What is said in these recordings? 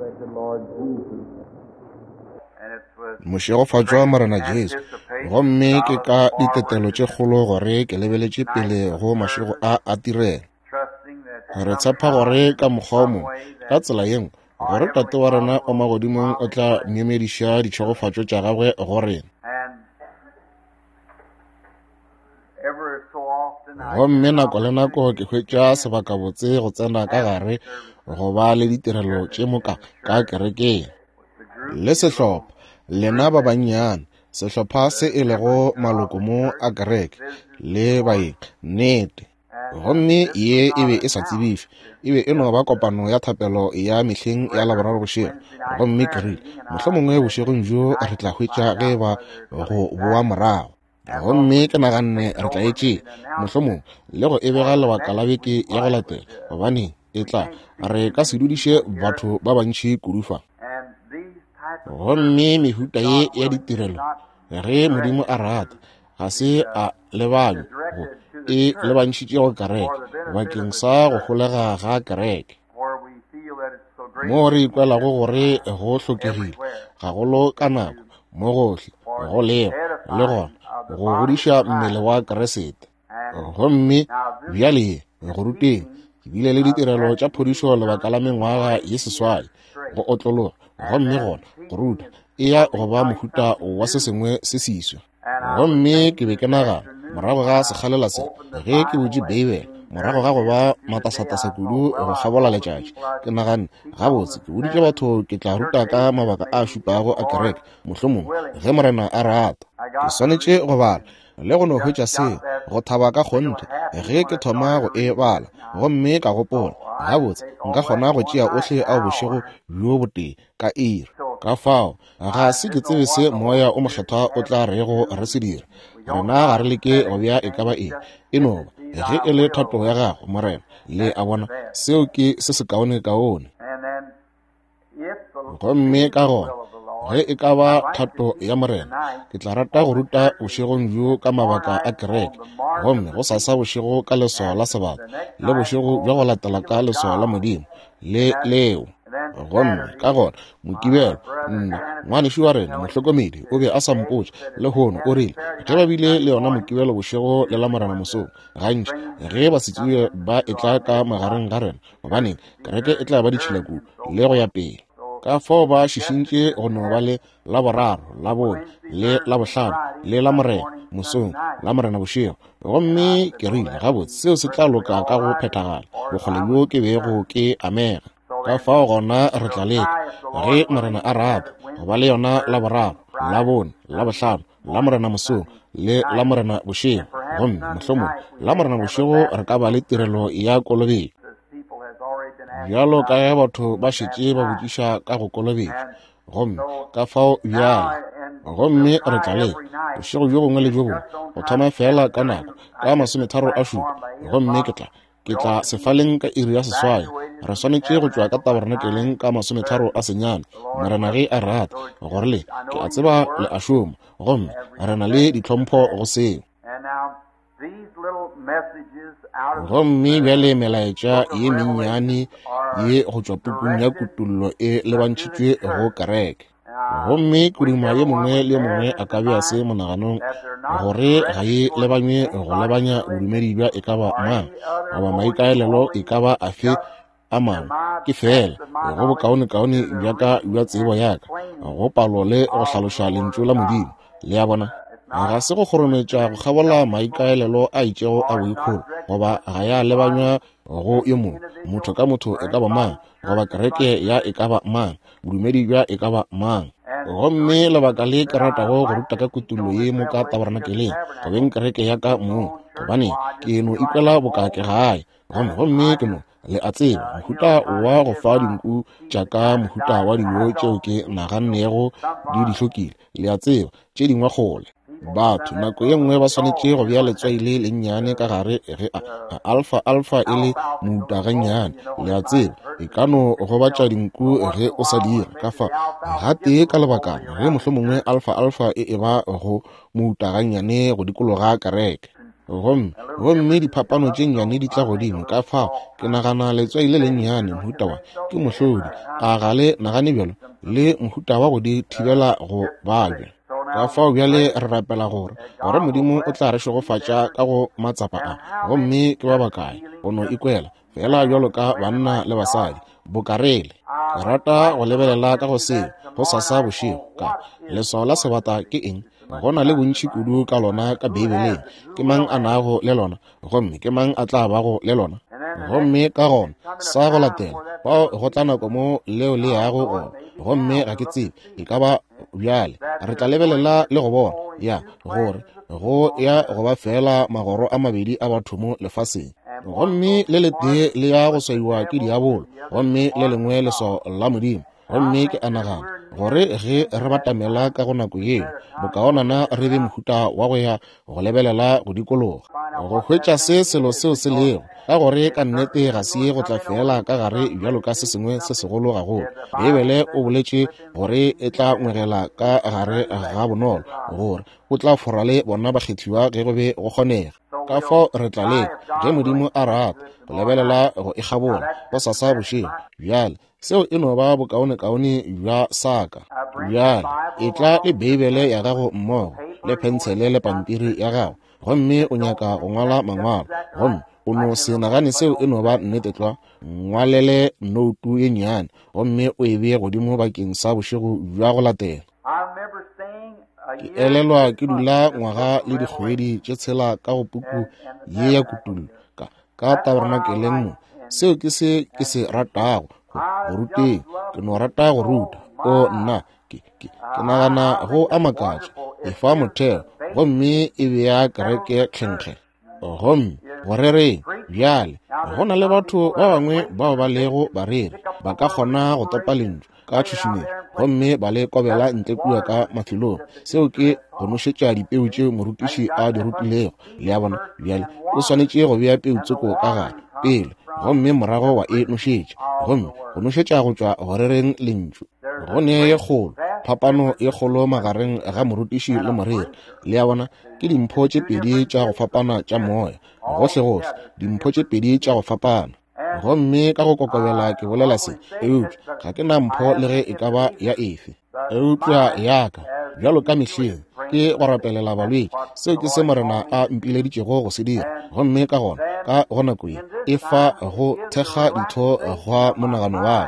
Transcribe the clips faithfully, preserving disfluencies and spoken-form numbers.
Thank the Lord Jesus. Mošegofatšwa Morena Jesu, gomme ke ka ditetelo tše kgolo gore ke lebeletše pele go mašego a a tirelo. Re tshepa gore ka mokgwa o mongwe, ka tsela ye nngwe, gore Tate wa rena wa magodimong o tla myemediša ditšhegofatšo tša gagwe go rena. Gomme nako le nako ke hwetša sebakabotse go tsena ka gare go ba le ditirelo tše moka ka kerekeng. Le sehlopha, lena ba bannyane, sehlopha se e lego maloko mo a kereke, le baeng, nnete. Gomme ye e be e sa tsebišwe, e be e no ba kopano ya thapelo ya mehleng ya Laboraro bošego. Gomme ke rile, mohlomongwe bošegong bjo re tla hwetša ge ba go boa morago. Gomme ke naganne re tla e tšea, mohlomongwe, le go e bega lebaka la beke ya go latela, gobane e tla re ka se dudiše batho ba bantši kudu fa. Gomme mehuta ye ya ditirelo, ge Modimo a rata, ga se a lebanywa go e lebantšhitše go kereke bakeng sa go holega ga kereke, moo re ikwelago gore go hlokegile gagolo ka nako mo gohle go lego le gona go godiša mmele wa Kriste. Gomme bjale go ruteng, ke bile le ditirelo tša phodišo lebaka la mengwaga ye seswai, go otlologa, gomme gona go ruta e ya go ba mohuta wa se sengwe se seswa. Gomme ke be ke nagana morago ga sekgalela se, ge ke butše Beibele, morago ga go ba matasatasa kudu go kgabola letšatši, ke naganne, gabotse, ke boditše batho ke tla ruta ka mabaka a šupago a kereke, mohlomongwe, ge Morena a rata. Ke swanetše go bala le go no hwetša seo, go thaba ka kgonthe ge ke thoma go e bala. Gomme ka gopola, gabotse, nka kgona go tšea ohle ao bošego bjo botee ka iri. Ka fao, ga se ke tsebe se Moya o Mokgethwa o tla rego re se dire. Rena ga re leke go bea e ka ba eng, e no ba ge e le thato ya gago, Morena. Le a bona, seo ke se sekaonekaone. Gomme ka gona, ge e ka ba thato ya Morena, ke tla rata go ruta bošegong bjo ka mabaka a kereke, gomme gosasa bošego ka leswao la sebata, le bošego bja go latela ka leswao la Modimo, le leo. Gomme ka gona Mokibelo, nna ngwanešu wa rena mohlokomedi o be a sa mpotša lehono, o rile ge ba bile le yona Mokibelo bošego le Lamorena mosong, gantši ge ba se tsebe ba etla ka magareng ga rena, gobaneng kereke e tla ba ditšhila kudu le go ya pele. Ka fao ba šišintše go no ba le Laboraro, Labone, le Labohlano, le Lamorena mosong, Lamorena bošego. Gomme ke rile, gabotse, seo se tla loka ka go phethagala bokgole bjo ke bego ke amega. Ka fao gona re tla leka, ge Morena a rata, go ba le yona Laboraro, Labone, Labohlano, Lamorena mosong, le Lamorena bošego. Gomme mohlomongwe Lamorena bošego re ka ba le tirelo ya kolobetšo, bjalo ka ge batho ba šetše ba botšiša ka go kolobetšwa. Gomme ka fao bjale, gomme re tla leka bošego bjo bongwe le bjo bongwe go thoma fela ka nako ka masometharo a šupa. Gomme ke tla ke tla sefaleng ka iri ya seswai. Re swanetše go tšwa ka tabernakeleng ka masometharo a senyane, Morena ge a rata, gore le ke a tseba le a šoma, gomme re na le ditlhompho go seo. Gomme bjale melaetša ye mennyane ye go tšwa pukung ya Kutollo e lebantšhitšwe go kereke. Gomme kuduma ye mongwe le mongwe a ka bea se monaganong gore ga e lebanywe go lebanya bodumedi bja e ka ba mang goba maikaelelo e ka ba afe a mangwe, ke fela go bokaonekaone bja ka bja tsebo ya ka go palo le go hlaloša lentšu la Modimo. Le a bona, ga se go kgorometša go kgabola maikaelelo a itšego a boikgolo, goba ga ya lebanywa go yo mongwe, motho ka motho e ka ba mang, goba kereke ya e ka ba mang, bodumedi bja e ka ba mang. Gomme lebaka le ke ratago go ruta ka kutollo ye mo ka tabernakeleng, go beng kereke ya ka mong, gobane ke no ikwela boka ke gae. Gomme gomme ke no, le a tseba, mohuta wa go fa dinku tša ka mohuta wa dijo tšeo ke nagannego di di hlokile, le a tseba, tše dingwe kgole. Batho nako ye nngwe ba swanetše go bea letswai le lennyane ka gare ge a, a alfa alfa e le mouta gannyane, le a tseba, e ka no gobatša dinku ge o sa dira. Ka fa gatee ka lebakana ge mohlomongwe alfa alfa e eba go mouta gannyane go dikologa kereke. Gomme gomme diphapano tše nnyane di tla godimo, ka fao ke nagana letswai le lennyane mohuta wa ke mohlodi, a ga le nagane bjalo, le mohuta wa go di thibela go babja. Ka fao bjale re rapela gore gore Modimo o tla re šegofatša ka go matsapa a, gomme ke ba bakae go no ikwela fela bjalo ka banna le basadi bokarele. Ke rata go lebelela ka go seo go sasa bošego ka leswao la sebata ke eng. Go na le bontši kudu ka lona ka Beibeleng. Ke mang a nago le lona, gomme ke mang a tla bago le lona? Gomme ka gona sa go latela bao go tla nako mo leo le yago gona, gomme ga ke tsebe e ka ba bjale. Re tla lebelela le go bona ya gore go ya go ba fela magoro a mabedi a batho mo lefaseng, gomme le letee le ya go swaiwa ke diabolo, gomme le lengwe leswao la Modimo. Gomme ke a nagana gore ge re batamela ka go nako yeo, bokaonana re be mohuta wa go ya go lebelela go dikologa go hwetša se selo seo se lego, ka gore ka nnete ga se ye go tla fela ka gare bjalo ka se sengwe se segolo gagolo. Beibele o boletše gore e tla ngwegela ka gare ga bonolo, gore o tla fora le bona bakgethiwa ge go be go kgonega. Ka fao re tla leka, ge Modimo a rata, go lebelela go e kgabola go sasa bošego. Bjale seo e no ba bokaonekaone bja saka. Bjale e tla le Beibele ya gago mmogo le phentshele le pampiri ya gago, gomme o nyaka go ngwala mangwalo, gomme o no se nagane seo e no ba nnete tlwa, ngwalele noutu ye nnyane gomme o e bee godimo bakeng sa bošego bja go latela. Ke elelwa ke dula ngwaga le dikgwedi tše tshela ka go puku ye ya Kutullo ka ka tabernakeleng mo. Seo ke se ke se ratago go ruteng. Ke no rata go ruta. O nna ke ke ke nagana go a makatša, e fa motheo gomme e bea kereke tlhenkge. Gomme go rereng bjale, go na le batho ba bangwe bao ba lego bareri, ba ka kgona go topa lentšu ka tšhušumetšo gomme ba le kobela ntle kua ka mafelong. Seo ke go nošetša dipeu tšeo morutiši a di rutilego. Le a bona? Bjale o swanetše go bea peu tsoko ka gare pele, gomme morago wa e nošetša, gomme go nošetša go tšwa go rereng lentšu. Go ne ye kgolo phapano ye kgolo magareng ga morutiši le moreri. Le a bona? Ke dimpho tše pedi tša go fapana tša moya, gohlegohle dimpho tše pedi tša go fapana. Gomme ka go kokobela ke bolela se, eupša ga ke na mpho le ge e ka ba ya efe, eupša ya ka bjalo ka mehleng ke go rapelela balwetši. Seo ke se Morena a mpileditšego go se dira. Gomme ka gona ka go nako ye e fa go thekga ditho gwa monagano wa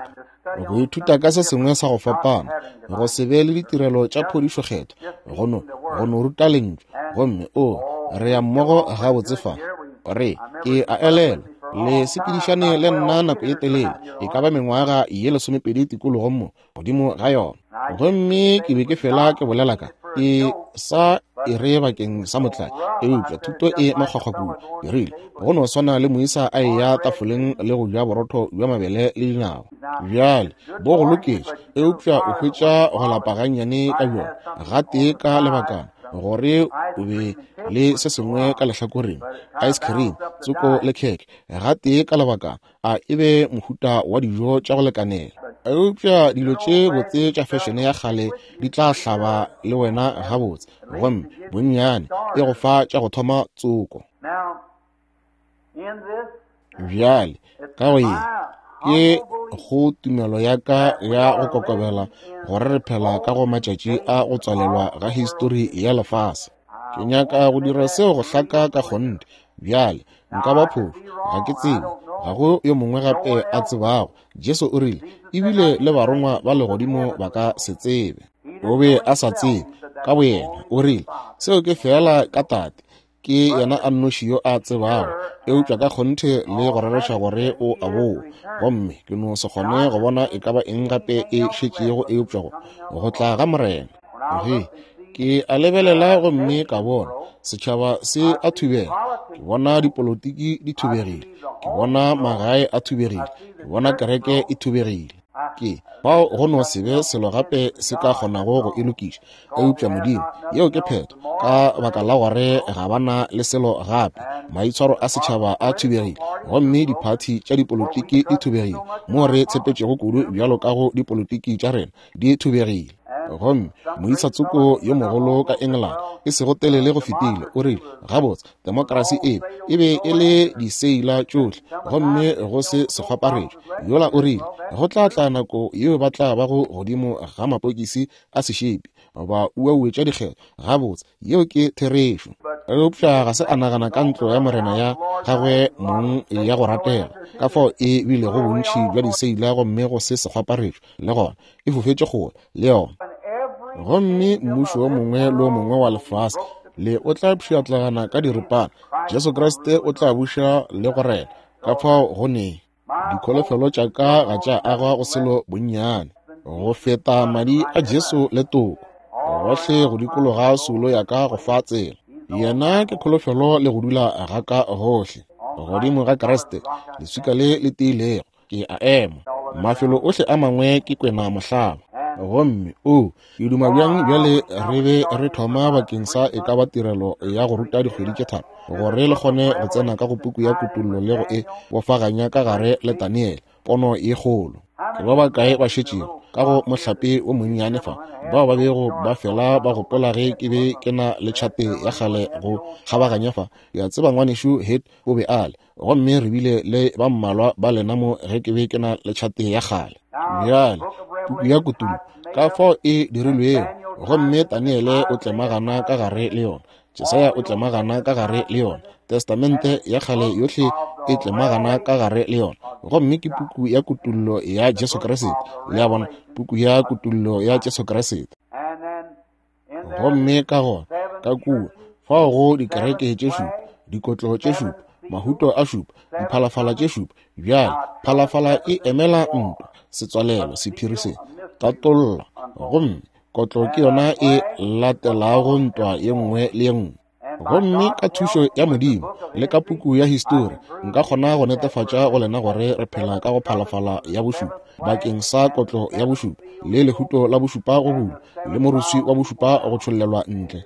ka go ithuta ka se sengwe sa go fapana, go se be le ditirelo tša phodišo kgetho, go no go no ruta lentšu. Gomme o re ya mmogo gabotse fa. Re ke a elelwa le sepedišane le nna nako ye telele, e ka ba mengwaga ye lesomepedi tikologong mo godimo ga yona. Gomme ke be ke fela ke bolela ka e sa e re bakeng sa motlae, eupša thuto e makgwakgwa kudu. Ke rile go no swana le moisa a eya tafoleng le go ja borotho bja mabele le dinawa. Bjale bo go loketše, eupša o hwetša go lapa gannyane ka bjona gatee ka lebakana, gore o be le se sengwe ka lehlakoreng, ice cream tsoko le kheke gatee ka lebakana, a e be mohuta wa dijo tša go lekanela. Eupša dilo tše botse tša fešene ya kgale di tla hlaba le wena gabotse, gomme bonnyane e go fa tša go thoma tsoko. Bjale ka go ye ke go tumelo ya ka ya go kokobela gore re phela ka go matšatši a go tswalelwa ga histori ya lefase. Ke nyaka go dira seo go hlaka ka kgonthe. Bjale nka ba phošo, ga ke tsebe, ga go yo mongwe gape a tsebago. Jesu o rile ebile le barongwa ba legodimo ba ka se tsebe. O be a sa tsebe ka boyena. O rile seo ke fela ka Tate, ke yena a nnoši yo a tsebago, eupša ka kgonthe le go rereša gore o a boa. Gomme ke no se kgone go bona e ka ba eng gape e šetšego eupša go go tla ga Morena. Ge ke a lebelela gomme ka bona setšhaba se a thubega, ke bona dipolotiki di thubegile, ke bona magae a thubegile, ke bona kereke e thubegile. Ke bao go no se be selo gape se ka kgonago go e lokiša eupša Modimo. Yeo ke phetho, ka baka la gore ga ba na le selo gape. Maitshwaro a setšhaba a thubegile, gomme diphathi tša dipolotiki di thubegile, mo re tshepetšego kudu bjalo ka go dipolotiki tša rena di thubegile. Gomme moisa tsoko yo mogolo ka England, e sego telele go fetile, o rile, gabotse, demokrasi e e be e le diseila tšohle, gomme go se sekgwaparetšo. Yola o rile, go tla tla nako yeo ba tla bago godimo ga mapokisi a sešepi, ba uauetša dikgetho. Gabotse, yeo ke therešo. Eupša ga se a nagana ka ntlo ya morena ya gagwe mong ya go ratega, ka fao e bilego bontši bja diseila gomme go se sekgwaparetšo, le gona e fofetše kgole le yona. Gomme mmušo o mongwe le o mongwe wa lefase le o tla pšhatlagana ka diripana. Jesu Kriste o tla buša le go rena. Ka fao go ne dikholofelo tša ka ga tša agwa go selo bonnyane go feta madi a Jesu le toko gohle go dikologa soulo ya ka go fa tsela. Yena ke kholofelo le go dula ga ka gohle godimo ga Kriste, leswika le le tiilego. Ke a ema. Mafelo ohle a mangwe ke kwena mohlaba. Gomme o ke duma bjang bjale re be re thoma bakeng sa e ka ba tirelo ya go ruta dikgwedi tše tharo, gore le kgone go tsena ka go puku ya Kutollo le go e bofaganya ka gare le Daniele, pono ye kgolo. Ke ba bakae ba šetšego ka go mohlape o monnyane fa, bao ba bego ba fela ba gopola ge ke be ke na le tšhate ya kgale go kgabaganya fa? Ke a tseba ngwanešu Het o be a le, gomme re bile le ba mmalwa ba lena mo ge ke be ke na le tšhate ya kgale. Bjale puku ya Kutollo ka fao e dirilwego, gomme Daniele o tlemagana ka gare le yona, Jesaya o tlemagana ka gare le yona, Testamente ya kgale yohle e tlemagana ka gare le yona. Gomme ke puku ya Kutollo ya Jesu Kriste. Le a bona, puku ya Kutollo ya Jesu Kriste. Gomme ka gona ka kua fao go dikereke tše šupa, dikotlo tše šupa, mahuto a šupa, diphalafala tše šupa. Bjale phalafala e emela ntwa, setswalelo, sephiri se tatolla, gomme kotlo ke yona e latelago ntwa ye nngwe le ye nngwe. Gomme ka thušo ya Modimo le ka puku ya histori nka kgona go netefatša go lena gore re phela ka go phalafala ya bošupa bakeng sa kotlo ya bošupa, le lehuto la bošupa go bulwa, le moruswi wa bošupa go tšhollelwa ntle.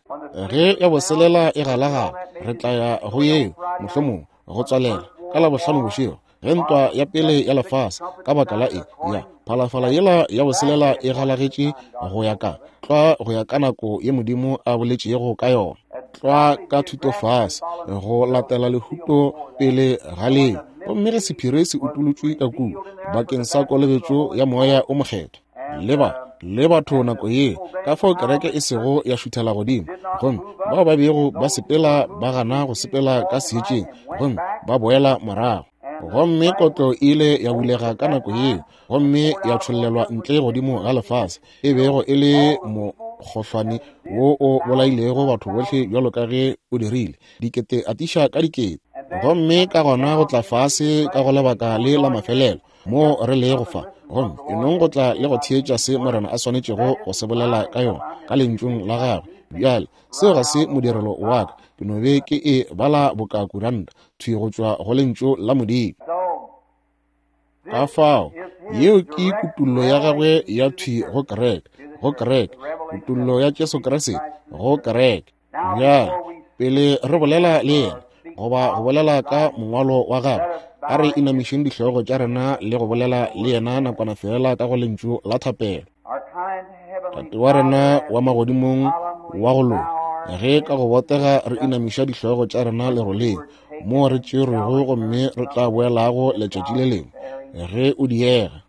Ge ya boselela e galagala, re tla ya go yeo mohlomongwe go tswalela ka Labohlano bošego, ge ntwa ya pele ya lefase ka baka la e ya phalafala yela ya boselela e galagetše go ya ka tlwa go ya ka nako ye Modimo a boletšego ka yona, tlwa ka thutofase go latela lehuto pele ga leo. Gomme ge sephiri se utolotšwe ka kua bakeng sa kolobetšo ya Moya o Mokgethwa le ba le batho nako ye, ka fao kereke e sego ya šuthela godimo, gomme bao ba bego ba sepela ba gana go sepela ka seetšeng gomme ba boela morago. Gomme kotlo e ile ya bulega ka nako yeo, gomme ya tšhollelwa ntle godimo ga lefase, e bego e le mokgohlwane wo o bolailego batho bohle bjalo ka ge o dirile, dikete atiša ka dikete. Gomme ka gona go tla fase ka go lebaka le la mafelelo mo re lego fa, gomme e nong go tla le go theetša se Morena a swanetšego go se bolela ka yona ka lentšung la gagwe. Bjale seo ga se modirelo wa ka, ke no be ke e bala boka kuranta thwi go tšwa go lentšu la Modimo. Ka fao yeo ke kutollo ya gagwe ya thwi go kereke, go kereke, kutollo ya Jesu Kriste go kereke. Bjale pele re bolela le yena goba go bolela ka mongwalo wa gagwe, a re inamišeng dihlogo tša rena le go bolela le yena nakwana fela ka go lentšu la thapelo. Tate wa rena wa magodimong wa go loka, ge ka go botega re inamiša dihlogo tša rena leroleng mo re tšerwego gomme re tla boelago letšatši le lengwe ge o diega,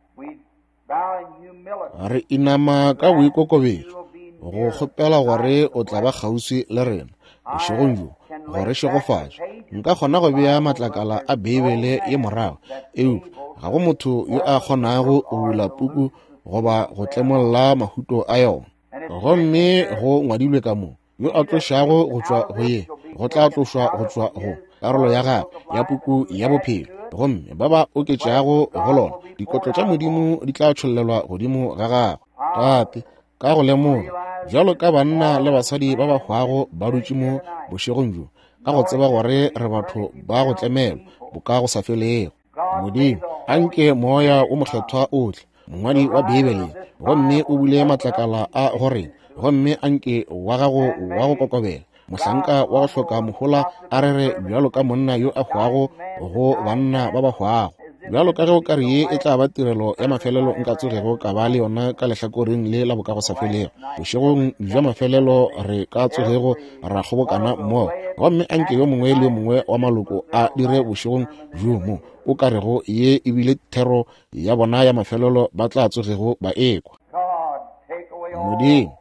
re inama ka boikokobetšo go kgopela gore o tla ba kgauswi le rena bošegong bjo gore šegofatše. Nka kgona go bea matlakala a Beibele ye morago, eupša ga go motho yo a kgonago go bula puku goba go tlemolla mahuto a yona. Gomme go ngwadilwe ka mo, yo a tlošago go tšwa go ye, go tla tlošwa go tšwa go karolo ya gagwe ya puku ya bophelo, gomme ba ba oketšago go lona dikotlo tša Modimo di tla tšhollelwa godimo ga gagwe. Tate, ka go lemoga bjalo ka banna le basadi ba ba hwago ba dutše mo bošegong bjo, ka go tseba gore re batho ba go tlemelwa boka go sa felego, Modimo, anke Moya o Mokgethwa o tle, mongwadi wa Beibele, gomme o bule matlakala a go rena, gomme anke wa gago wa go kokobela, mohlanka wa go hloka mohola, a rere bjalo ka monna yo a hwago go banna ba ba hwago. Bjalo ka ge o ka re ye e tla ba tirelo ya mafelelo nka tsogego ka ba le yona ka lehlakoreng le la bokagosafelego, bošegong bja mafelelo re ka tsogego ra kgobokana mmogo, gomme anke yo mongwe le yo mongwe wa maloko a dire bošegong bjo mo o ka rego ye e bile thero ya bona ya mafelelo ba tla tsogego ba ekwa. Modimo,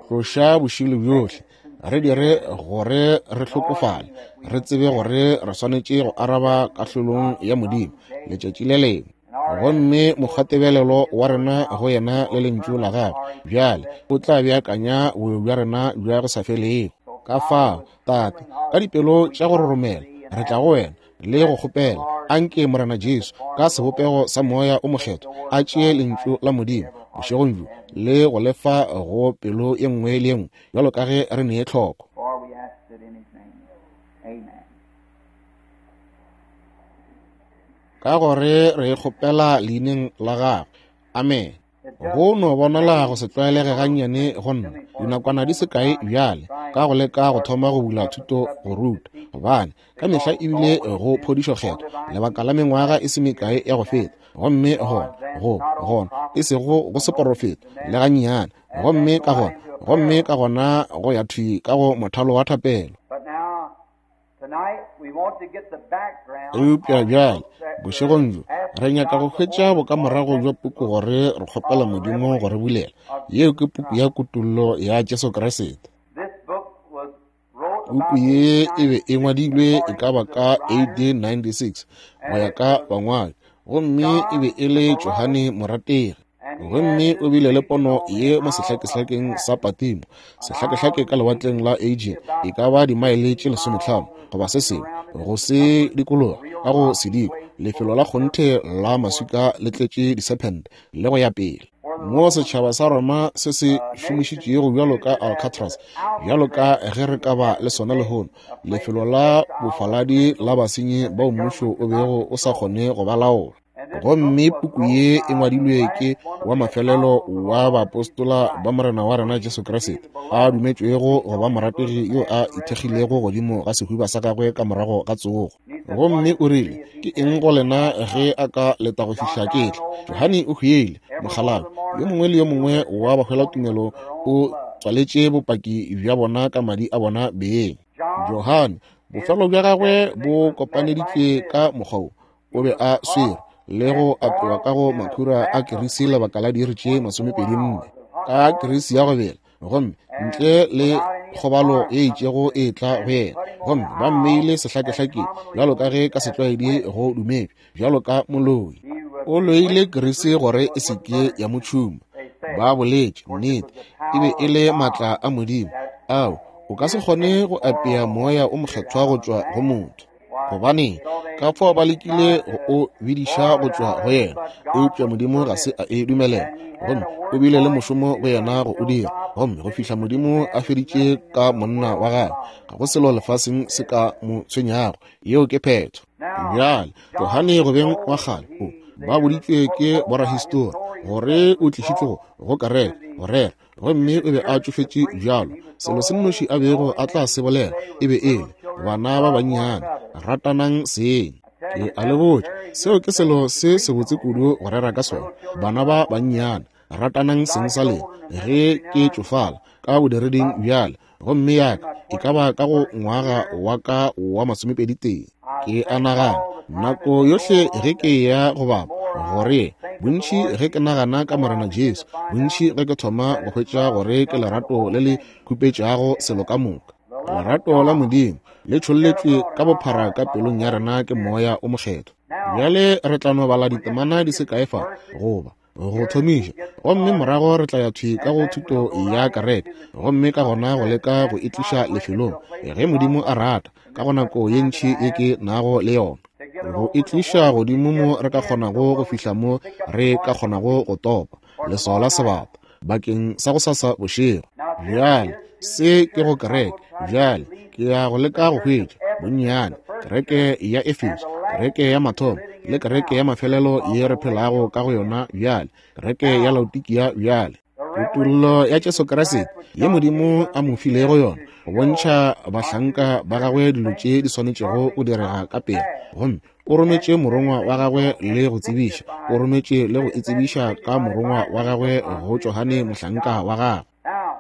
tloša bošilo bjohle, re dire gore re hlokofale, re tsebe gore re swanetše go araba kahlolong ya Modimo letšatši le lengwe. Gomme mokgwatebelelo wa rena go yena le lentšu la gagwe bjale o tla beakanya boyo bja rena bja go sa felego. Ka fao, Tate, ka dipelo tša go roromela re tla go wena le go kgopela, anke Morena Jesu ka sebopego sa Moya o Mokgethwa a tšee lentšu la Modimo bošegong bjo le go lefa go pelo ye nngwe le ye nngwe bjalo ka ge re nee tlhoko. Ka gore re kgopela leineng la gagwe. Amen. Go no bonala go se tlwaelege gannyane go nna dinakwana di se kae bjale ka go leka go thoma go bula thuto go ruta, gobane ka mehla ebile go phodišo kgetho lebaka la mengwaga e se mekae ya go feta, gomme gona go gona e sego go seporofeto le gannyane, gomme ka gona gomme ka gona go ya thwi ka go mothalo wa thapelo. Eupša bjale bošegong bjo re nyaka go hwetša bokamorago bja puku gore re kgopela Modimo go re bulela. Yeo ke puku ya Kutollo ya Jesu Kriste. Puku ye e be e ngwadilwe e ka ba ka A D ninety-six go ya ka bangwadi, gomme e be e le Johane morategi. Gomme o bile le pono ye mo sehlakehlakeng sa Patimo, sehlakehlake ka lewatleng la Aegean, e ka ba dimaele tše lesometlhano goba se sengwe go se dikologa ka go sediko, lefelo la kgonthe la maswika le tletše disephente le go ya pele, mo setšhaba sa Roma se se šomišitšego bjalo ka Alcatraz, bjalo ka ge re ka ba le sona lehono, lefelo la bofaladi la basenyi bao mmušo o bego o sa kgone go ba laola. Gomme puku ye e ngwadilwe ke wa mafelelo wa baapostola ba Morena wa rena Jesu Kriste, a dumetšwego go ba morategi yo a ithekgilego godimo ga sehuba sa gagwe ka morago ga tsogo. Gomme o rile, ke eng go lena ge a ka leta go fihla ke tla? Johane o hwile mokgalabje, yo mongwe le yo mongwe wa bahwelatumelo o tswaletše bopaki bja bona ka madi a bona beng. Johane, bofelo bja gagwe bo kopaneditšwe ka mokgwa wo, o be a swere le go apewa ka go makhura a kerisi lebaka la diiri tše masomepedi nne ka kerisi ya go bela, gomme ntle le kgobalo e itšego e tla go yena, gomme ba mmeile sehlakehlakeng bjalo ka ge ka setlwaedi go dumetšwe bjalo ka moloi. O loile kerisi gore e se ke ya mo tšhuma. Ba boletše nnete, e be e le maatla a Modimo ao o ka se kgone go apea moya o mokgethwa go tšwa go motho, gobane ka fao ba lekile go o bidiša go tšwa go yena, eupša Modimo ga se a e dumelela, gomme o bile le mošomo go yena go o dira, gomme go fihla Modimo a feditše ka monna wa gagwe, ga go selo lefaseng se ka mo tshwenyago. Yeo ke phetho. Bjale Johane go beng wa kgale o ba boditšwe ke borahistori gore o tlišitšwe go go kereke go rera, gomme o be a tšofetše bjalo. Selo se nnoši a bego a tla se bolela e be e le, bana ba bannyane, ratanang seng. Ke a le botša, seo ke selo se sebotse kudu go rera ka sona. Bana ba bannyane, ratanang seng sa lena. Ge ke tšofala ka bodireding bjale, gomme yaka e ka ba ka go ngwaga wa ka wa masomepedi tee, ke a nagana nako yohle ge ke ya go bapa gore bontši ge ke nagana ka Morena Jesu, bontši ge ke thoma go hwetša gore ke lerato le le khupetšago selo ka moka. Lerato la Modimo le tšholletšwe ka bophara ka pelong ya rena ke Moya o Mokgethwa. Bjale re tla no bala ditemana di se kae fa goba go thomiša, gomme morago re tla ya thwi ka go thuto ya kereke, gomme ka gona go leka go e tliša lefelong ge Modimo a rata, ka go nako ye ntši ye ke nago le yona, go e tliša godimo mo re ka kgonago go fihla mo re ka kgonago go topa leswao la sebata bakeng sa go sasa bošego. Bjale se ke go kereke. Bjale ke ya go leka go hwetša bonnyane kereke ya Efeso, kereke ya mathomo le kereke ya mafelelo ye re phelago ka go yona bjale, kereke ya Laodikia bjale. Kutollo ya Jesu Kriste ye Modimo a mo filego yona go bontšha bahlanka ba gagwe dilo tše di swanetšego go direga ka pele. Gomme o rometše morongwa wa gagwe le go tsebiša, o rometše le go itsebiša ka morongwa wa gagwe go Johane mohlanka wa gagwe.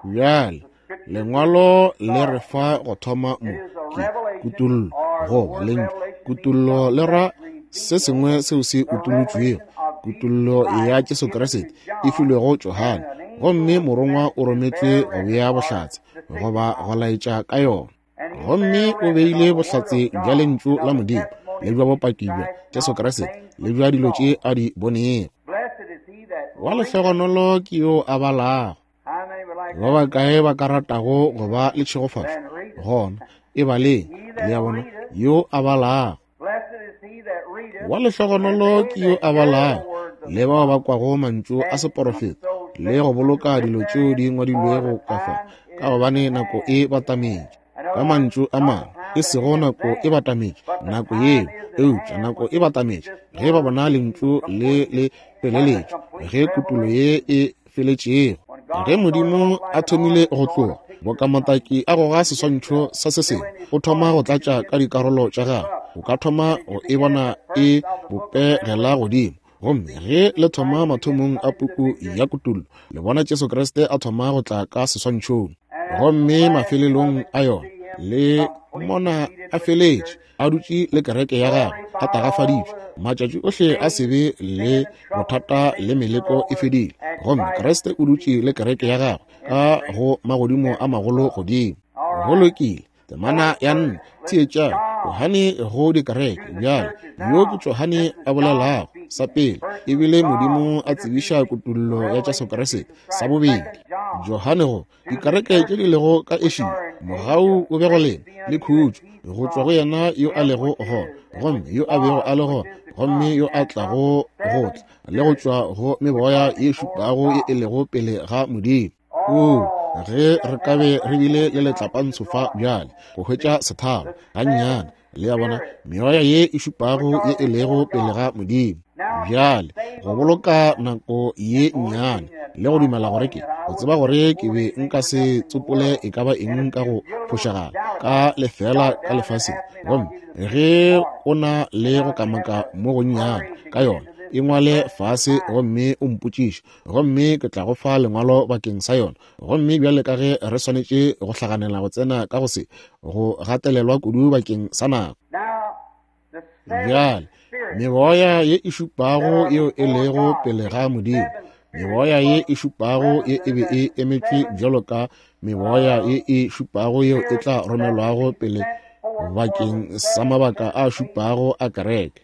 Bjale lengwalo le re fa go thoma mo ke kutollo goba lentšu kutollo le ra se sengwe seo se utolotšwego. Kutollo ya Jesu Kriste e filwego Johane, gomme morongwa o rometšwe go bea bohlatse goba go laetša ka yona. Gomme o beile bohlatse bja lentšu la Modimo le bja bopaki bja Jesu Kriste le bja dilo tše a di bonego. Wa lehlogonolo ke yo a balago. Ba bakae ba ka ratago go ba le tšhegofatšo? Gona e baleng, le a bona, yo a balago. Wa lehlogonolo ke yo a balago le bao ba kwago mantšu a seporofeto le go boloka dilo tšeo di ngwadilwego ka fa, ka gobane nako e batametše. Ka mantšu a mangwe, e sego nako e batametše nako yeo, eupša nako e batametše ge ba bona lentšu le le feleletšwe, ge kutollo ye e feletšego. Ge Modimo a thomile go tloga, boka motaki a goga seswantšho sa se sengwe, o thoma go tlatša ka dikarolo tša gagwe. O ka thoma go e bona e bopegela godimo. Gomme ge le thoma mathomong a puku ya Kutollo, le bona Jesu Kriste a thoma go tla ka seswantšhong. Gomme mafelelong a yona le mona a feletše, a dutše le kereke ya gagwe, a tagafaditšwe. Matšatši ohle a sebe le bothata le meleko e fedile. Gomme Kriste o dutše le kereke ya gagwe ka go magodimo a magolo godimo. Go lokile. Temana ya nne, theetšang Johane go dikereke. Bjale yo ke Johane a bolelago. Sa pele ebile Modimo a tsebiša kutollo ya Jesu Kriste. Sa bobedi, Johane go dikereke tše di lego ka Asia, mogau o be go lena le khutšo go tšwa go yena yo a lego gona, gomme yo a bego a le gona, gomme yo a tlago go tla, le go tšwa go meboya ye šupago ye e lego pele ga Modimo. Oo, ge re ka be re bile le letlapantsho fa bjale go hwetša sethalo gannyane, le a bona, meoya ye e šupago ye e lego pele ga Modimo. Bjale go boloka nako ye nnyane le go dumela gore ke go tseba gore ke be nka se tsopole e ka ba eng ka go phošagala ka lefela ka lefaseng. Gomme ge o na le go kamaka mo gonnyane ka yona, e ngwale fase gomme o mpotšiše, gomme ke tla go fa lengwalo bakeng sa yona. Gomme bjale ka ge re swanetše go hlaganela go tsena ka go se go gatelelwa kudu bakeng sa nako. Bjale meboya ye e šupago yeo e lego pele ga Modimo, meboya ye e šupago ye e be e emetšwe bjalo ka meboya ye e šupago yeo e tla romelwago pele bakeng sa mabaka a šupago a kereke.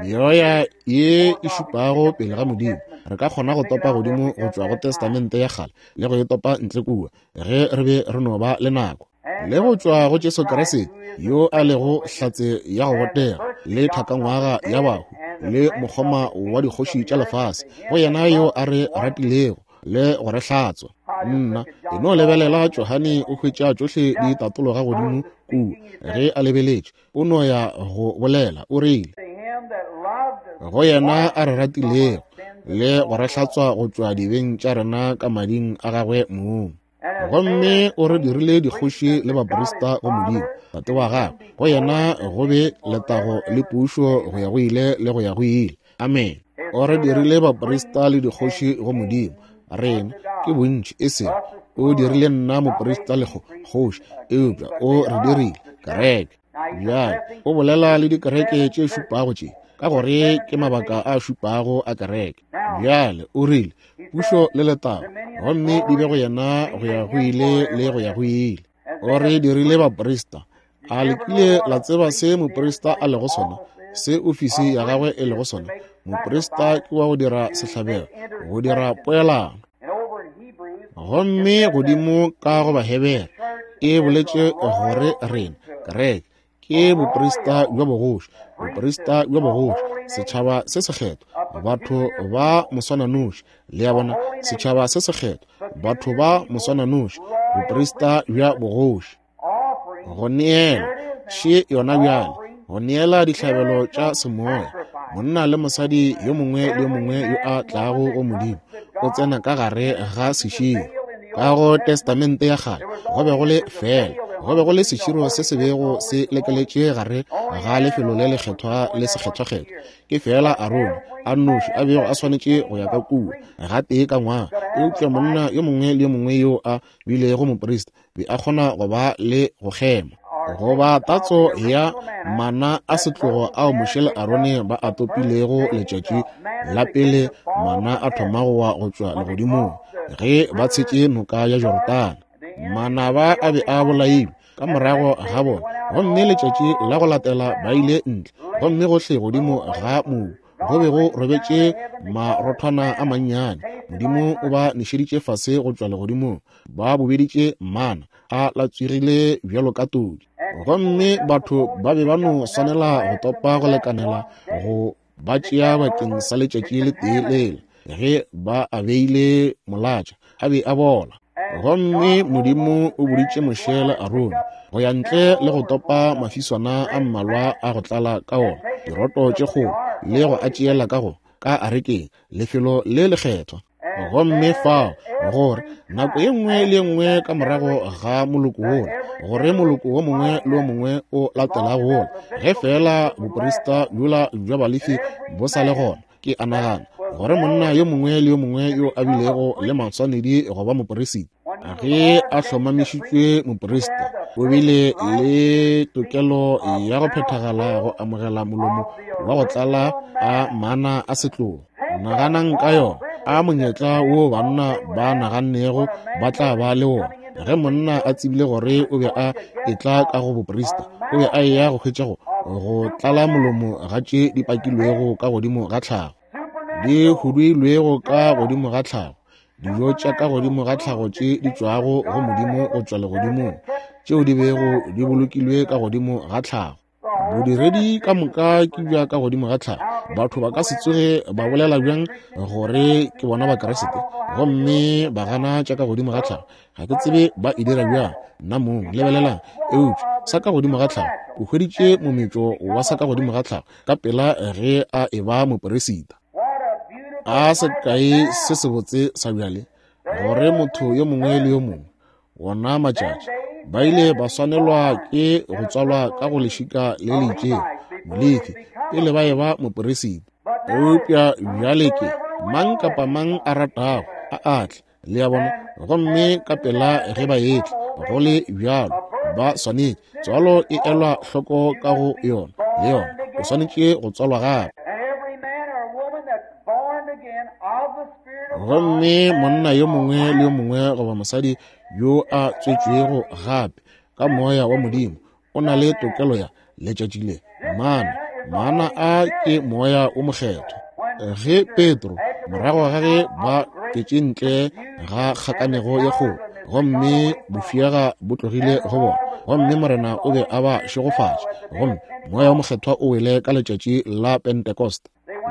Meoya ye e šupago pele ga Modimo re ka kgona go topa godimo go tšwa go Testamente ya kgale le go e topa ntle kua ge re be re no ba le nako, le go tšwa go Jesu Kriste yo a lego hlatse ya go botega le thakangwaga ya bahu le mokgoma wa dikgoši tša lefase, go yena yo a re ratilego le go re hlatswa. Nna e no lebelela Johane o hwetša tšohle di tatologa godimo kua ge a lebeletše, o no ya go bolela o rile, go yena a re ratilego le go re hlatswa go tšwa dibeng tša rena ka mading a gagwe mong. Gomme o re dirile dikgoši le baprista go Modimo Tate wa gagwe, go yena go be letago le pušo go ya go ile le go ya go ile. Amen. O re dirile baprista le dikgoši go Modimo. Rena ke bontši, e sego o dirile nna moprista le kgoši, eupša o re dirile kereke. Bjale o bolela le dikereke tše šupago tše, ka gore ke mabaka a šupago a kereke. Bjale o rile pušo le letago gomme di be go yena go ya go ile le go ya go ile. O re dirile baprista. A le kile la tseba se moprista a lego sona, se ofisi ya gagwe e lego sona? Moprista ke wa go dira sehlabelo, go dira poelano. Gomme godimo ka go Bahebere e boletše gore rena kereke ke boprista bja bogoši, boprista bja bogoši, setšhaba se sekgethwa, batho ba moswananoši. Le a bona, setšhaba se sekgethwa, batho ba moswananoši, boprista bja bogoši. Go neela še yona bjale, go neela dihlabelo tša semoya, Monna le mosadi yo mongwe le yo mongwe yo a tlago go Modimo o tsena ka gare ga seširo. Ka go Testamente ya Kgale go be go le fela go be go le seširo se se bego se lekeletše gare ga lefelo le lekgethwa le sekgethwakgethwa. Ke fela Arone a nnoši a bego a swanetše go ya ka kua gatee ka ngwaga, eupša monna yo mongwe le yo mongwe yo a bilego moprista be a kgona go ba le go kgema goba tatso ya mana a setlogo ao Moshe le Arone ba a topilego letšatši la pele mana a thoma go wa go tšwa legodimong ge ba tshetše noka ya Jorodane. Manaba a be a bolailwe ka morago ga bona, gomme letšatši la go latela ba ile ntle, gomme gohle godimo ga mobu go be go robetše marothwana a mannyane. Modimo o ba nešeditše fase go tšwa legodimong, ba bobeditše mana a latswegile bjalo ka todi, gomme batho ba be ba no swanela go topa go lekanela go ba tšea bakeng sa letšatši le tee lela. Ge ba a beile molatša a be a bola. Gomme Modimo o boditše Moshe le Arone go ya ntle le go topa mafiswana a mmalwa a go tlala ka ona diroto tše kgolo le go a tšeela ka go ka arekeng, lefelo le lekgethwa. Gomme fao gore nako ye nngwe le ye nngwe ka morago ga moloko wola, gore moloko wo mongwe le wo mongwe o latelago wola, ge fela boprista bjola bja Balefi bo sa le gona, ke a nagana gore monna yo mongwe le yo mongwe yo a bilego le maswanedi go ba moperisita, ge a hlomamišitšwe moperisita, o bile le tokelo ya go phethagala go amogela molomo wa go tlala a mana a setlogo. Naganang ka yona, a monyetla wo banna ba nagannego ba tla ba le wona ge monna a tsebile gore o be a etla ka go boprista, o be a eya go hwetša go go tlala molomo ga tše di pakilwego ka godimo ga tlhago, di huduilwego ka godimo ga tlhago, dijo tša ka godimo ga tlhago tše di tšwago go Modimo go tšwa legodimong, tšeo di bego di bolokilwe ka godimo ga tlhago. Bodiredi ka moka ke bja ka godimo ga tlhago. Batho ba ka se tsoge ba bolela bjang gore ke bona Bakriste gomme ba gana tša ka godimo ga tlhago? Ga ke tsebe ba e dira bjang nna mong. Lebelelang, eupša sa ka godimo ga tlhago, o hweditše mometšo wa sa ka godimo ga tlhago ka pela ge a e ba moperisita. A sekai se sebotse sa bjale, gore motho yo mongwe le yo mongwe wona matšatši ba ile ba swanelwa ke go tswalwa ka go lešika le le itšego, Molefi, pele ba eba moperisita. Eupša bjale ke mang kapa mang a ratago a atle, le a bona, gomme ka pela ge ba etla go le bjalo ba swanetše. Tswalo e elwa hloko ka go yona, le yona o swanetše go tswalwa gape. Gomme monna yo mongwe le yo mongwe goba mosadi yo a tswetšwego gape ka moya wa Modimo o na le tokelo ya letšatši le mana. Mana a ke moya o mokgethwa. Ge Petro morago ga ge ba tšwetše ntle ga kgakanego ye kgolo, gomme bofiega bo tlogile go bona, gomme Morena o be a ba šegofatša, gomme moya o mokgethwa o wele ka letšatši la Pentecost,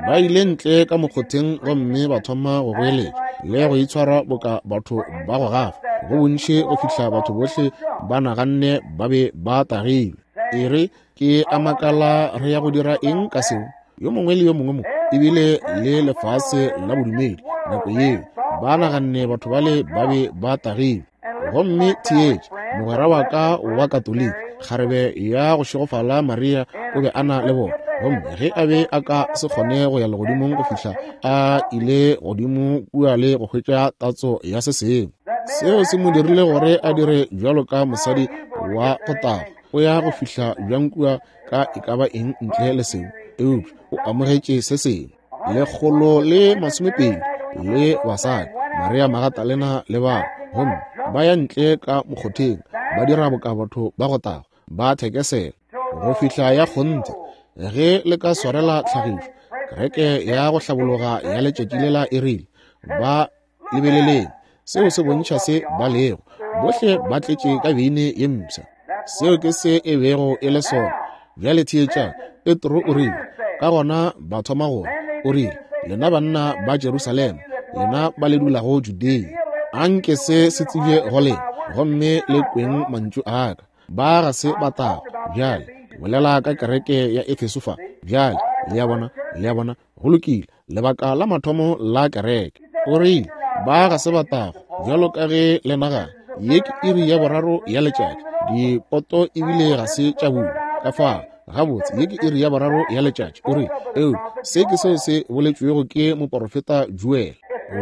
ba ile ntle ka mokgotheng gomme ba thoma go goeletša le go itshwara boka batho ba go gafa go bontši go fihla batho bohle ba naganne ba be ba tagilwe. E re ke a makala re ya go dira eng ka seo? Yo mongwe le yo mongwe mo ebile le lefase la bodumedi nako yeo ba naganne batho bale ba be ba tagilwe. Gomme theetše, mogwera wa ka wa Katoliki, kgarebe ya go šegofala Maria, o be a na le bona, gomme ge a be a ka se kgone go ya legodimong go fihla a ile godimo kua le go hwetša tatso ya se sengwe, seo se mo dirile gore a dire bjalo ka mosadi wa go taga. O ya go fihla bjang kua ka e ka ba eng ntle le seo? Eupša o amogetše se sengwe. Lekgolo le masomepedi le basadi, Maria Magatalena le ba, gomme ba ya ntle ka mokgotheng ba dira boka batho ba go taga, ba thekesela go fihla ya kgonthe. Ge le ka swarela tlhagišo, kereke ya go hlabologa ya letšatši lela e rile, ba lebeleleng, seo se bontšha se ba lego. Bohle ba tletše ka beine ye mpsha. Seo ke se e bego e le sona. Bjale theetšang, Petro o rile, ka gona ba thoma gore, o rile, lena banna ba Jerusalema, lena ba le dulago Judea, anke se se tsebje go lena, gomme le kweng mantšu a ka. Ba ga se ba tago. Bjale ke bolela ka kereke ya Efeso fa. Bjale le a bona, Le a bona? Go lokile. Lebaka la mathomo la kereke. O rile, ba ga se batago, bjalo ka ge le nagana. Ye ke iri ya boraro ya letšatši. Dipoto ebile ga se tša bulwa. Ka fao, gabotse, ye ke iri ya boraro ya letšatši. O rile, eupša se ke seo se boletšwego ke moporofeta Joel.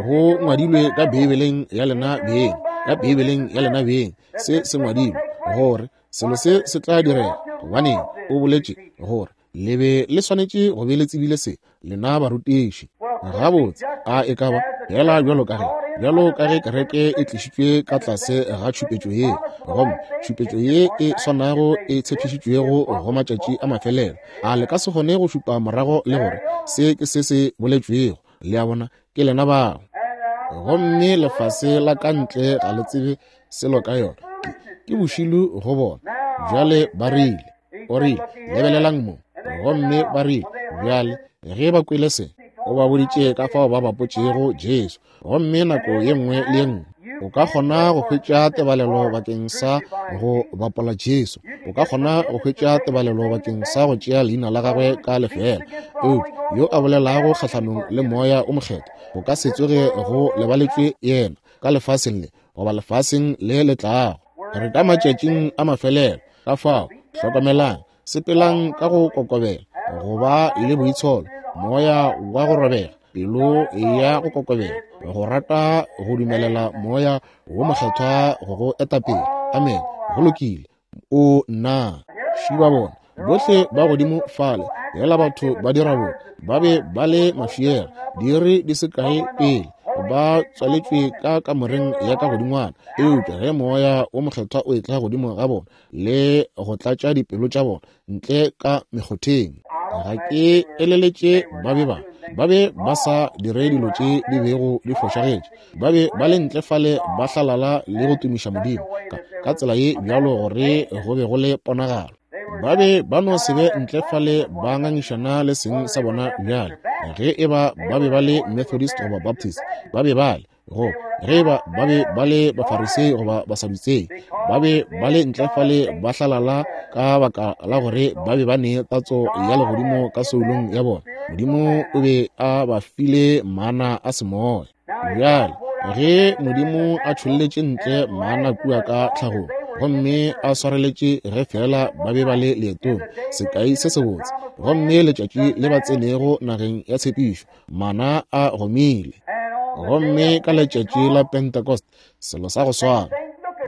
Go ngwadilwe ka Beibeleng ya lena beng, ka Beibeleng ya lena beng, se se ngwadilwe gore selo se se tla direga. Gobaneng, o boletše gore le be le swanetše go be le tsebile se, lena barutiši. Gabotse, a e ka ba fela bjalo ka ge bjalo ka ge kereke e tlišitšwe ka tlase ga tšhupetšo ye, gomme tšhupetšo ye e swanago e tshepišitšwego go matšatši a mafelelo, a le ka se kgone go šupa morago le gore se ke se se boletšwego. Le a bona, ke lena bao. Gomme lefase la ka ntle ga le tsebe selo ka yona. Ke, ke bošilu go bona. Bjale ba rile, o rile, lebelelang mo. Gomme ba rile, bjale ge ba kwele se, o ba boditše ka fao ba bapotšego Jesu. Gomme nako ye nngwe le ye nngwe o ka kgona go hwetša tebalelo bakeng sa go bapola Jesu. O ka kgona go hwetša tebalelo bakeng sa go tšea leina la gagwe ka lefeela. Eupša yo a bolelago kgahlanong le Moya o Mokgethwa, go ka se tsoge go lebaletšwe yena ka lefaseng le goba lefaseng le le tlago. Re ka matšatšing a mafelelo. Ka fao, hlokomelang, sepelang ka go kokobela, go ba le boitsholo, moya wa go robega, pelo ya go kokobela, go rata go dumelela Moya wo Mokgethwa go go etapele. Amen. Go lokile. O nna šiba bona bohle ba godimo fale, fela batho ba dira bo ba be ba le mafiela diiri di se kae pele ba tswaletšwe ka kamoreng ya ka godingwana. Eupša ge Moya wo Mokgethwa o etla godimo ga bona le go tlatša dipelo tša bona ntle ka mekgotheng, ga ke eleletše ba be ba ba be ba sa dire dilo tše di bego di fošagetše. Ba be ba le ntle fale ba hlalala le go tumiša Modimo ka, ka tsela ye bjalo gore go be go le ponagalo. Ba be ba no se be ntle fale ba ngangišana le seng sa bona bjale. Ge e ba ba be ba le Methodist goba Baptist, ba be ba le go ge ba ba be ba le Bafarisei goba Basadutsei, ba be ba le ntle fale ba hlalala ka baka la gore ba be ba ne tatso ya legodimo ka soulong ya bona. Modimo o be a ba file mana a semoya. Bjale ge Modimo a tšholletše ntle mana kua ka tlhagong, gomme a swareletše ge fela ba be ba le leetong, sekai se sebotse, gomme letšatši le ba tsenego nageng ya tshepišo, mana a gomile. Gomme ka letšatši la Pentecost, selo sa go swana.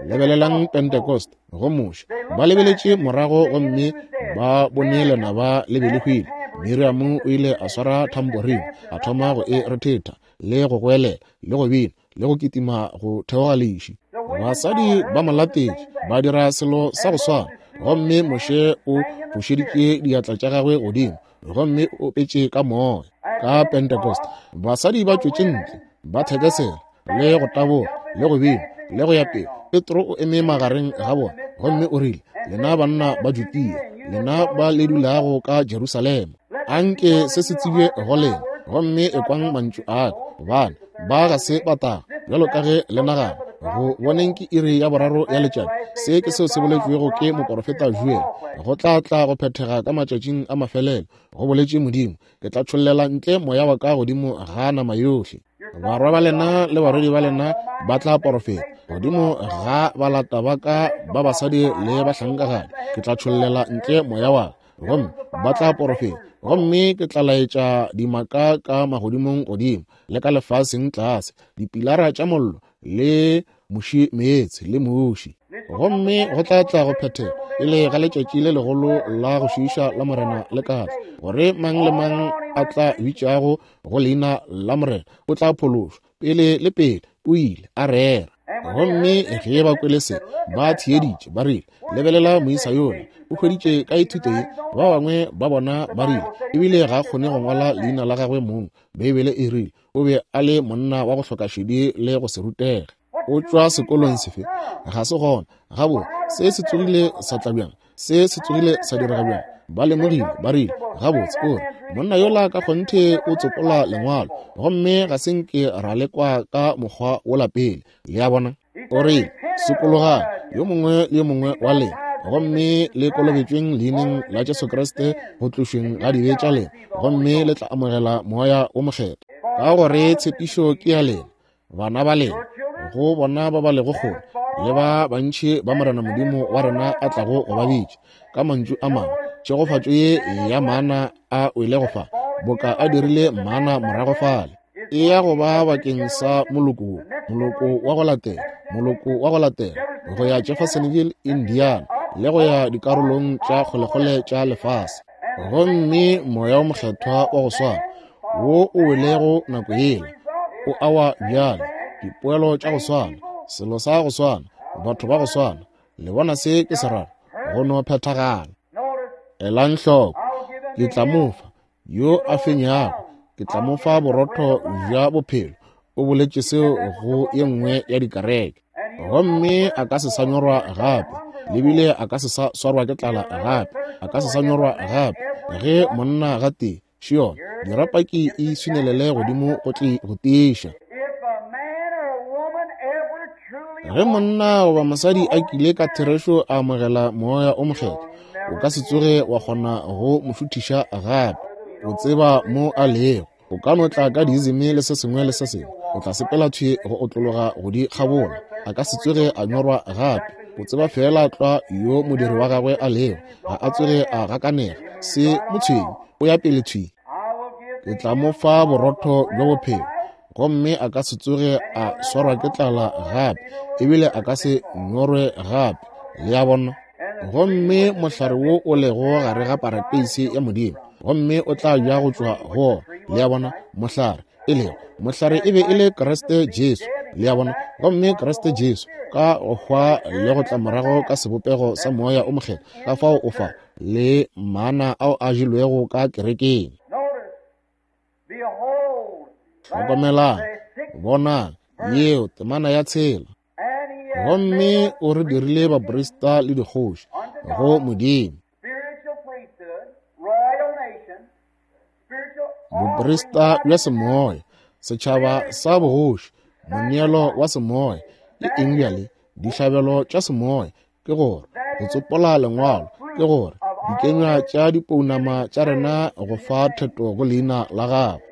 Lebelelang Pentecost go Moshe. Ba lebeletše morago gomme ba bone lenaba le be le hwile. Miriam o ile a swara tambourine, a thoma go e rethetha le go goelela le go bina le go kitima go theoga leši. Basadi ba mo latetše, ba dira selo sa go swana. Gomme Moshe o fošeditše diatla tša gagwe godimo gomme o opetše ka moya. Ka Pentecost, basadi ba tšwetše ntle, ba thekesela le go taboga le go bina le go ya pele. Petro o eme magareng ga bona gomme o rile, lena banna ba Judea, lena ba le dulago ka Jerusalema, anke se se tsebje go lena, gomme ekwang mantšu a ka, gobane ba ga se batago bjalo ka ge le nagana. Go boneng ke iri ya boraro ya letšatši. Se ke seo se boletšwego ke moporofeta Joel. Go tla tla go phethega ka matšatšing a mafelelo, go boletše Modimo, ke tla tšhollela ntle moya wa ka godimo ga nama yohle. Barwa ba lena le barwedi ba lena ba tla porofeta, godimo ga balata ba ka ba basadi le bahlankagadi ke tla tšhollela ntle moya wa ka, gomme ba tla porofeta. Gomme ke tla laetša dimaka ka magodimong godimo le ka lefaseng tlase, dipilara tša mollo le muši meetse le muši. Gomme go tla tla go phethega pele ga letšatši le legolo la go šiiša la Morena le ka tla, gore mang le mang a tla bitšago go leina la Morena o tla phološwa. Pele le pele o ile a rera. Gomme ge ba kwele se, ba theeditše, ba rile, lebelela moisa yola, o hweditše ka thuto ye. Ba bangwe ba bona ba rile, ebile ga a kgone go ngwala leina la gagwe mong. Beibele e rile o be a le monna wa go hloka šedi le go se rutege. O tšwa sekolong sefe? Ga se gona. Gabotse, se se tsogile sa tla bjang? Se se tsogile sa direga bjang? Ba lemogile, ba rile, gabotse, o re monna yola ka kgonthe o tsopola lengwalo, gomme ga se nke ra lekwa ka mokgwa wola pele. Le a bona? O rile, sokologang, yo mongwe le yo mongwe wa lena, gomme le kolobetšweng leineng la Jesu Kriste go tlošweng ga dibe tša lena, gomme le tla amogela Moya wo Mokgethwa. Ka gore tshepišo ke ya lena, bana ba lena, go bona ba ba lego kgole, le ba bantši ba Morena Modimo wa rena a tlago go ba bitša. Ka mantšu a mangwe, tšhegofatšo ye ya mana a wele go fa, boka a dirile mana morago fale, e ya go ba bakeng sa moloko wo, moloko wa go latela, moloko wa go latela, go ya Jeffersonville, Indiana, le go ya dikarolong tša kgolekgole tša lefase. Gomme Moya wo Mokgethwa wa go swana wo o welego nako yela o awa bjale, dipoelo tša go swana, selo sa go swana, batho ba go swana. Le bona se ke se rago? Go no phethagala. Elang hloko, ke tla mo fa yo a fenyago, ke tla mo fa borotho bja bophelo. O boletše seo go ye nngwe ya dikereke. Gomme a ka se sa nyorwa gape, le bile a ka se sa swarwa ke tlala gape, a ka se sa nyorwa gape. Ge monna gatee Šiona, dirapaki e swinelele godimo go tle go tiiša. Ge monna goba mosadi a kile ka therešo a amogela Moya o Mokgethwa, o ka se tsoge wa kgona go mo šuthiša gape. O tseba mo a lego. O ka no tla ka diizimi le se sengwe le se sengwe, o tla sepela thwi go otlologa go di kgabola. A ka se tsoge a nyorwa gape. O tseba feela tlwa yo modiri wa gagwe a lego. Ga a tsoge a gakanega. Se mo tshwenye, o ya pele thwi. Ke tla mo fa borotho bja bophelo, gomme a ka se tsoge a swarwa ke tlala gape, ebile a ka se nyorwe gape. Le a bona? Gomme mohlare wo o lego gare ga parateisi ya Modimo, gomme o tla ja go tšwa go. Le a bona? Mohlare e lego mohlare e be e le Kriste Jesu. Le a bona? Gomme Kriste Jesu ka go hwa le go tla morago ka sebopego sa Moya o Mokgethwa, ka fao o fa le mana ao a jelwego ka kerekeng. Hlokomelang, bonang, yeo temana ya tshela. Gomme o re dirile baprista le dikgoši go Modimo. Boprista bja semoya, setšhaba sa bogoši, moneelo wa semoya. Ke eng bjale? Dihlabelo tša semoya, ke gore go tsopola lengwalo, ke gore dikenywa tša dipounama tša rena go fa theto go leina la gagwe.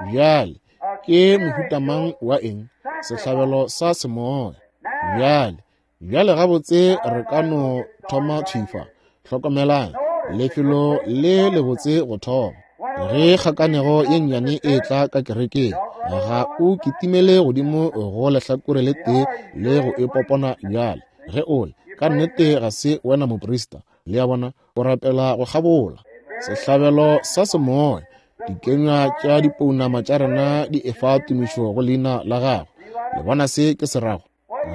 Bjale ke mohuta mang wa eng? Sehlabelo sa semoya. Bjale, bjale gabotse re ka no thoma thwi fa. Hlokomelang, lefelo le lebotse go thoma. Ge kgakanego ye nnyane e tla ka kerekeng, ga o kitimele godimo go lehlakore le tee le go e popona bjale. Ge o le ka nnete ga se wena moprista. Le a bona? O rapela go kgabola sehlabelo sa semoya. Dikenywa tša dipounama tša rena di efa tumišo go leina la gagwe. Le bona se ke se rago?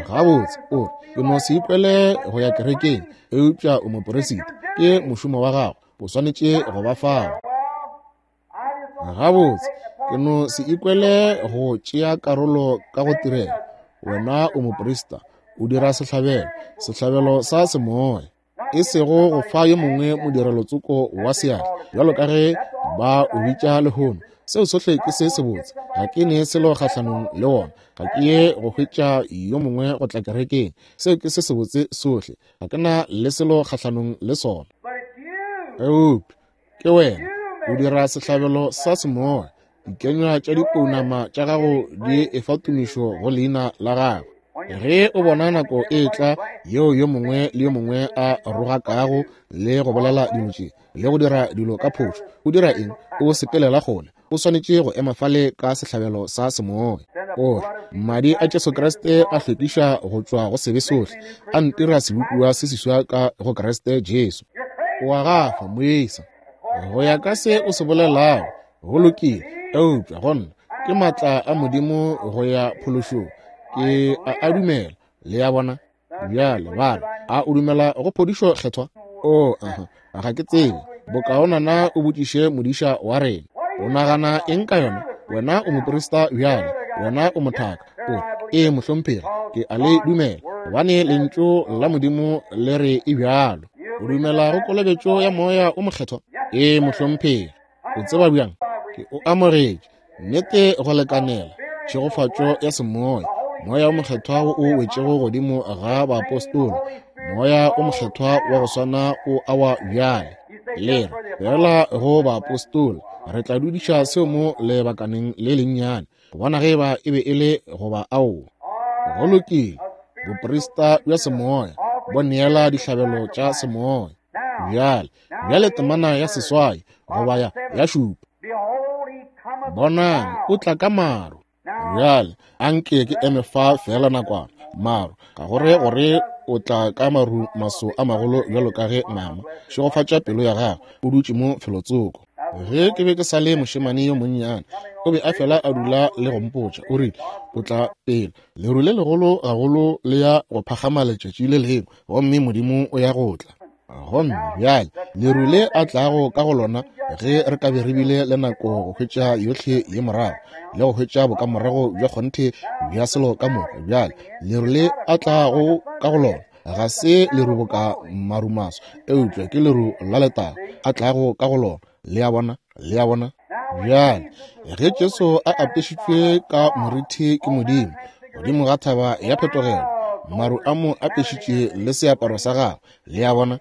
Gabotse, o re ke no se ikwele go ya kerekeng, eupša o moperisita, ke mošomo wa gago, o swanetše go ba fao. Gabotse, ke no se ikwele go tšea karolo ka go tirela. Wena o moprista, o dira sehlabelo, sehlabelo sa semoya, e sego go fa yo mongwe modirelo-tsoko wa seatla, bjalo ka ge ba o bitša lehono. Seo sohle ke se sebotse. Ga ke ne selo kgahlanong le wona. Ga ke ye go hwetša yo mongwe go tla kerekeng. Seo ke se sebotse sohle. Ga ke na le selo kgahlanong le sona. Eupša ke wena o dira sehlabelo sa semoya. Dikenywa tša dipounama tša gago di efa tumišo go leina la gagwe. Ge o bona nako e tla yeo yo mongwe le yo mongwe a rogakago le go bolela dilo tše le go dira dilo ka phošo, o dira eng? O sepelela kgole. O swanetše go ema fale ka sehlabelo sa semoya. O re, madi a Jesu Kriste a hlwekiša go tšwa go sebe sohle, a ntira sebopiwa se seswa ka go Kriste Jesu. O a gafa, moisa. Go ya ka se o se bolelago, go lokile, eupša go nna ke maatla a Modimo go ya phološong. Ke a a dumela. Le a bona? Bjale ba re, a o dumela go phodišo kgethwa? O, aha, ga ke tsebe. Bokaonana o botšiše modiša wa rena. O nagana eng ka yona? Wena o moprista bjale, wena o mothaka. O, ee mohlomphegi, ke a le dumela, gobane lentšu la Modimo le re e bjalo. O dumela go kolobetšo ya Moya o Mokgethwa? Ee mohlomphegi. O tseba bjang? Ke o amogetše. Nnete go lekanela tšhegofatšo ya semoya, Moya o Mokgethwa wo o wetšego godimo ga baapostola, Moya o Mokgethwa wa go swana o awa bjale. Le re feela go baapostola, re tla dudiša seo mo lebakaneng le lennyane, go bona ge eba e be e le goba aowa. Go lokile, boprista bja semoya bo neela dihlabelo tša semoya. Bjale, bjale temana ya seswai goba ya ya šupa. Bonang, o tla ka maru. Bjale, anke ke eme fa feela nakwana. Maru, ka gore gore o tla ka maru maso a magolo bjalo ka ge mama šegofatša pelo ya gagwe o dutše mo felotsoko. Ge ke be ke sa le mošemane yo monnyane, o be a fela a dula le go mpotša, o rile, o tla pele leru le legolo gagolo le ya go phagama letšatši le lengwe, gomme Modimo o ya go tla. Gomme bjale leru le a tlago ka go lona, ge re ka be re bile le nako go hwetša yohle ye morago le go hwetša bokamorago bja kgonthe bja selo ka moka. Bjale leru le a tlago ka go lona ga se leru boka marumaso, eupša ke leru la letago a tlago ka go lona. Le a bona, le a bona. Bjale ge Jesu a apešitšwe ka moriti ke Modimo godimo ga thaba ya phetogelo, maru a mo apešitše le seaparo sa gagwe. Le a bona.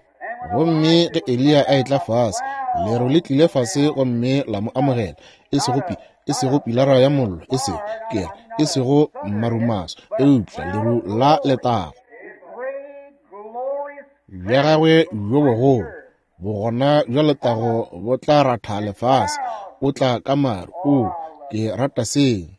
Gomme ge Eliya a etla fase, leru le tlile fase gomme la mo amogela, e sego pi e sego pilara ya mollo, e sego ke e sego marumaso, eupša leru la letago bja gagwe bjo bogolo. Bogona bja letago bo tla ratha lefase. O tla ka maru. O, ke rata seo.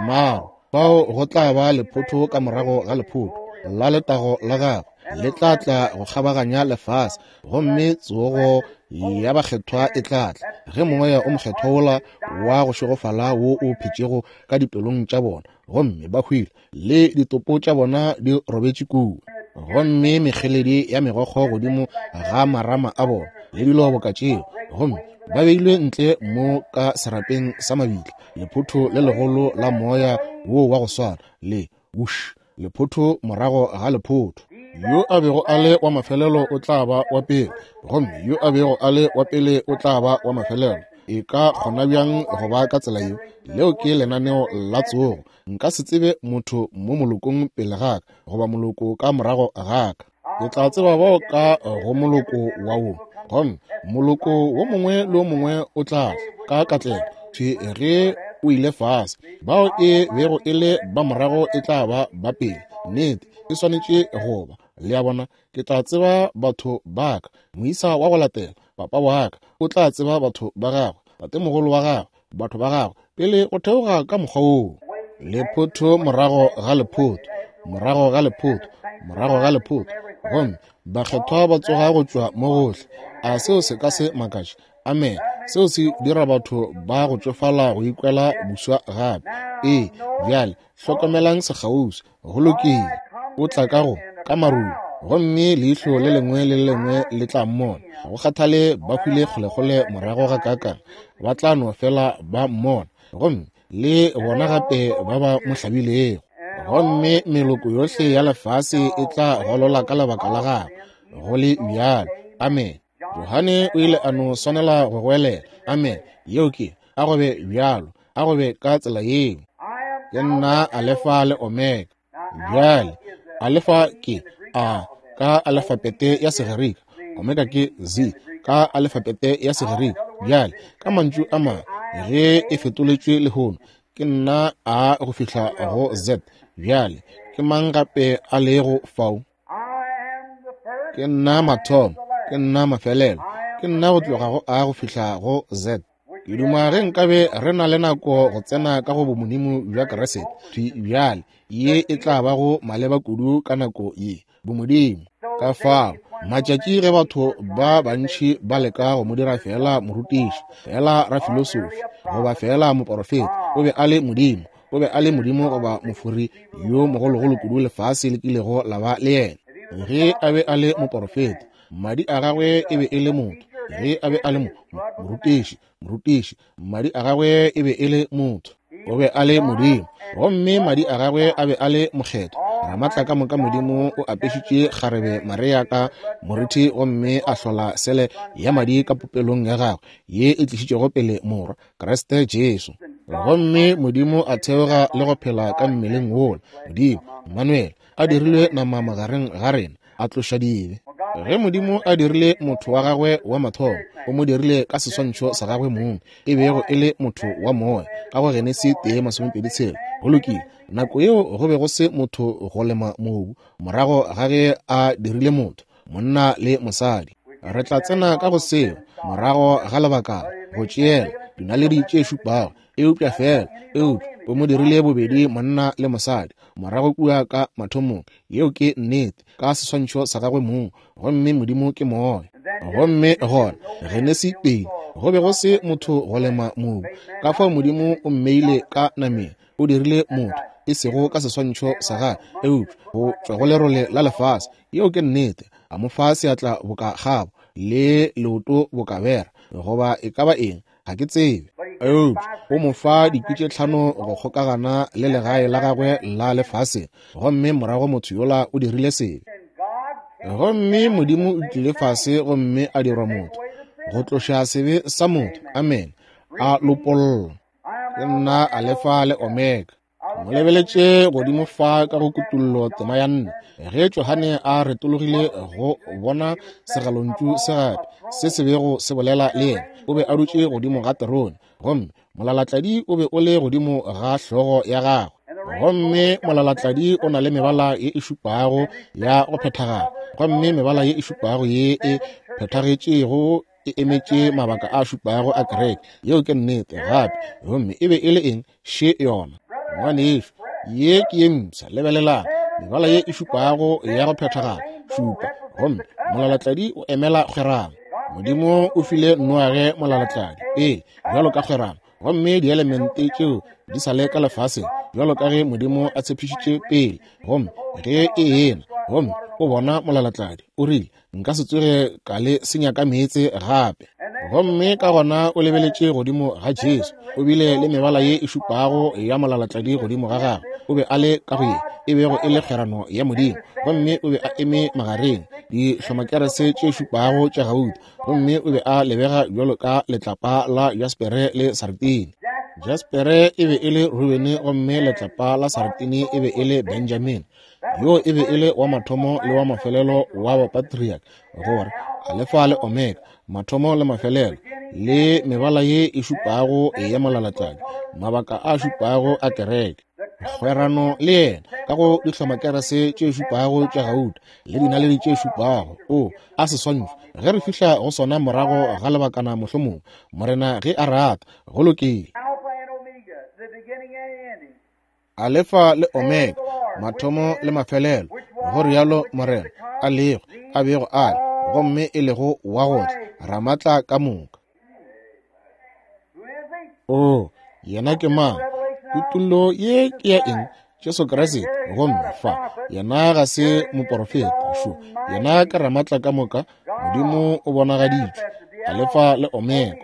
Maru, fao go tla ba lephotho ka morago ga lephotho la letago la gagwe le tla tla go kgabaganya lefase, gomme tsogo ya bakgethwa e tla tla ge moya o mokgethwa wola wa go šegofala wo o phetšego ka dipelong tša bona, gomme ba hwile le ditopo tša bona di robetše kua, gomme mekgeledi ya megokgo godimo ga marama a bona le dilo boka tšeo, gomme ba beilwe ntle mo ka serapeng sa mabitla. Lephotho le legolo la moya wo wa go swana le wush, lephotho morago ga lephotho. Yo a bego a le wa mafelelo o tla ba wa pele, gomme yo a bego a le wa pele o tla ba wa mafelelo. E ka kgona bjang go ba ka tsela yeo? Leo ke lenaneo la tsogo. Nka se tsebe motho mo molokong pele ga ka goba moloko ka morago ga ka. Ke tla tseba bao ka go moloko wa wo, gomme moloko wo mongwe le wo mongwe o tla tla ka katlego thwi ge o ile fase. Bao e bego e le ba morago e tla ba ba pele. Nnete, e swanetše go ba. Le a bona, ke tla tseba batho ba ka. Moisa wa go latela, papa wa ka, o tla tseba batho ba gagwe, tatemogolo wa gagwe, batho ba gagwe, pele go theoga ka mokgwa woo. Lephotho morago ga lephotho, morago ga lephotho, morago ga lephotho, gomme bakgethwa ba tsoga go tšwa mo gohle. A seo se ka se makatše? Amen. Seo se dira batho ba go tšofala go ikwela buswa gape. Ee, bjale hlokomelang sekgauswi. Go lokile. O tla ka go ka marung, gomme leihlo le lengwe le lengwe le tla mmona. Go kgathale ba hwile kgolekgole morago ga kakang, ba tla no fela ba mmona, gomme le bona gape ba ba mo hlabilego. Gomme meloko yohle ya lefase e tla golola ka lebaka la gagwe. Go le bjalo. Amen. Johane o ile a no swanela go goelela amen. Yeo ke, a go be bjalo, a go be ka tsela yeo. Ke nna Alefa le Omega. Bjale, Alefa ke A ka alefapete ya Segerika, Omega ke Z ka alefapete ya Segerika. Bjale, ka mantšu a mangwe, ge e fetoletšwe lehono, ke nna A go fihla go Z. Bjale, ke mang gape a lego fao? Ke nna mathomo, ke nna mafelelo, ke nna go tloga go A go fihla go Z. Ke duma ge nkabe re na le nako go tsena ka go bomodimo bja Kriste. Thwi bjale, ye e tla ba go maleba kudu ka nako ye, bomodimo. Ka fao, matšatši ge batho ba bantši ba leka go mo dira feela morutiši, feela rafilosofi, goba feela moporofeta, o be a le Modimo. O be a le Modimo goba mofori yo mogologolo kudu lefase le kilego la ba le yena. Ge a be a le moporofeta, madi a gagwe e be e le motho. Ge a be a le mo morutiši, morutiši, madi a gagwe e be e le motho. O be a le Modimo, gomme madi a gagwe a be a le mokgethwa. Ramatla ka moka Modimo o apešitše kgarebe Maria ka moriti, gomme a hlola sele ya madi ka popelong ya gagwe ye e tlišitšego pele morwa Kriste Jesu. Gomme Modimo a theoga le go phela ka mmeleng wola. Modimo, Emmanuel, a dirilwe nama magareng ga rena, a tloša dibe. Ge Modimo a dirile motho wa gagwe wa mathomo, o mo dirile ka seswantšho sa gagwe mong, e bego e le motho wa moya, ka go Genesi tee masomepedi tshela. Go lokile. Nako yeo go be go se motho go lema mobu, morago ga ge a dirile motho, monna le mosadi. Re tla tsena ka go seo morago ga lebakana, go tšeela dinaledi tše šupago, eupša fela, eupša o mo dirile bobedi monna le mosadi, morago kua ka mathomong. Yeo ke nnete, ka seswantšho sa gagwe mong, gomme Modimo ke moya. Gomme gona Genesi pedi, go be go se motho go lema mobu, ka fao Modimo o mmeile ka nameng, o dirile motho, e sego ka seswantšho sa gagwe, eupša go tšwa go lerole la lefase. Yeo ke nnete. A mo fa seatla boka kgabo, le leoto boka bera, goba e ka ba eng, ga ke tsebe. Eupša o mo fa dikwi tše tlhano go kgokagana le legae la gagwe la lefaseng, gomme morago motho yola o dirile sebe. Gomme Modimo o tlile fase gomme a dirwa motho, go tloša sebe sa motho. Amen. A lopolla. Ke nna Alefa le Omega. Mo lebeletše godimo fa ka go Kutullo tema ya nne, ge Johane a retologile go bona segalontšu se gape se se bego se bolela le yena. O be a dutše godimo ga terone, gomme molalatladi o be o le godimo ga hlogo ya gagwe. Gomme molalatladi o na le mebala ye e šupago ya go phethagala, gomme mebala ye e šupago ye e phethagetšego e emetše mabaka a šupago a kereke. Yeo ke nnete gape. Gomme e be e le eng? Še yona, ngwanešu, ye ke ye mpsha. Lebelelang, mebala ye e šupago ya go phethagala, šupa, gomme molalatladi o emela kgwerano. Modimo o file Noage molalatladi pele bjalo ka kgwerano, gomme dielemente tšeo di sa le ka lefaseng bjalo ka ge Modimo a tshepišitše pele. Gomme ge e ena, gomme o bona molalatladi, o rile, nka se tsoge ka le senya ka meetse gape. Gomme ka gona o lebeletše godimo ga Jesu, o bile le mebala ye e šupago ya molalatladi godimo ga gagwe. O be a le ka go ye e bego e le kgwerano ya Modimo, gomme o be a eme magareng dihlomakerese tše šupago tša gauta, gomme o be a lebega bjalo ka letlapa la jaspere le sartine. Jaspere e be e le Rubene, gomme letlapa la sartine e be e le Benjamin. Yo e be e le wa mathomo le wa mafelelo wa bapatriarch, gore Alefa le Omega, mathomo le mafelelo, le mebala ye e šupago ya molalatladi, mabaka a šupago a kereke. Kgwerano le yena ka go dihlomakerese tše šupago tša gauta le dinaledi tše šupago. O a seswantšho, ge re fihla go sona morago ga lebakana mohlomong, Morena ge a rata. Go lokile. Alefa le Omega, mathomo le mafelelo, go rialo Morena, a lego, a bego a le, gomme e lego wa go tla, Ramatla ka moka. O, yena ke mang? Kutullo ye ke ya eng? Jesu Kriste. Gomme fa, yena ga se moporofeta, šo, yena ke Ramatla ka moka, Modimo o bonagaditšwe, Alefa le Omega.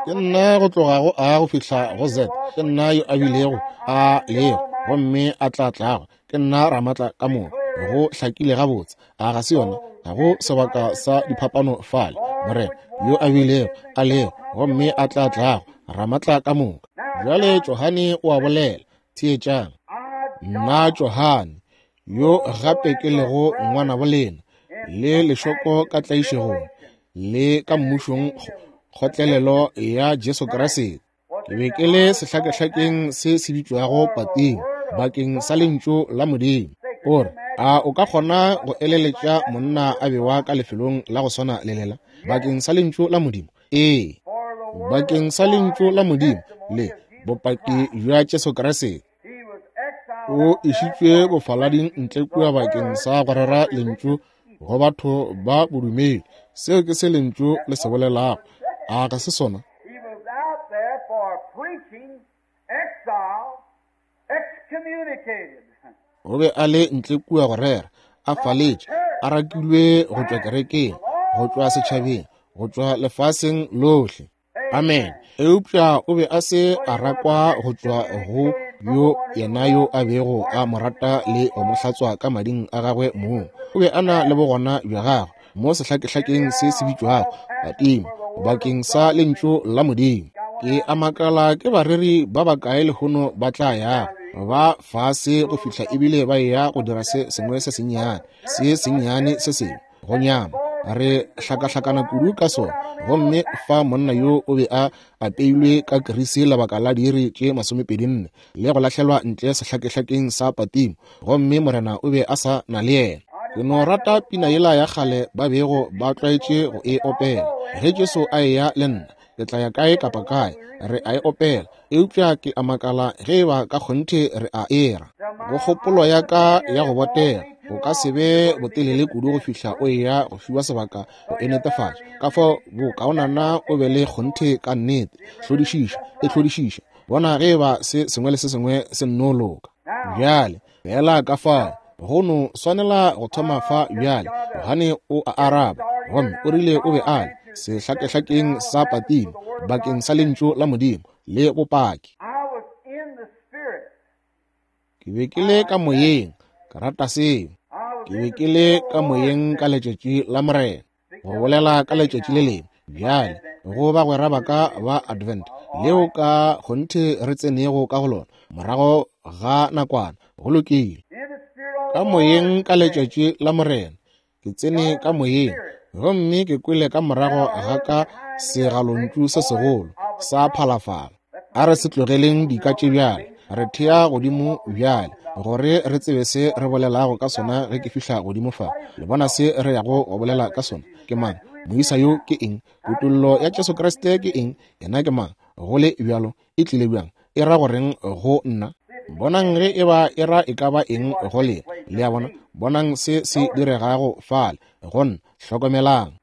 Ke nna go tloga go A go fihla go Z, ke nna yo a bilego, a lego, gomme a tla tlago, ke nna Ramatla ka moka. Go hlakile gabotse, a ga se yona? Ga go sebaka sa diphapano fale. Morena yo a bilego, a lego, gomme a tla tlago, Ramatla ka moka. Bjale Johane o a bolela. Theetšang. Nna Johane, yo gape ke lego ngwana bolena, le lešoko ka tlaišegong, le ka mmušong kgotlelelo ya Jesu Kriste. Ke be ke le sehlakehlakeng se se bitšwago Patimo bakeng sa lentšu la Modimo. O re, a o ka kgona go eleletša monna a bewa ka lefelong la go swana le lela bakeng sa lentšu la Modimo? Ee, bakeng sa lentšu la Modimo le bopaki bja Jesu Kriste. O išitšwe bofalading ntle kua bakeng sa go rera lentšu go batho ba bodumedi. Seo ke se lentšu le se bolelago. A ga se sona? O be a le ntle kua go rera, a faletše, a rakilwe go tšwa kerekeng, go tšwa setšhabeng, go tšwa lefaseng lohle. Amen. Eupša o be a se a rakwa go tšwa go yo yena yo a bego a mo rata le go mo hlatswa ka mading a gagwe mong. O be a na le bogona bja gagwe mo sehlakehlakeng se se bitšwago Patimo bakeng sa lentšu la Modimo. Ke a makala ke bareri ba bakae lehono ba tla yago Ba fase go fihla ebile ba eya go dira se sengwe se sennyane, se sennyane se sengwe, go nyama. Re hlakahlakana kudu ka sona. Gomme fa monna yo o be a apeilwe ka kirisi lebaka la diiri tše masomepedi nne, le go lahlelwa ntle sehlakehlakeng sa Patimo, gomme Morena o be a sa na le yena. Ke no rata pina yela ya kgale ba bego ba tlwaetše go e opela. Ge Jesu a eya le nna, ke tla ya kae kapa kae, re a e opela. Eupša ke a makala ge eba ka kgonthe re a era. Go kgopolo ya ka ya go botega, o ka se be botelele kudu go fihla o eya go fiwa sebaka go e netefatša. Ka fao bokaonana o be le kgonthe ka nnete. Hlodišiša, e hlodišiša. Bona ge eba se sengwe le se sengwe se nno loka. Bjale, fela ka fao, go no swanela go thoma fa bjale. Johane o a araba, gomme o rile o be a le sehlakehlakeng sa Patimo bakeng sa lentšu la Modimo le bopaki. Ke be ke le ka moyeng, ka rata seo. Ke be ke le ka moyeng ka letšatši la Morena, go bolela ka letšatši le lengwe. Bjale, go bagwera ba ka ba Advent, leo ka kgonthe re tsenego ka go lona morago ga nakwana, go lokile. Ka moyeng ka letšatši la Morena, ke tsene ka moyeng, gomme ke kwele ka morago ga ka segalontšu se segolo sa phalafala. A re se tlogeleng dika tše bjale, re thea godimo bjale, gore re tsebe se re bolelago ka sona ge ke fihla godimo fa. Le bona se re yago go bolela ka sona ke mang? Moisa yo ke eng? Kutollo ya Jesu Kriste ke eng? Yena ke mang? Go le bjalo, e tlile bjang? E ra goreng go nna? Bonang ge eba e ra e ka ba eng go lena. Le a bona? Bonang se se diregago fale go nna. Hlokomelang.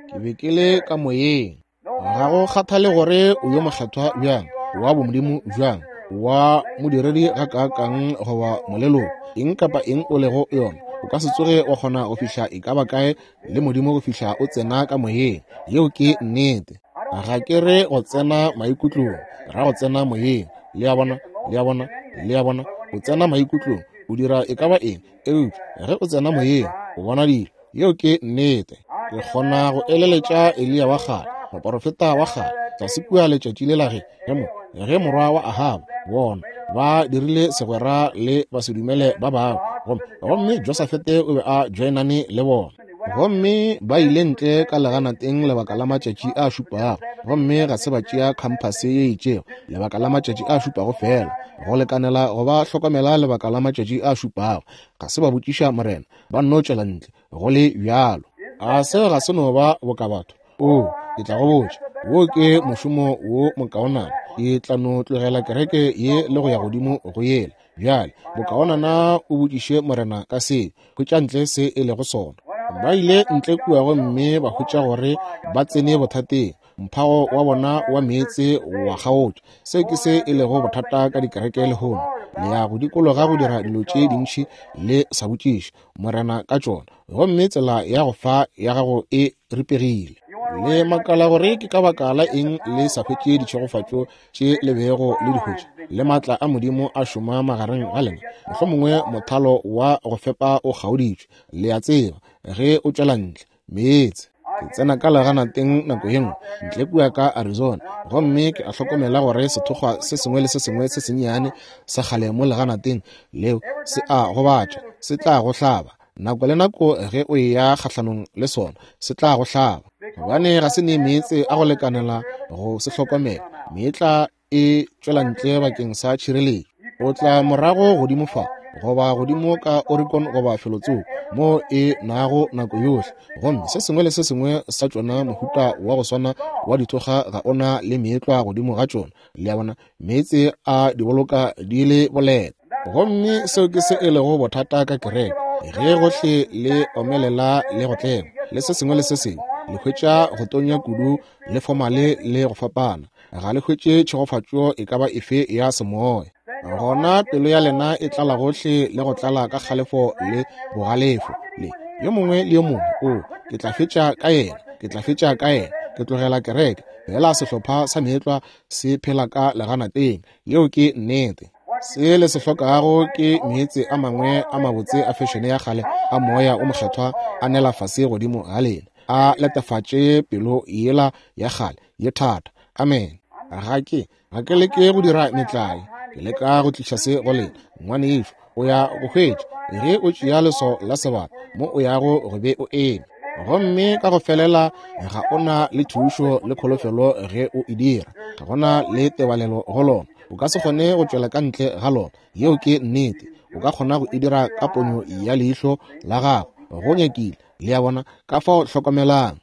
Ke be ke le ka moyeng. Ga go kgathale gore o yo mokgethwa bjang, wa bomodimo bjang, wa modiredi gakaakang goba moleloko, eng kapa eng o lego yona, o ka se tsoge wa kgona go fihla e ka ba kae le Modimo go fihla o tsena ka moyeng. Yeo ke nnete. Ga ke re go tsena maikutlong, ra go tsena moyeng. Le a bona? Le a bona? Le a bona? O tsena maikutlong, o dira e ka ba eng, eupša ge o tsena moyeng, o bona dilo. Yeo ke nnete. Ke kgona go eleletša Eliya wa kgale, moporofeta wa kgale, tlase kua letšatši lela ge, ge mo, ge morwa wa Ahaba, bona, ba dirile segwera le basedumele ba bangwe, gomme, gomme Josafete o be a joinane le bona. Gomme ba ile ntle ka leganateng lebaka la matšatši a šupago, gomme ga se ba tšea khamphase ye itšego lebaka la matšatši a šupago fela, go lekanela go ba hlokomela lebaka la matšatši a šupago. Ga se ba botšiša Morena, ba nno tšwela ntle go le bjalo. A se ga se no ba boka batho? O, ke tla go botša, wo ke mošomo wo mokaonana. Ke tla no tlogela kereke ye le go ya godimo go yela. Bjale, bokaonana o botšiše Morena ka se, hwetša ntle se e lego sona. Ba ile ntle kua gomme ba hwetša gore ba tsene bothateng. Mphago wa bona wa meetse wa kgaotša. Se ke se e lego bothata ka dikereke lehono. Le ya go dikologa go dira dilo tše dintši le sa botšiše Morena ka tšona, gomme tsela ya go fa ya gago e ripegile. Le makala gore ke ka baka la eng le sa hwetše ditšhegofatšo tše le bego le di hwetša, le maatla a Modimo a šoma magareng ga lena. Mohlomongwe mothalo wa go fepa o kgaoditšwe. Le a tseba ge o tšwela ntle meetse. Ke tsena ka leganateng nako ye nngwe ntle kua ka Arizona, gomme ke a hlokomela gore sethokgwa se sengwe le se sengwe se sennyane sa kgale mo leganateng leo se a gobatša, se tla go hlaba. Nako le nako ge o eya kgahlanong le sona, se tla go hlaba, gobane ga se ne meetse a go lekanela go se hlokomela. Meetla e tšwela ntle bakeng sa tšhireletšo. O tla morago godimo fa, goba godimo ka Oregon goba felotsoko mo e nago nako yohle, gomme se sengwe le se sengwe sa tšona mohuta wa go swana wa dithokga ga ona le meetlwa godimo ga tšona. Le a bona? Meetse a di boloka di le boleta. Gomme seo ke se e lego bothata ka kereke. Ge gohle le omelela le go tlema le se sengwe le se sengwe, le hwetša go tonya kudu le fomale le go fapana, ga le hwetše tšhegofatšo e ka ba efe ya semoya. Gona pelo ya lena e tlala gohle le go tlala ka kgalefo le bogalefo. Le yo mongwe le yo mongwe, o, ke tla fetša ka yena, ke tla fetša ka yena, ke tlogela kereke. Fela sehlopha sa meetlwa se phela ka leganateng. Yeo ke nnete. Se le se hlokago ke meetse a mangwe a mabotse a fešene ya kgale a moya o mokgethwa a nela fase godimo ga lena, a letefatše pelo yela ya kgale ye thata. Amen. Ga ke ga ke leke go dira metlae. Ke Ke leka go tliša se go lena, ngwanešu. O ya go hwetša ge o tšea leswao la sebata mo o yago go be o eme. Gomme ka go felela ga ona le thušo le kholofelo ge o e dira. Ga gona le tebalelo go lona. O ka se kgone go tšwela ka ntle ga lona. Yeo ke nnete. O ka kgona go e dira ka ponyo ya leihlo la gago. Go nyakile. Le a bona? Ka fao hlokomelang.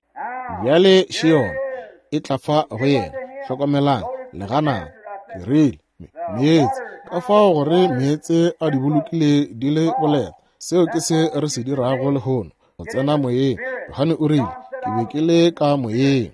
Bjale Sheol e tla fa go yena. Hlokomelang. Leganang. Ke rile meetse. Ka fao gore meetse a di bolokile di le boleta. Seo ke se re se dirago lehono. Go tsena moyeng. Johane o rile, ke be ke le ka moyeng.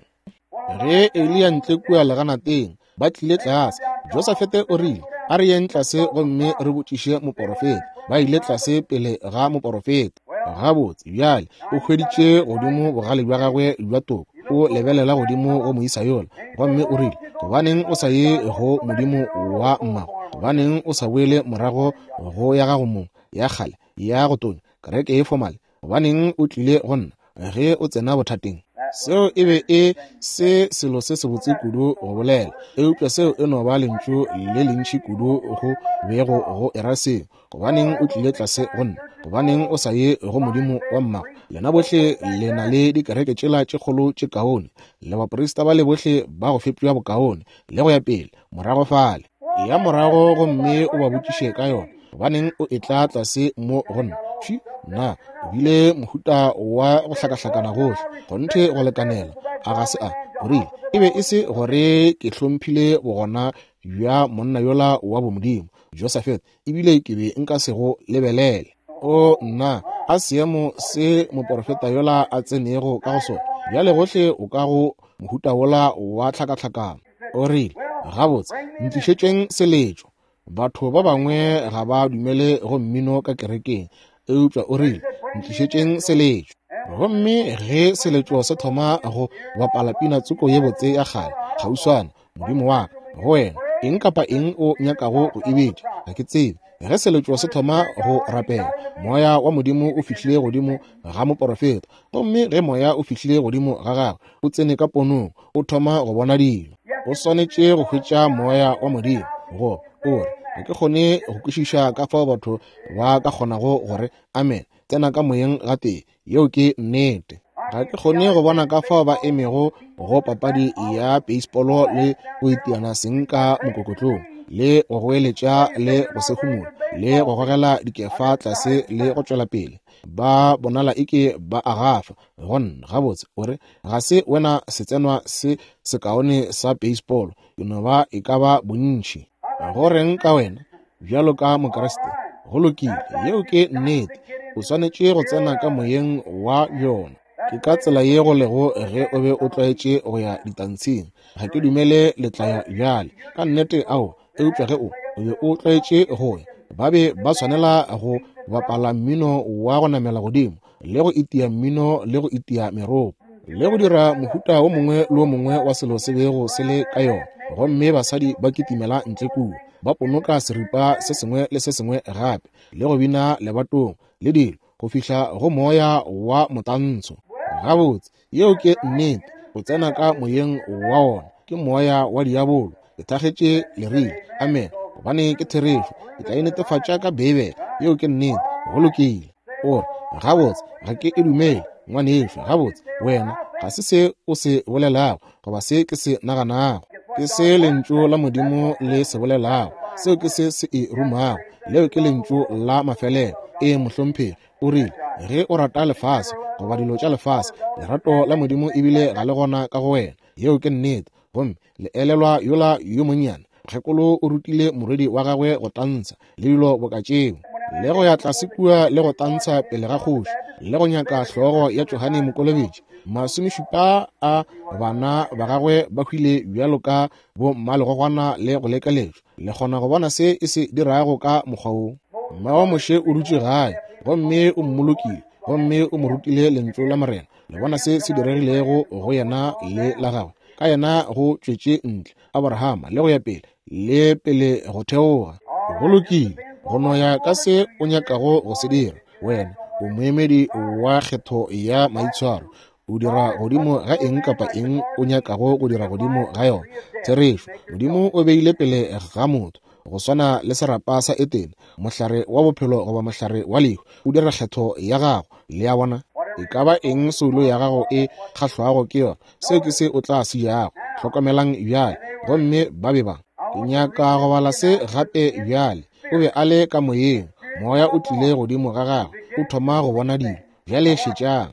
Ge Eliya ntle kua leganateng, ba tlile tlase. Josafete o rile, a re yeng tlase gomme re botšiše moporofeta. Ba ile tlase pele ga moporofeta. Gabotse, bjale o hweditše godimo bogale bja gagwe bja toko. O lebelela godimo go moisa yola, gomme o rile, gobaneng o sa ye go modimo wa mmago? Gobaneng o sa boele morago go ya gago mong ya kgale ya go tonya kereke e fomale? Gobaneng o tlile go nna ge o tsena bothateng? Seo e be e se selo se sebotse kudu go bolela, eupša seo e no ba lentšu le lentši kudu go bego go era seo. Gobaneng o tlile tlase go nna? Gobaneng o sa ye go modimo wa mmago? Lena bohle le na le dikereke tšela tše kgolo tše kaone, le baprista ba le bohle ba go fepiwa bokaone, le go ya pele morago fale. Ya morago gomme o ba botšiše ka yona. Gobaneng o etla tlase mo go nna? Pši, nna o bile mohuta wa go hlakahlakana gohle, kgonthe go lekanela. A ga se a? O rile, e be e se gore ke hlomphile bogona bja monna yola wa bomodimo, Josafete, ebile ke be nka se go lebelele. O nna, a seemo se moporofeta yola a tsenego ka go sona. Bjale gohle o ka go mohuta wola wa tlhakatlhakano. O rile, gabotse, ntlišetšeng seletšo. Batho ba bangwe ga ba dumele go mmino ka kerekeng, eupša o rile, ntlišetšeng seletšo. Gomme ge seletšo se thoma go bapala pina tsoko ye botse ya kgale, kgauswana, modimo wa ka, go wena, eng kapa eng o nyakago go e bitša, ga ke tsebe. Ge seletšo se thoma go rapela, moya wa modimo o fihlile godimo ga moporofeta. Gomme ge moya o fihlile godimo ga gagwe, o tsene ka ponong, o thoma go bona dilo. O swanetše go hwetša moya wa modimo. Go o re, ga ke kgone go kwešiša ka fao batho ba ka kgonago gore amen, tsena ka moyeng gatee. Yeo ke nnete. Ga ke kgone go bona ka fao ba emego go papadi ya baseball le go itiana seng ka mokokotlong, le go goeletša le go sehumola, le go gogela dikefa tlase le go tšwela pele. Ba bonala eke ba a gafa. Go nna, gabotse, o re, ga se wena setsenwa se sekaone sa baseball, ke no ba e ka ba bontši. Go reng ka wena bjalo ka Mokriste? Go lokile, yeo ke nnete. O swanetše go tsena ka moyeng wa yona. Ke ka tsela ye go lego ge o be o tlwaetše go ya ditantshing. Ga ke dumele le tla ya bjale ka nnete, ao, eupša ge o o be o tlwaetše go ya, ba be ba swanela go bapala mmino wa go namela godimo, le go itia mmino le go itia meropo, le go dira mohuta wo mongwe le wo mongwe wa selo se bego se le ka yona. Gomme basadi ba kitimela ntle kua, ba ponoka seripa se sengwe le se sengwe gape, le go bina lebatong le dilo, go fihla go moya wa motantsho. Gabotse, yeo ke nnete. O tsena ka moyeng wa wona, ke moya wa diabolo. Ke thakgetše le rile amen, gobane ke therešo. Ke tla e netefatša ka Beibele. Yeo ke nnete. Go lokile. O re, gabotse, ga ke e dumele, ngwanešu. Gabotse, wena ga se se o se bolelago goba se ke se naganago. Ke se lentšu la modimo le se bolelago. Seo ke se se e rumago. Leo ke lentšu la mafelelo. E mohlomphegi, o rile, ge o rata lefase goba dilo tša lefase, lerato la modimo ebile ga le gona ka go wena. Yeo ke nnete. Gomme le elelwa yola yo monnyane mokgekolo o rutile morwedi wa gagwe go tantsha le dilo boka tšeo, le go ya tlase kua le go tantsha pele ga kgoši, le go nyaka hlogo ya Johane Mokolobetši. Masomešupa a bana ba gagwe ba hwile bjalo ka bo mmalegogwana le go lekeletšwa. Le kgona go bona se e se dirago ka mokgwa wo. Mma wa Moshe o dutše gae, gomme o mmolokile, gomme o mo rutile lentšu la Morena. Le bona se se diregilego go yena le la gagwe. Ka yena go tšwetše ntle Abrahama le go ya pele, le pele go theoga. Go lokile, go no ya ka se o nyakago go se dira. Wena o moemedi wa kgetho ya maitshwaro. O dira godimo ga eng kapa eng o nyakago go dira godimo ga yona. Therešo, modimo o beile pele ga motho Go swana le serapa sa Etene, mohlare wa bophelo goba mohlare wa lehu, o dira kgetho ya gago. Le a bona? E ka ba eng soulo ya gago e kgahlwago ke yona, seo ke se o tla se jago. Hlokomelang bjale. Gomme ba be ba. Ke nyaka go bala se gape bjale. O be a le ka moyeng. Moya o tlile godimo ga gagwe. O thoma go bona dilo. Bjale šetšang.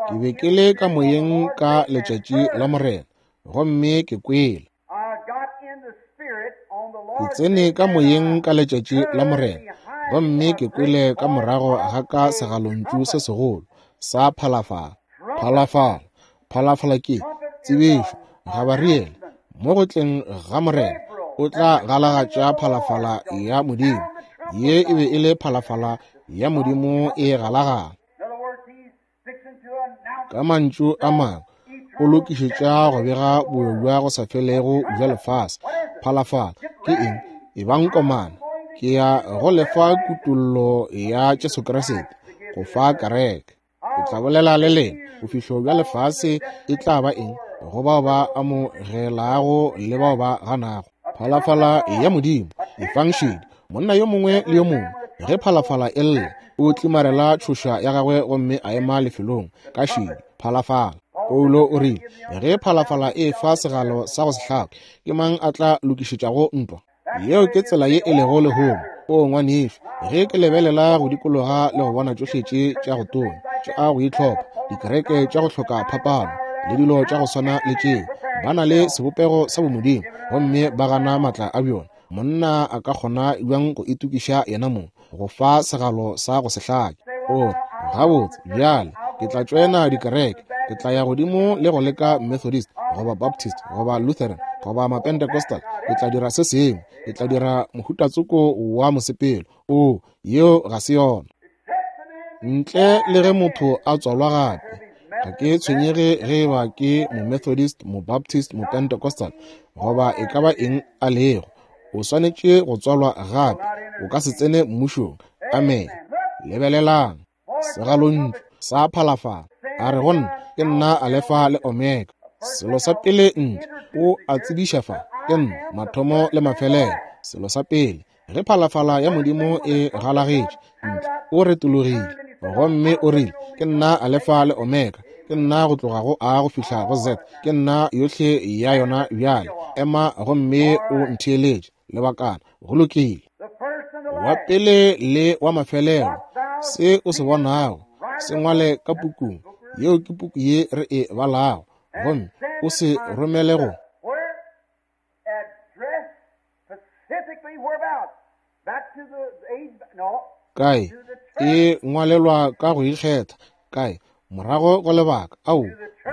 Ke be ke le ka moyeng ka letšatši la Morena, gomme ke kwele. Ke tsene ka moyeng ka letšatši la Morena, gomme ke kwele ka morago ga ka segalontšu se segolo sa phalafala. Phalafala, phalafala ke tsebišo. Gabariele, mo go tleng ga Morena, o tla galagatša phalafala ya Modimo. Ye e be e le phalafala ya Modimo e galagala. Ka mantšu a mangwe, o lokišetša go bega boyo bja go sa felego bja lefase. Phalafala ke eng? E bang komana. Ke ya go lefa kutollo ya Jesu Kriste, go fa kereke. Ke tla bolela le lena, bofihlo bja lefase e tla ba eng go bao ba amogelago le bao ba ganago. Phalafala ya Modimo e fang šedi. Monna yo mongwe le yo mongwe, ge phalafala e lla, o tlimarela tšhoša ya gagwe gomme a ema lefelong ka šedi. Phalafala. Paulo o rile, ge phalafala e fa segalo sa go se hlake, ke mang a tla lokišetšago ntwa? Yeo ke tsela ye e lego lehono. O ngwanešu, ge ke lebelela go dikologa le go bona tšohle tše tša go tonya, tša go itlhopha, dikereke tša go hloka phapano, le dilo tša go swana le tšeo, ba na le sebopego sa bomodimo, gomme ba gana matla a bjona. Monna a ka kgona bjang go itokiša yena mong go fa segalo sa go se hlake? O gabotse, bjale ke tla tšoena dikereke, ke tla ya godimo le go leka Methodist goba Baptist goba Lutheran goba Mapentecostal. Ke tla dira se sengwe, ke tla dira mohutatsoko wa mosepelo. O, yeo ga se yona. Ntle le ge motho a tswalwa gape, ga ke tshwenyege ge eba ke Momethodist, Mobaptist, Mopentecostal goba e ka ba eng a lego. O swanetše go tswalwa gape. O ka se tsene mmušong. Amen. Lebelelang segalontšu sa phalafala. A re go nna, ke nna Alefa le Omega. Selo sa pele ntle, o a tsebiša fa, ke nna mathomo le mafelelo. Selo sa pele, ge phalafala ya Modimo e galagetše ntle, o retologile gomme o rile, ke nna Alefa le Omega, ke nna go tloga go A go fihla go Z, ke nna yohle ya yona bjale. Ema gomme o ntheeletše lebakana. Go lokile. Wa pele le wa mafelelo, se o se bonago se ngwale ka pukung. Yeo ke puku ye re e balago, gomme o se romele go kae. E ngwalelwa ka go ikgetha kae? Morago go lebaka ao,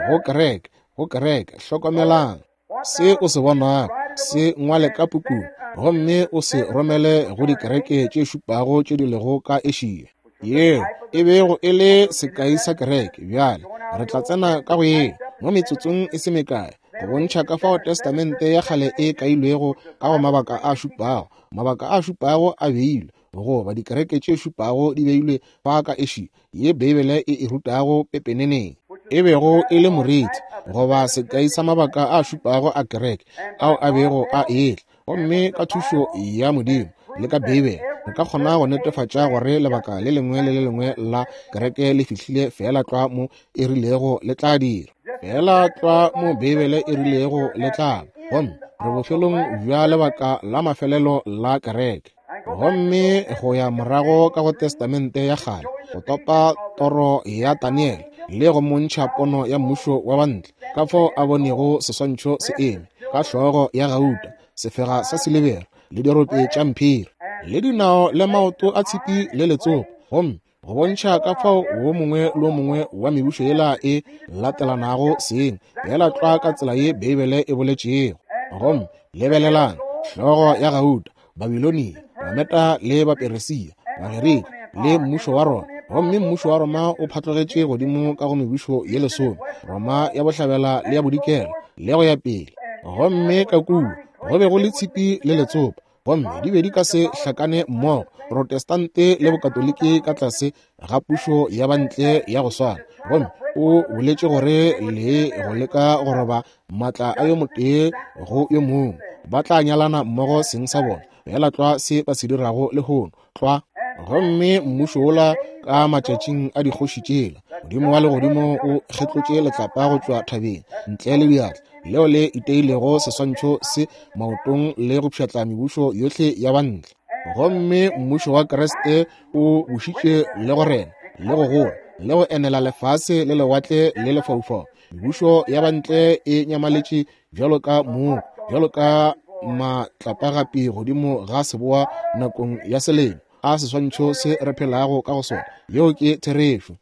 go kereke, go kereke. Hlokomelang se o se bonago, se ngwale ka pukung, gomme o se romele go dikereke tše šupago tše di lego ka Asia. Yeo e bego e le sekai sa kereke. Bjale re tla tsena ka go yeo mo metsotsong e se mekae, go bontšha ka fao testamente ya kgale e kailwego ka go mabaka a šupago. Mabaka a šupago a beilwe, goba dikereke tše šupago di beilwe fa ka Asia, ye Beibele e e rutago pepeneneng, e bego e le moriti goba sekai sa mabaka a šupago a kereke ao a bego a etla. Gomme ka thušo ya Modimo le ka Beibele, re ka kgona go netefatša gore lebaka le lengwe le le lengwe la kereke le fihlile feela tlwa mo e rilego le tla dira, feela tlwa mo Beibele e rilego le tla. Gomme re bofelong bja lebaka la mafelelo la kereke. Gomme go ya morago ka go testamente ya kgale, go topa toro ya Daniel le go montšha pono ya mmušo wa bantle, ka fao a bonego seswantšho se eme ka hlogo ya gauta, sefega sa silibera le dirope tša mphiri, le dinao le maoto a tshipi le letsopa, gomme go bontšha ka fao wo mongwe le wo mongwe wa mebušo yela e latelanago seng, yela tlwa ka tsela ye Beibele e boletšego. Gomme lebelelang, hlogo ya gauta, Babilonia, Bameta le Baperesia, Bagerika le mmušo wa Roma. Gomme mmušo wa Roma o phatlogetše godimo ka go mebušo ye lesome, Roma ya bohlabela le ya bodikela le go ya pele. Gomme ka kua go be go le tshipi le letsopa, gomme di be di ka se hlakane mmogo, Protestante le Bokatoliki ka tlase ga pušo ya bantle ya go swana. Gomme o boletše gore le go leka go roba matla a yo motee go yo mongwe, ba tla nyalana mmogo seng sa bona. Feela tlwa se ba se dirago lehono, tlwa. Gomme mmušo wola ka matšatšing a dikgoši tšela, Modimo wa legodimo o kgetlotše letlapa go tšwa thabeng ntle le diatla, leo le iteilego seswantšho se maotong le go pšhatla mebušo yohle ya bantle. Gomme mmušo wa Kriste o bušitše le go rena le go gola le go enela lefase le lewatle le lefaufau. Mebušo ya bantle e nyamaletše bjalo ka mooko, bjalo ka matlapagapi godimo ga seboa nakong ya selemo. A seswantšho se re phelago ka go sona, yeo ke therešo.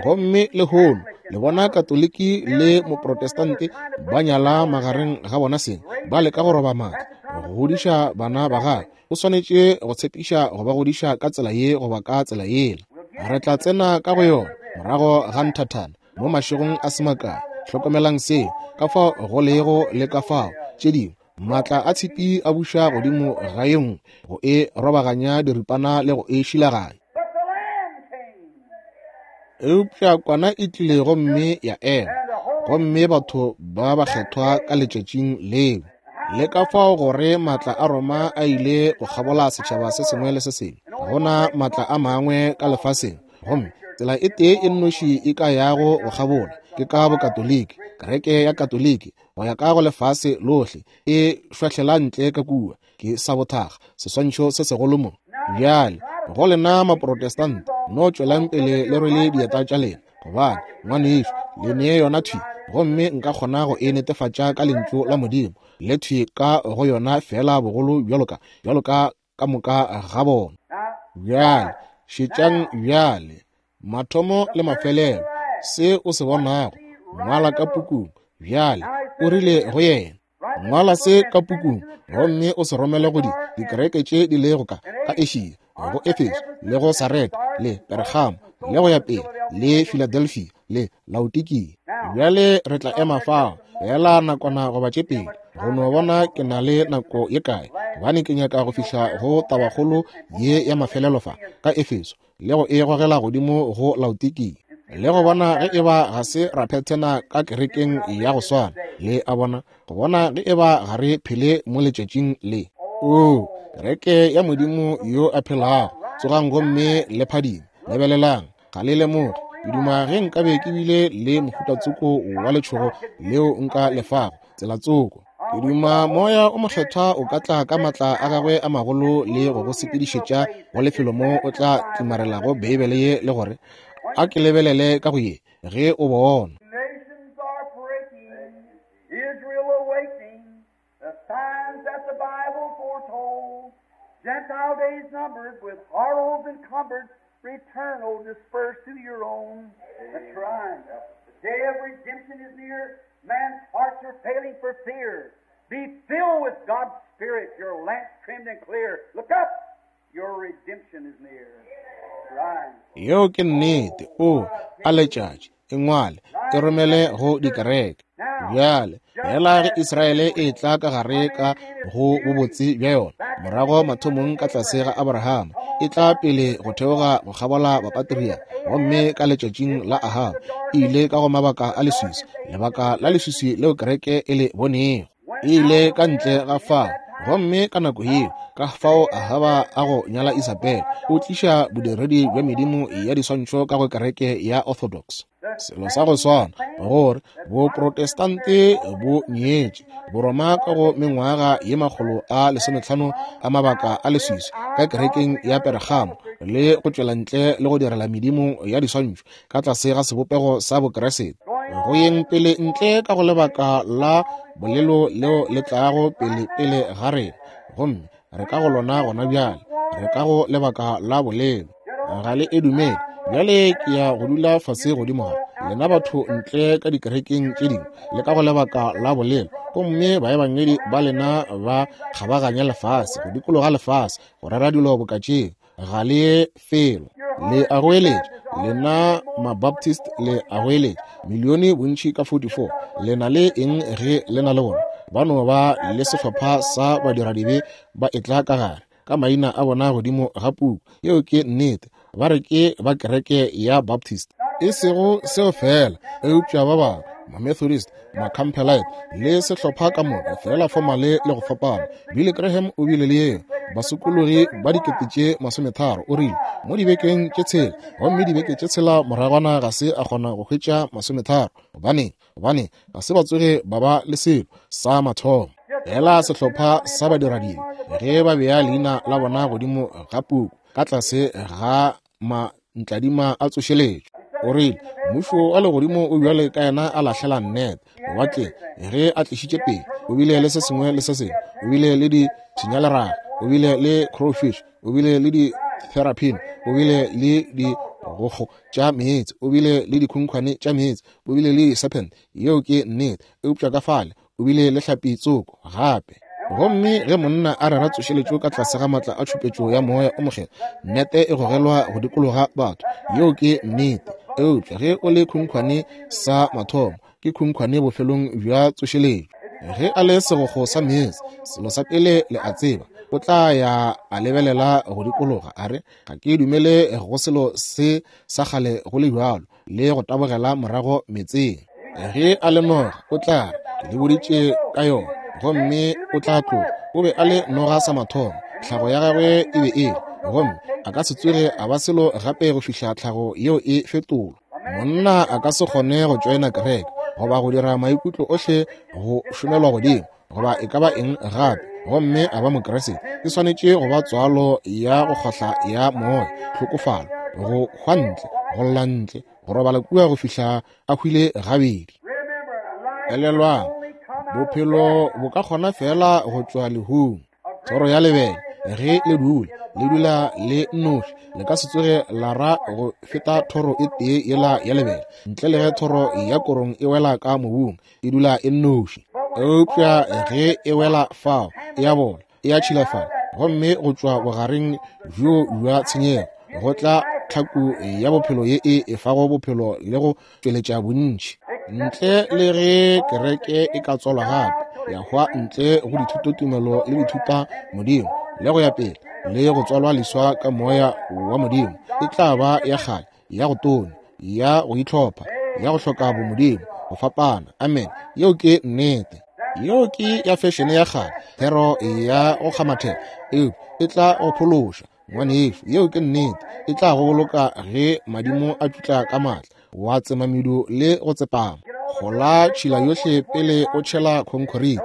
Gomme lehono le bona Katoliki le Moprotestante ba nyala magareng ga bona seng, ba leka go roba maatla, go godiša bana ba gagwe. O swanetše go tshepiša go ba godiša ka tsela ye goba ka tsela yela. Re tla tsena ka go yona morago ga nthathana mo mašegong a se makae. Hlokomelang seo, ka fao go lego le ka fao tše dingwe maatla a tshipi a buša godimo ga ye nngwe go e robaganya diripana le go e šilaganya. Eupša kwana e tlile gomme ya ema, gomme batho ba bakgethwa ka letšatšing leo. Le ka fao gore maatla a Roma a ile go kgabola setšhaba se sengwe le se sengwe, gona maatla a mangwe ka lefaseng, gomme tsela e tee e nnoši e ka yago go kgabola ke ka Bokatoliki, kereke ya Katoliki go ya ka go lefase lohle e šwahlela ntle ka kua ke sabothaga seswantšho se segolo mo. Bjale go lena Maprotestante, no tšwelang pele le rwele dieta tša lena, gobane ngwanešu le nee yona thwi, gomme nka kgona go e netefatša ka lentšu la Modimo le thwi ka go yona fela bogolo bjalo ka bjalo ka ka moka ga bona. Bjale šetšang bjale mathomo le mafelelo, se o se bonago ngwala ka pukung. Bjale o rile go yena, ngwala se ka pukung gomme o se romele go di dikereke tše di lego ka ka Asia, go Efeso le go Sarete le Pergamo le go ya pele le Philadelphia le Laodikia. Bjale re tla ema fao fela nakwana goba tše pedi go no bona ke na le nako ye kae, gobane ke nyaka go fihla go tabakgolo ye ya mafelelo fa ka Efeso le go e gogela godimo go Laodikia, le go bona ge eba ga se ra phethena ka kerekeng ya go swana. Le a bona, go bona ge eba ga re phele mo letšatšing le. O kereke ya Modimo yo a phelago, tsogang gomme le phadime. Lebelelang, ga le lemoge. Ke duma ge nkabe ke bile le mohutatsoko wa letšhogo leo nka lefago tsela tsoko. Ke duma moya o mokgethwa o ka tla ka maatla a gagwe a magolo le go go sepedišetša go lefelo mo o tla tlimarelago Beibele ye le gore a ke lebelele ka go ye ge o bona. Gentile days numbered, with horrors encumbered, return, O dispersed to your own. That's right. The day of redemption is near. Man's hearts are failing for fear. Be filled with God's Spirit, your lamps trimmed and clear. Look up, your redemption is near. Right. Yeo ke nnete. O a letšatši e ngwale e romele go dikereke. Bjale fela ge Israele e tla ka gare ka go bobotse bja yona morago mathomong ka tlase ga Abrahama, e tla pele go theoga go kgabola bapatria, gomme ka letšatšing la Ahaba e ile ka go mabaka a leswiswi, lebaka la leswiswi leo kereke e le bonego, e ile ka ntle ga fao. Gomme ka nako yeo ka fao Ahaba a go nyala Isabel, o tliša bodiredi bja medimo ya diswantšho ka go kereke ya Orthodox. Selo sa go swana gore Boprotestante bo nyetše Boroma ka go mengwaga ye makgolo a lesometlhano a mabaka a leswiswi ka kerekeng ya Pergamo, le go tšwela ntle le go direla medimo ya diswantšho ka tlase ga sebopego sa Bokeresete, go yeng pele ntle ka go lebaka la bolelo leo le tlago pele pele ga rena, gomme re ka go lona gona bjale, re ka go lebaka la bolelo. Ga le e dumele. Bjale ke ya go dula fase godimo ga lena batho ntle ka dikerekeng tše dingwe le ka go lebaka la bolelo, gomme baebangedi ba lena ba kgabaganya lefase go dikologa lefase go rera dilo boka tšeo. Ga le ye felo. Le a goeletša lena Mabaptist, le a goeletša milione bontši ka forty-four. Le na le eng ge le na le bona? Ba no ba le sehlopha sa badiradibe ba etla ka gare ka maina a bona godimo ga puku. Yeo ke nnete. Ba re ke ba kereke ya Baptist. E sego seo fela, eupša ba bangwe Mamethodist, Macampbellite, le sehlopha ka moka, fela fomale le go fapana. Billy Graham o bile le yeo, basokologi ba dikete tše masometharo, o rile, mo dibekeng tše tshela, gomme dibeke tše tshela moragwana ga se a kgona go hwetša masometharo. Gobane, gobane ga se ba tsoge ba ba le selo sa mathomo. Fela sehlopha sa badiradibe, ge ba bea leina la bona godimo ga puku, ka tlase ga mantladima a tsošeletšo. O rile, mmušo wa legodimo o bjale ka yena a lahlela nnete lewatleng ge a tlišitše pele. O bile le se sengwe le se sengwe. O bile le dipshinyaleraga, o bile le crowfish, o bile le di-therapin, o bile le digokgo tša meetse, o bile le dikhunkhwane tša meetse, o bile le di-serpent. Yeo ke nnete. Eupša ka fale o bile le hlapi tsoko gape. Gomme ge monna a rera tsošeletšo ka tlase ga matla a tšhupetšo ya moya o mokgethwa, nnete e gogelwa go dikologa batho. Yeo ke nnete. Eupša ge o le khunkhwane sa mathomo, ke khunkhwane bofelong bja tsošeletšo. Ge a le segokgo sa meetse, selo sa pele le a tseba, o tla ya a lebelela go dikologa, a re, ga ke dumele go selo se sa kgale go le bjalo, le go tabogela morago meetseng. Ge a le noga, o tla re, ke le boditše ka yona, gomme o tla tloga. O be a le noga sa mathomo, tlhago ya gagwe e be e le, gomme a ka se tsoge a ba selo gape go fihla tlhago yeo e fetolwa. Monna a ka se kgone go tšoena kereke, goba go dira maikutlo ohle go šomelwa godimo, goba e ka ba eng gape, gomme a ba Mokriste. E swanetše go ba tswalo ya go kgohla ya moya, tlhokofalo, go hwa ntle, go lla ntle, go robala kua go fihla a hwile gabedi. Elelwang, bophelo bo ka kgona fela go tšwa lehung. Thoro ya lebele ge le dula, le dula le nnoši, le ka se tsoge la ra go feta thoro e tee yela ya lebele, ntle le ge thoro ya korong e wela ka mobung, e dula e nnoši. Eupša ge e wela fao, e a bola, e a tšhilafala, gomme go tšwa bogareng bjo bja tshenyego go tla tlhaku ya bophelo ye e efago bophelo le go tšweletša bontši. Ntle le ge kereke e ka tswalwa gape, ya hwa ntle go dithutotumelo le dithuta modimo le go ya pele, le go tswalwa leswa ka moya wa modimo, e tla ba ya kgale, ya go tonya, ya go itlhopha, ya go hloka bomodimo, go fapana. Amen. Yeo ke nnete. Yeo ke ya fešene ya kgale, thero ya go kgamathela, eupša e tla go phološa, ngwanešu. Yeo ke nnete. E tla go boloka ge madimo a tšutla ka matla, wa tsema medu le go tsepama. Gola tšhila yohle pele o tšhela khonkhorite.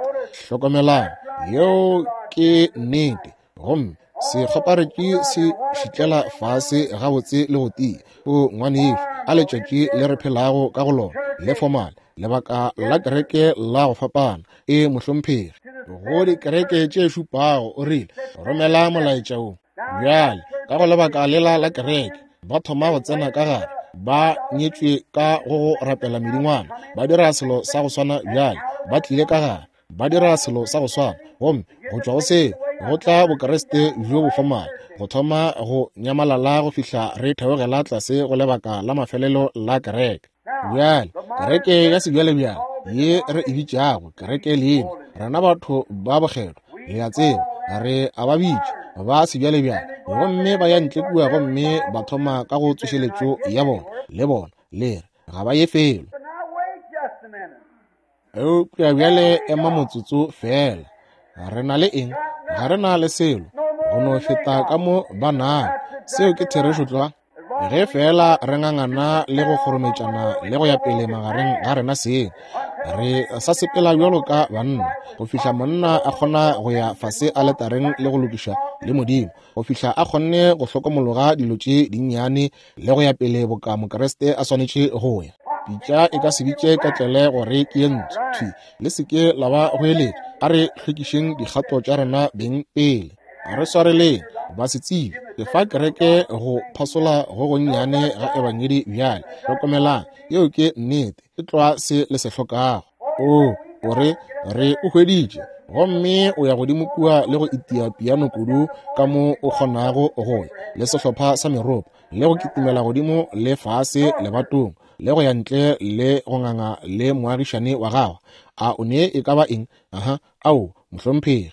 Hlokomelang, yeo ke nnete. Gomme sekgoparetši se šitlela fase gabotse le go tia. O ngwanešu, a letšatši le re phelago ka go lona le fomale, lebaka la kereke la go fapana. E mohlomphegi, go dikereke tše šupago o rile, romela molaetša wo. Bjale ka go lebaka lela la kereke, ba thoma go tsena ka gare, ba nyetšwe ka go go rapela medingwana, ba dira selo sa go swana. Bjale ba tlile ka gare, ba dira selo sa go swana, gomme go tšwa go seo go tla bokreste bjo bo fomale, go thoma go nyamalala go fihla re theogela tlase go lebaka la mafelelo la kereke. Bjale kereke ya sebjalebjale ye re e bitšago kereke leina, rena batho ba bokgethwa, le a tseba, re a ba bitša ba sebjalebjale, gomme ba ya ntle kua gomme ba thoma ka go tsošeletšo ya bona le bona, le re ga ba ye felo. Eupša bjale ema motsotso fela. Re na le eng? Ga re na le selo go no feta ka mo ba nago. Seo ke therešo tlwa. Ge fela re ngangana le go kgorometšana le go ya pele magareng ga rena seng, re sa sepela bjalo ka banna, go fihla monna a kgona go ya fase aletareng le go lokiša le modimo, go fihla a kgonne go hlokomologa dilo tše dinnyane le go ya pele boka Mokriste a swanetše go ya. Pitša e ka se bitše ka tlele gore ke ye ntsho. Thwi, le se ke la ba go eletša. A re hlwekišeng dikgato tša rena beng pele. A re swareleng ba se tsebe. Ke fa kereke go phasola go gonnyane ga ebangedi bjale. Hlokomelang, yeo ke nnete. E tloa se le se hlokago. O, o re, re o hweditše, gomme o ya godimo kua le go itia piano kudu ka mo o kgonago go ya, le sehlopha sa meropa, le go kitimela godimo le fase lebatong, le go ya ntle le go nganga le moagišane wa gago. A o ne e ka ba eng? Aha, ao, mohlomphegi.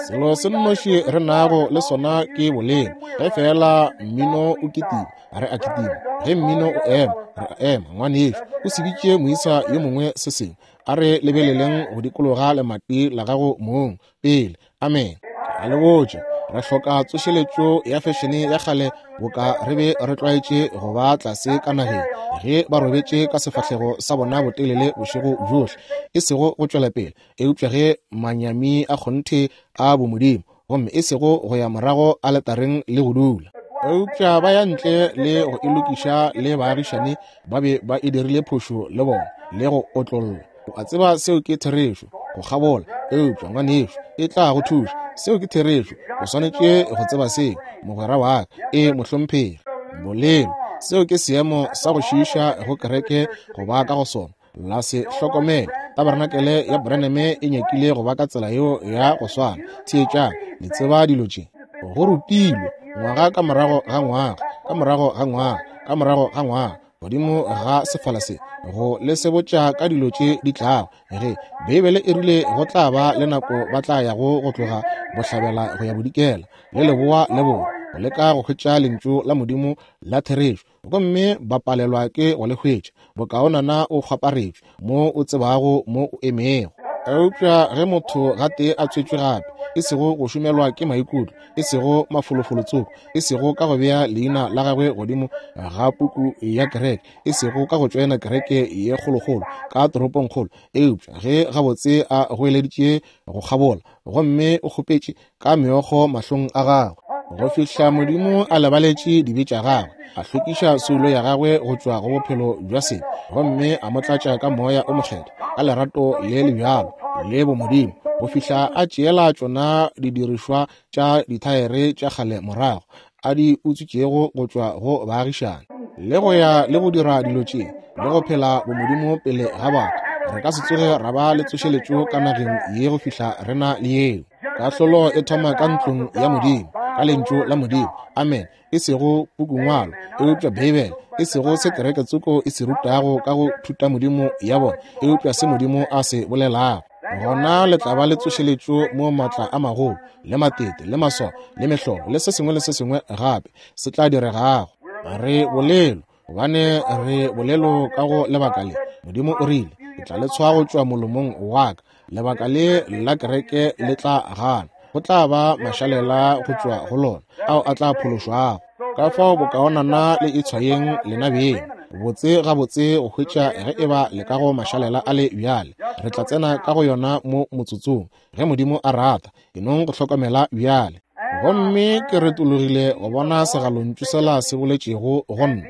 Selo se nnoši re nago le sona ke boleng. Ge fela mmino o kitima, re a kitima. Ge mmino o ema, re a ema. Ngwanešu, o se bitše moisa yo mongwe se sengwe. A re lebeleleng go dikologa lemati la gago mong pele. Amen. Ke a le botša, re hloka tsošeletšo ya fešene ya kgale boka re be re tlwaetše go ba tlase ka nageng ge ba robetše ka sefahlego sa bona botelele bošego bjohle, e sego go tšwela pele, eupša ge manyami a kgonthe a bomodimo, gomme e sego go ya morago aletareng le go dula. Eupša ba ya ntle le go e lokiša le baagišane ba be ba e dirile phošo le bona le go otlolla. O a tseba seo ke therešo, go kgabola, eupša ngwanešu e tla go thuša. Seo ke therešo, o swanetše go tseba seo, mogwera wa ka. E mohlomphegi. Bolelo, seo ke seemo sa go šiiša go kereke go ba ka go sona. La se hlokomele, tabernacle ya Branham e nyakile go ba ka tsela yeo ya go swana. Theetšang, le tseba dilo tše. Go rutilwe ngwaga ka morago ga ngwaga, ka morago ga ngwaga, ka morago ga ngwaga, godimo ga sefala se, go le sebotša ka dilo tše di tlago. Ge Beibele e rile go tla ba le nako ba tla yago go tloga bohlabela go ya bodikela le leboa le borwa, go leka go hwetša lentšu la Modimo la therešo, gomme ba palelwa ke go le hwetša. Bokaonana o kgwaparetšwe mo o tsebago mo o emego. Eupša ge motho gatee a tswetšwe gape, e sego go šomelwa ke maikutlo, e sego mafolofolotsoko, e sego ka go bea leina la gagwe godimo ga puku ya kereke, e sego ka go tšoena kereke ye kgolokgolo ka toropongkgolo, eupša ge gabotse a goeleditše go kgabola gomme o kgopetše ka meokgo mahlong a gagwe, go fihla Modimo a lebaletše dibe tša gagwe, a hlwekiša soulo ya gagwe go tšwa go bophelo bja sebe, gomme a mo tlatša ka moya o mokgethwa, ka lerato le le bjalo le bomodimo, go fihla a tšeela tšona didirišwa tša dithaere tša kgale morago a di utswitšego go tšwa go baagišane, le go ya le go dira dilo tše le go phela bomodimo pele ga batho. Re ka se tsoge ra ba le tsošeletšo ka nageng ye go fihla re na le yeo. Kahlolo e thoma ka ntlong ya Modimo, ka lentšu la Modimo. Amen. E sego pukungwalo, eupša Beibele, e sego se kereke tsoko e se rutago ka go thuta Modimo ya bona, eupša se Modimo a se bolelago. Gona le tla ba le tsošeletšo mo maatla a magolo le matete le maswao le mehlolo le se sengwe le se sengwe gape se tla diregago. Re bolelo, gobane re bolelo ka go lebaka le. Modimo o rile, ke tla le tshwa go tšwa molomong wa ka. Lebaka le la kereke le tla gana, go tla ba mašalela go tšwa go lona ao a tla phološwago. Ka fao bokaonana le itshwayeng lena beng botse gabotse go hwetša ge e ba le ka go mašalela a le bjale. Re tla tsena ka go yona mo motsotsong ge Modimo a rata. E nong go hlokomela bjale. Gomme ke retologile go bona segalontšu sela se boletšego go nna.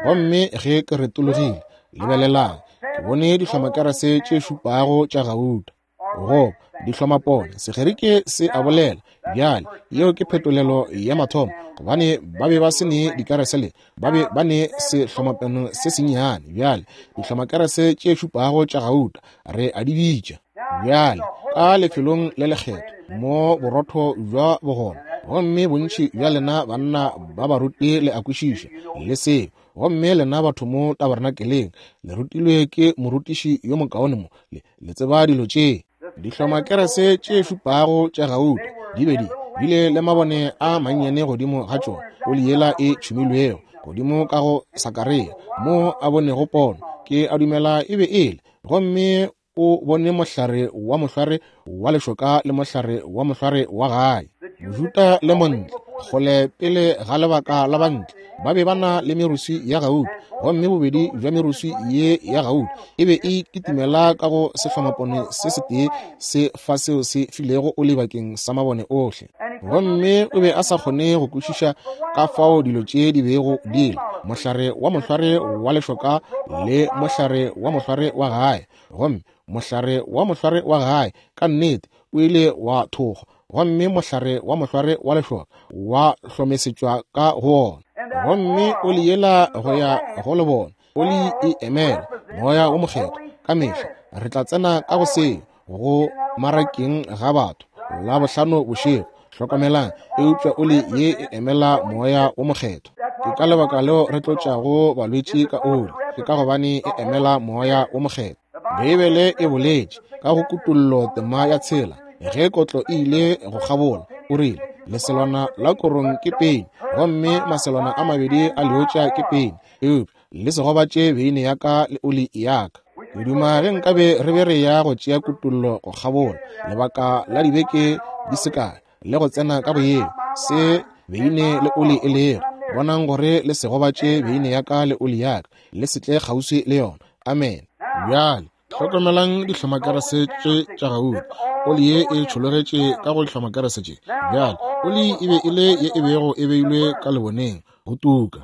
Gomme ge ke retologile, lebelelang, ke bone dihlomakerese tše šupago tša gauta, go dihlomapone. Segerike se a bolela bjale, yeo ke phetolelo ya mathomo, gobane ba be ba se ne dikerese le ba be ba ne sehlomapone se sennyane. Bjale dihlomakerese tše šupago tša gauta re a di bitša bjale ka lefelong le lekgetho mo borotho bja bogona, gomme bontši bja lena banna ba baruti le a kwešiša le seo. Gomme lena batho mo tabernakeleng le rutilwe ke morutiši yo mokaone mo, le, le tseba dilo tše. Dihlomakerese tše šupago tša gauta di be di bile le mabone a mannyane godimo ga tšona, oli yela e tšhumilwego godimo ka go Sakaria mo a bonego pono, ke a dumela e be ele. Gomme o bone mohlare wa mohlware wa lešoka le mohlare wa mohlware wa gae, Mojuta le montle, kgole pele ga lebaka la bantle, ba be ba na le meruswi ya gauta, gomme bobedi bja meruswi ye ya gauta e be e kitimela ka go sehlomapone se setee se fa seo se filego oli bakeng sa mabone ohle. Gomme o be a sa kgone go kwešiša ka fao dilo tše di bego di le, mohlare wa mohlware wa lešoka le mohlare wa mohlware wa gae. Gomme mohlare wa mohlware wa gae ka nnete o ile wa thokgwa, gomme mohlare wa mohlware wa lešoka wa hlomesetšwa ka go wona. Gomme oli yela go ya go le bona, oli e emela moya wo mokgethwa ka mehla. Re tla tsena ka go seo go marakeng ga batho la bohlano bošego. Hlokomelang, eupša oli ye e emela moya wo mokgethwa. Ke ka lebaka leo re tlotšago balwetši ka oli, ke ka gobane e emela moya wo mokgethwa. Beibele e boletše ka go Kutollo tema ya tshela, Ge kotlo e ile go kgabola, o rile, leselwana la korong ke peni, gomme maselwana a mabedi a leotša ke peni, eupša le se gobatše beine ya ka le oli ya ka. Ke duma ge nkabe re be re ya go tšea kutollo go kgabola lebaka la dibeke di se kae le go tsena ka boyeng se beine le oli e lego. Bonang gore le se gobatše beine ya ka le oli ya ka, le se tle kgauswi le yona. Amen. Bjale hlokomelang dihlomakerese tše tša gauta. Oli ye e tšhologetše ka go dihlomakerese tše. Bjale oli e be e le ye e bego e beilwe ka leboneng go tuka.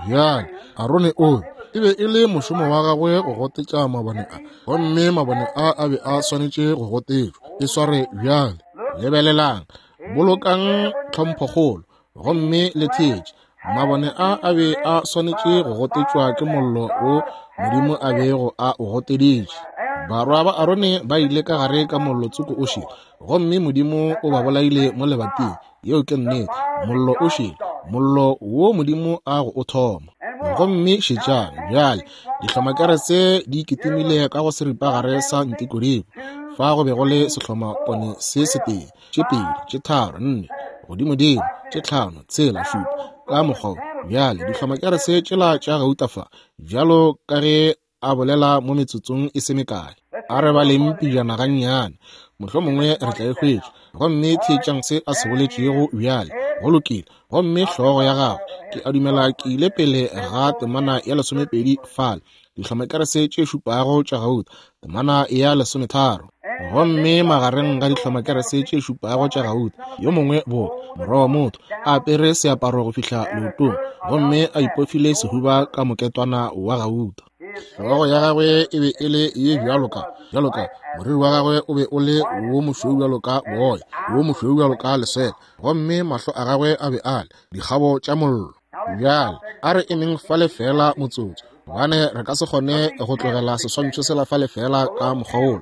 Bjale Arone o e be e le mošomo wa gagwe go gotetša mabone a, gomme mabone a a be a swanetše go gotetšwa. E sware bjale. Lebelelang, bolokang tlhomphokgolo gomme le theetše. Mabone a a be a swanetše go gotetšwa ke mollo wo Modimo a bego a o goteditše. Barwa ba Arone ba ile ka gare ka mollo tsoko o šele, gomme Modimo o ba bolaile mo lebating. Yeo ke nnete. Mollo o šele, mollo wo Modimo a go o thoma. Gomme šetšang bjale, dihlomakerese di kitimile ka go seripagare sa ntikodiko. Fa go be go le sehlomapone se setee, tše pedi, tše tharo, nne, godimodimo, tše tlhano, tshela, šupa, ka mokgwa. Bjale dihlomakerese tšela tša gauta fa, bjalo ka ge a bolela mo metsotsong e se mekae. A re baleng pejana gannyane, mohlomongwe re tla e hwetša. Gomme theetšang se a se boletšego bjale. Go lokile. Gomme hlogo ya gagwe, ke a dumela ke ile pele ga temana ya lesomepedi fale, dihlomakerese tše šupago tša gauta, temana ya lesometharo. Gomme magareng ga dihlomakerese tše šupago tša gauta, yo mongwe bo morwa wa motho a apere seaparo go fihla leotong, gomme a ipofile sehuba ka moketwana wa gauta. Hlogo ya gagwe e be e le ye bjalo ka bjalo ka moriri wa gagwe o be o le wo mošweu bjalo ka boya, wo mošweu bjalo ka leswele, gomme mahlo a gagwe a be a le dikgabo tša mollo. Bjale a re emeng fale fela motsotso, gobane re ka se kgone go tlogela seswantšho sela fale fela ka mokgwa wola.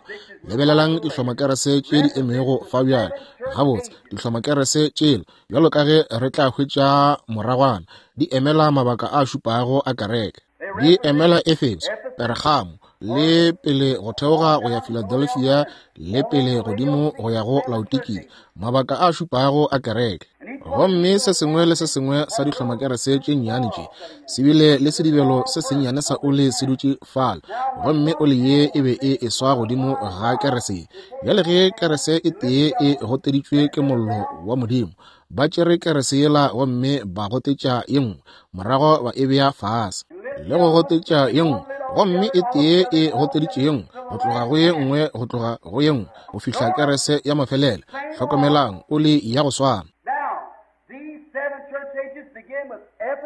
Lebelelang dihlomakerese tše di emego fa bjale. Gabotse, dihlomakerese tšela, bjalo ka ge re tla hwetša moragwana, di emela mabaka a šupago a kereke. Di emela Efeso, Pergamo, le pele go theoga go ya Philadelphia, le pele godimo go ya go Laodikia, mabaka a šupago a kereke. Gomme se sengwe le se sengwe sa dihlomakerese tše nnyane tše se bile le sedibelo se sennyane sa oli se dutše fale, gomme oli ye e be e eswa godimo ga kerese. Bjale ge kerese e tee e goteditšwe ke mollo wa Modimo, ba tšere kerese yela gomme ba gotetša ye nngwe, morago ba e bea fase le go gotetša ye nngwe, gomme e tee e goteditše ye nngwe, go tloga go ye nngwe, go tloga go ye nngwe, go fihla kerese ya mafelelo. Hlokomelang, oli ya go swana.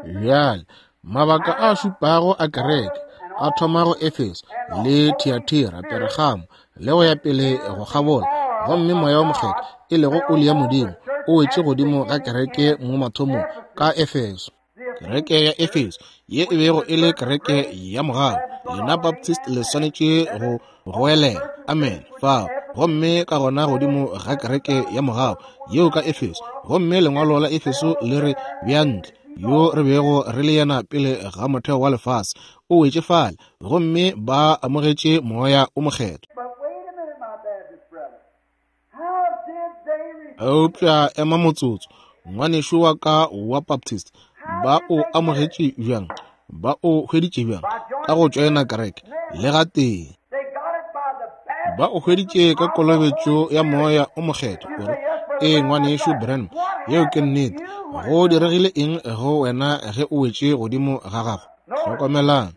Bjale mabaka a šupago a kereke a thoma go Efeso le Thiatira, Pergamo, le go ya pele go kgabola, gomme Moya wo Mokgethwa, e lego oli ya Modimo, o wetše godimo ga kereke mo mathomong ka Efeso. Kereke ya Efeso ye e bego e le kereke ya mogau. Lena Baptist le swanetše go goelela amen fao. Gomme ka gona godimo ga kereke ya mogau yeo ka Efeso, gomme lengwalo la Efeso le re bea ntle, yo re bego re le yena pele ga motheo wa lefase, o wetše fale, gomme ba amogetše Moya o Mokgethwa. Eupša ema motsotso, ngwanešu wa ka wa Baptist, ba o amogetše bjang? Ba o hweditše bjang? Ka go tšoena kereke? Le gatee. Ba o hweditše ka kolobetšo ya Moya o Mokgethwa. O re, ee, ngwanešu Branham, yeo ke nnete. Go diregile eng go wena ge o wetše godimo ga gago? Hlokomelang,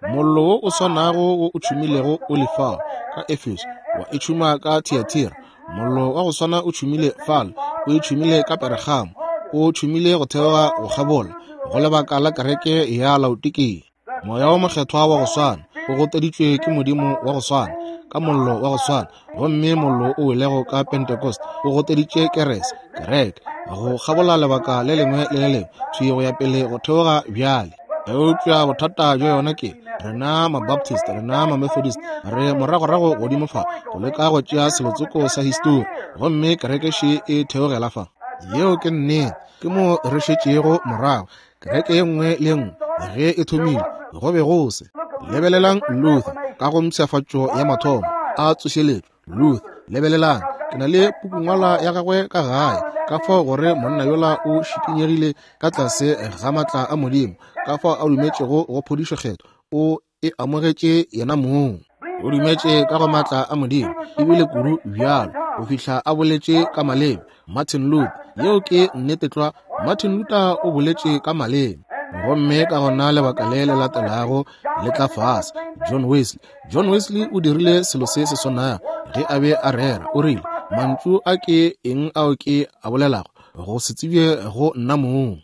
mollo wo o swanago wo o tšhumilego o le fao ka Efeso, wa e tšhuma ka Thiatira. Mollo wa go swana o tšhumile fale, o e tšhumile ka Pergamo, o tšhumile go theoga go kgabola go lebaka la kereke ya Laodikia. Moya wo Mokgethwa wa go swana o goteditšwe ke Modimo wa go swana ka mollo wa go swana, gomme mollo o welego ka Pentecost o goteditše kerese, kereke go kgabola lebaka le lengwe le le lengwe, thwi go ya pele go theoga bjale. Eupša bothata bja yona ke rena ma-Baptist, rena ma-Methodist, re moragorago godimo fa go leka go tšea selotsoko sa histori, gomme kereke še e theogela fa. Yeo ke nnete, ke mo re šetšego morago. Kereke ye nngwe le ye nngwe ge e thomile go be go se. Lebelelang Luther ka go mpshafatšo ya mathomo a tsošeletšo. Luther, lebelelang, Ke na le pukungwalwa ya gagwe ka gae, ka fao gore monna yola o šikinyegile ka tlase ga maatla a Modimo, ka fao a dumetšego go phodišo kgethwa, o e amogetše yena mong. O dumetše ka go maatla a Modimo, ebile kudu bjalo, go fihla a boletše ka maleme. Martin Luther, yeo ke nnete tlwa, Martin Luther o boletše ka maleme. Gomme ka gona lebaka le le latelago le tla fase, John Wesley. John Wesley o dirile selo se se swanago ge a be a rera. O rile, mantšu a ke eng ao ke a bolelago, go se tsebje go nna mong.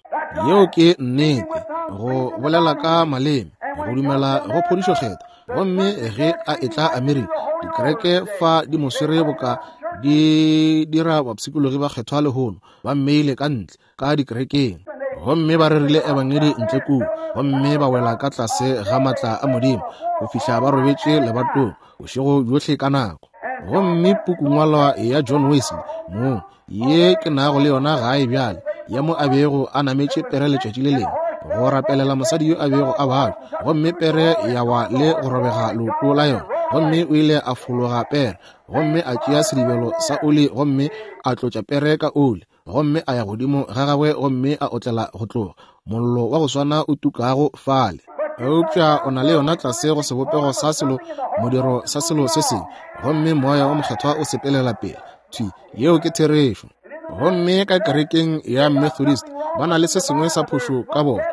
Yeo ke nnete, go bolela ka maleme, go dumela go phodišo kgethwa. Gomme ge a etla Amerika, dikereke fa di mo swere boka di dira bapshikologi ba kgethwa lehono, ba mmeile ka ntle ka dikerekeng, gomme ba rerile ebangedi ntle kua, gomme ba wela ka tlase ga maatla a Modimo go fihla ba robetše lebatong bošego bjohle ka nako. Gomme pukungwalwa ya John Wesley mo ye ke nago le yona gae bjale, ya mo a bego a nametše pere letšatši le lengwe go rapelela mosadi yo a bego a balwa, gomme pere ya wa le go robega leoto la yona, gomme o ile a fologa pere, gomme a tšea sedibelo sa oli, gomme a tlotša pere ka oli, gomme a ya godimo ga gagwe, gomme a otlela go tloga mollo wa go swana o tukago fale. Eupša o na le yona tlase go sebopego sa selo modiro sa selo se sengwe, gomme moya wa mokgethwa o sepelela pele thwi. Yeo ke therešo. Gomme ka kerekeng ya Methodist ba na le se sengwe sa phošo ka bona.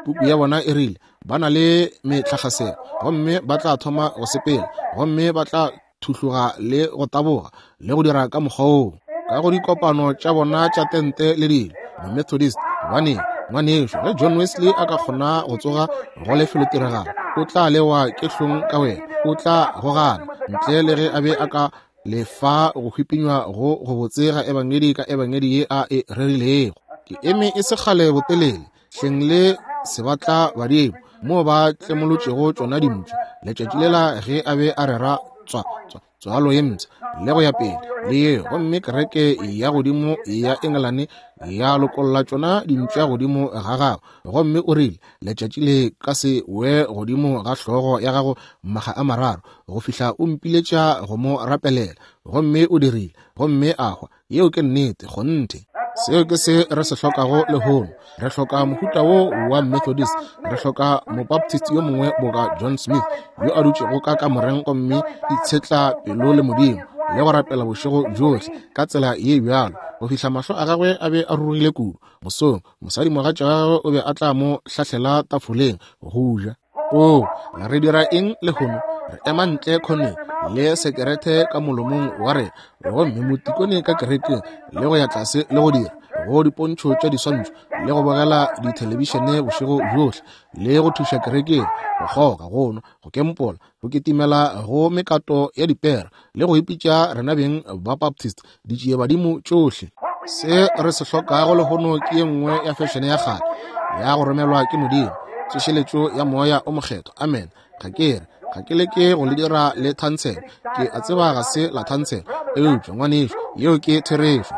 Puku ya bona e rile ba na le metlakgaselo, gomme ba tla thoma go sepela, gomme ba tla thuhloga le go taboga le go dira ka mokgwa woo ka go dikopano tša bona tša tente le dilo. Methodist, gobane ngwanešo, ge John Wesley a ka kgona go tsoga go lefelotiragalo, o tla lewa ke hlong ka wena, o tla gogana ntle le ge a be a ka lefa go hwipinywa go go botse ga ebangedi ka ebangedi ye a e rerilego. Ke eme e se kgale botelele hleng le sebatla badimo moo ba tlemolotšego tšona dimpša letšatši lela ge a be a rera tswa tswa tswalo ye mpsha le go ya pele le yeo, gomme kereke ya godimo ya Engelane ya lokolla tšona dimpša godimo ga gagwe, gomme o rile letšatši le ka se we godimo ga hlogo ya gago maga a mararo go fihla o mpiletša go mo rapelela, gomme o dirile, gomme a hwa. Yeo ke nnete, kgonthe. Seo ke se re se hlokago lehono. Re hloka mohuta wo wa Methodist, re hloka Mobaptist yo mongwe boka John Smith yo a dutšego ka kamoreng gomme itshetla pelo le Modimo le go rapela bošego bjohle ka tsela ye bjalo go fihla mahlo a gagwe a be a rurugile kudu. Mosong mosadimogatša wa gagwe o be a tla mo hlahlela tafoleng go ja. O re dira eng lehono? Re ema ntle khoneng le sekerete ka molomong wa rena, gomme motikone ka kerekeng le go ya tlase le go dira go dipontšho tša diswantšho le go bogela dithelebišene bošego bjohle le go thuša kerekeng, go kgoga, go nwa, go kempola, go kitimela go mekato ya dipera le go ipitša rena beng ba Baptist ditšiebadimo tšohle. Se re se hlokago lehono ke ye nngwe ya fešene ya kgale ya go romelwa ke Modimo, tsošeletšo ya moya o mokgethwa. Amen. Ga ke re ga ke leke go le dira le thansela, ke a tseba ga se la thansela, eupša ngwanešo, yeo ke therešo.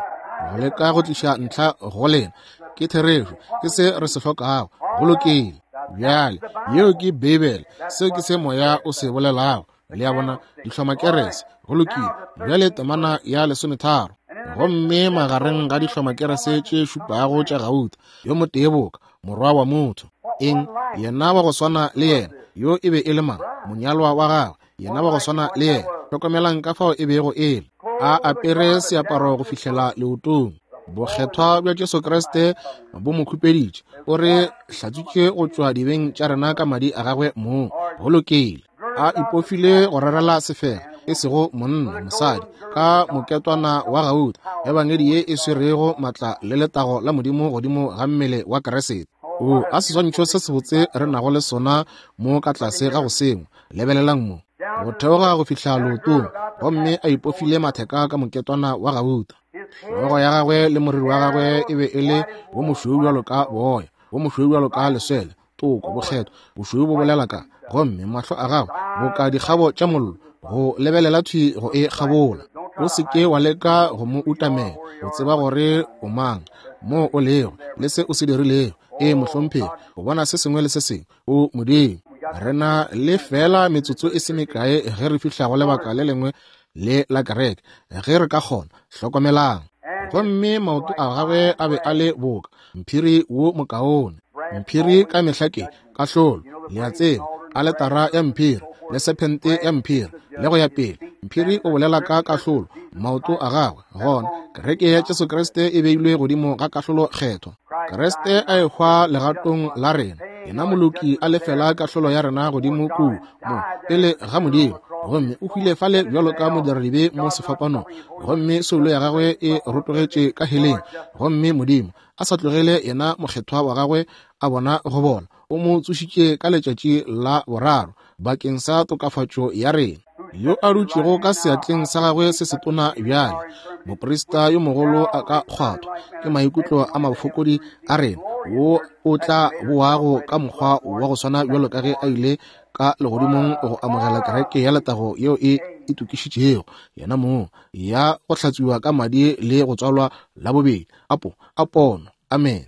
Go leka go tliša ntlha go lena ke therešo, ke se re se hlokago. Go lokile. Bjale yeo ke Beibele, seo ke se moya o se bolelago. Le a bona, dihlomakerese. Go lokile. Bjale temana ya lesometharo. Gomme magareng ga dihlomakerese tše šupago tša gauta, yo motee boka morwa wa motho. Eng? Yena wa go swana le yena. Yo e be e le mang? Monyalwa wa gagwe. Yena wa go swana le yena. Hlokomelang ka fao e bego e le. A apere seaparo go fihlela leotong. Bokgethwa bja Jesu Kriste bo mo khupeditše, o re hlatswitše go tšwa dibeng tša rena ka madi a gagwe mong. Go lokile. A ipofile go rerela sefela, e sego monna, mosadi, ka moketwana wa gauta, ebangedi ye e swerego matla le letago la Modimo godimo ga mmele wa Kriste. O a seswantšho se sebotse re nago le sona mo ka tlase ga go sengwe. Lebelelang mo go theoga go fihla leotong, gomme a ipofile matheka ka moketwana wa gauta. Hlogo ya gagwe le moriri wa gagwe e be e le wo mošweu bjalo ka boya, wo mošweu bjalo ka leswele, toko, bokgethwa, bošweu bo bolela ka, gomme mahlo a gagwe boka dikgabo tša mollo, go lebelela thwi go e kgabola. O se ke wa leka go mo utamela, o tseba gore o mang, mo o lego, le se o se dirilego. E mohlomphegi, o bona se sengwe le se sengwe, o Modimo. Re na le fela metsotso e se mekae ge re fihla go lebaka le lengwe le la kereke, ge re ka kgona. Hlokomelang. Gomme maoto a gagwe a be a le boka mphiri wo mokaone. Mphiri ka mehla ke kahlolo, le a tseba, aletara ya mphiri le sephente ya mphiri le go ya pele. Mphiri o bolela ka kahlolo, maoto a gagwe. Gona kereke ya Jesu Kriste e beilwe godimo ga kahlolo kgethwa. Kriste a ehwa legatong la rena, yena moloki a lefela kahlolo ya rena godimo kua mo pele ga Modimo, gomme o hwile fale bjalo ka modiradibe mo sefapanong, gomme soulo ya gagwe e rotogetše ka heleng. Gomme Modimo a sa tlogele yena mokgethwa wa gagwe a bona go bola, o mo tsošitše ka letšatši la boraro bakeng sa tokafatšo ya rena, yo a dutšego ka seatleng sa gagwe se setona bjale. Moprista yo mogolo a ka kgwathwa ke maikutlo a mafokodi a rena, wo o tla boago ka mokgwa wa go swana bjalo ka ge a ile ka legodimong go amogela kereke ya letago yeo e itokišitšego yena mong, ya go hlatswiwa ka madi le go tswalwa la bobedi. Apo a pono. Amen.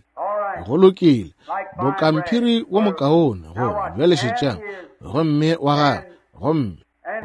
Go lokile. Bokamphiri wo mokaone go bjale šetšang. Gomme wa gagwe, gomme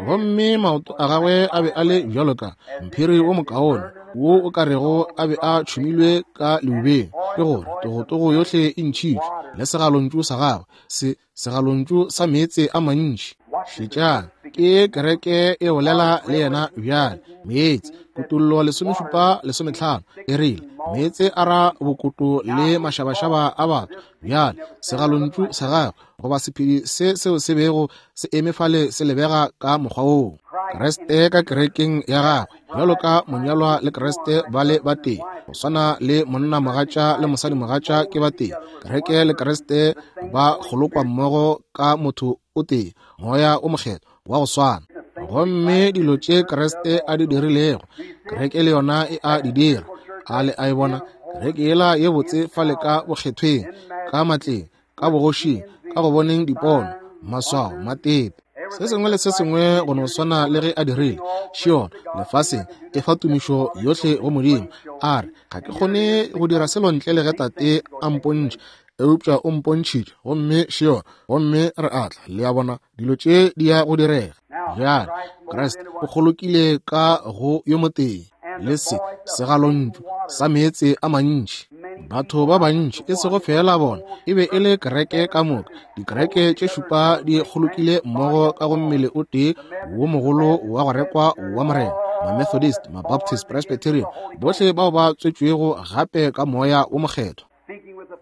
gomme maoto a gagwe a be a le bjalo ka mphiri wo mokaone wo o ka rego a be a tšhumilwe ka leubeng, ke gore togotogo yohle e ntšhitšwe, le segalontšu sa gagwe se segalontšu sa meetse a mantši. Šetšang, ke kereke e bolela le yena bjale. Meetse, Kutollo lesomešupa lesometlhano e rile meetse a ra bokoto le mašabašaba a batho. Bjale segalontšu sa gagwe goba sephedi se seo se bego se eme fale se lebega ka mokgwa woo. Kriste ka kerekeng ya gagwe, bjalo ka monyalwa le Kriste ba le batee, go swana le monna mogatša le mosadi mogatša ke batee. Kereke le Kriste ba kgolokwa mmogo ka motho o tee, moya o mokgethwa wa go swana. Gomme dilo tše Kriste a di dirilego, kereke le yona e a di dira. A le a e bona kereke yela ye botse fale ka bokgethweng, ka matleng, ka bogošing, ka go boneng dipono, maswao, matepe, se sengwe le se sengwe go no swana le ge a dirile. Šiona lefaseng e fa tumišo yohle go Modimo. A re, ga ke kgone go dira selo ntle le ge Tate a mpontšhe, eupša o mpontšhitše. Gomme šiona, gomme re atla, le a bona dilo tše di ya go direga. Bjale Kriste o kgolokile ka go yo motee le se segalontšu sa meetse a mantši. Batho ba bantši, e sego fela bona, e be e le kereke ka moka. Dikereke tše šupa di kgolokile mmogo ka go mmele o tee wo mogolo wa go rekwa wa Morena. Ma-Methodist, ma-Baptist, Presbyterian, bohle bao ba tswetšwego gape ka moya wo mokgethwa,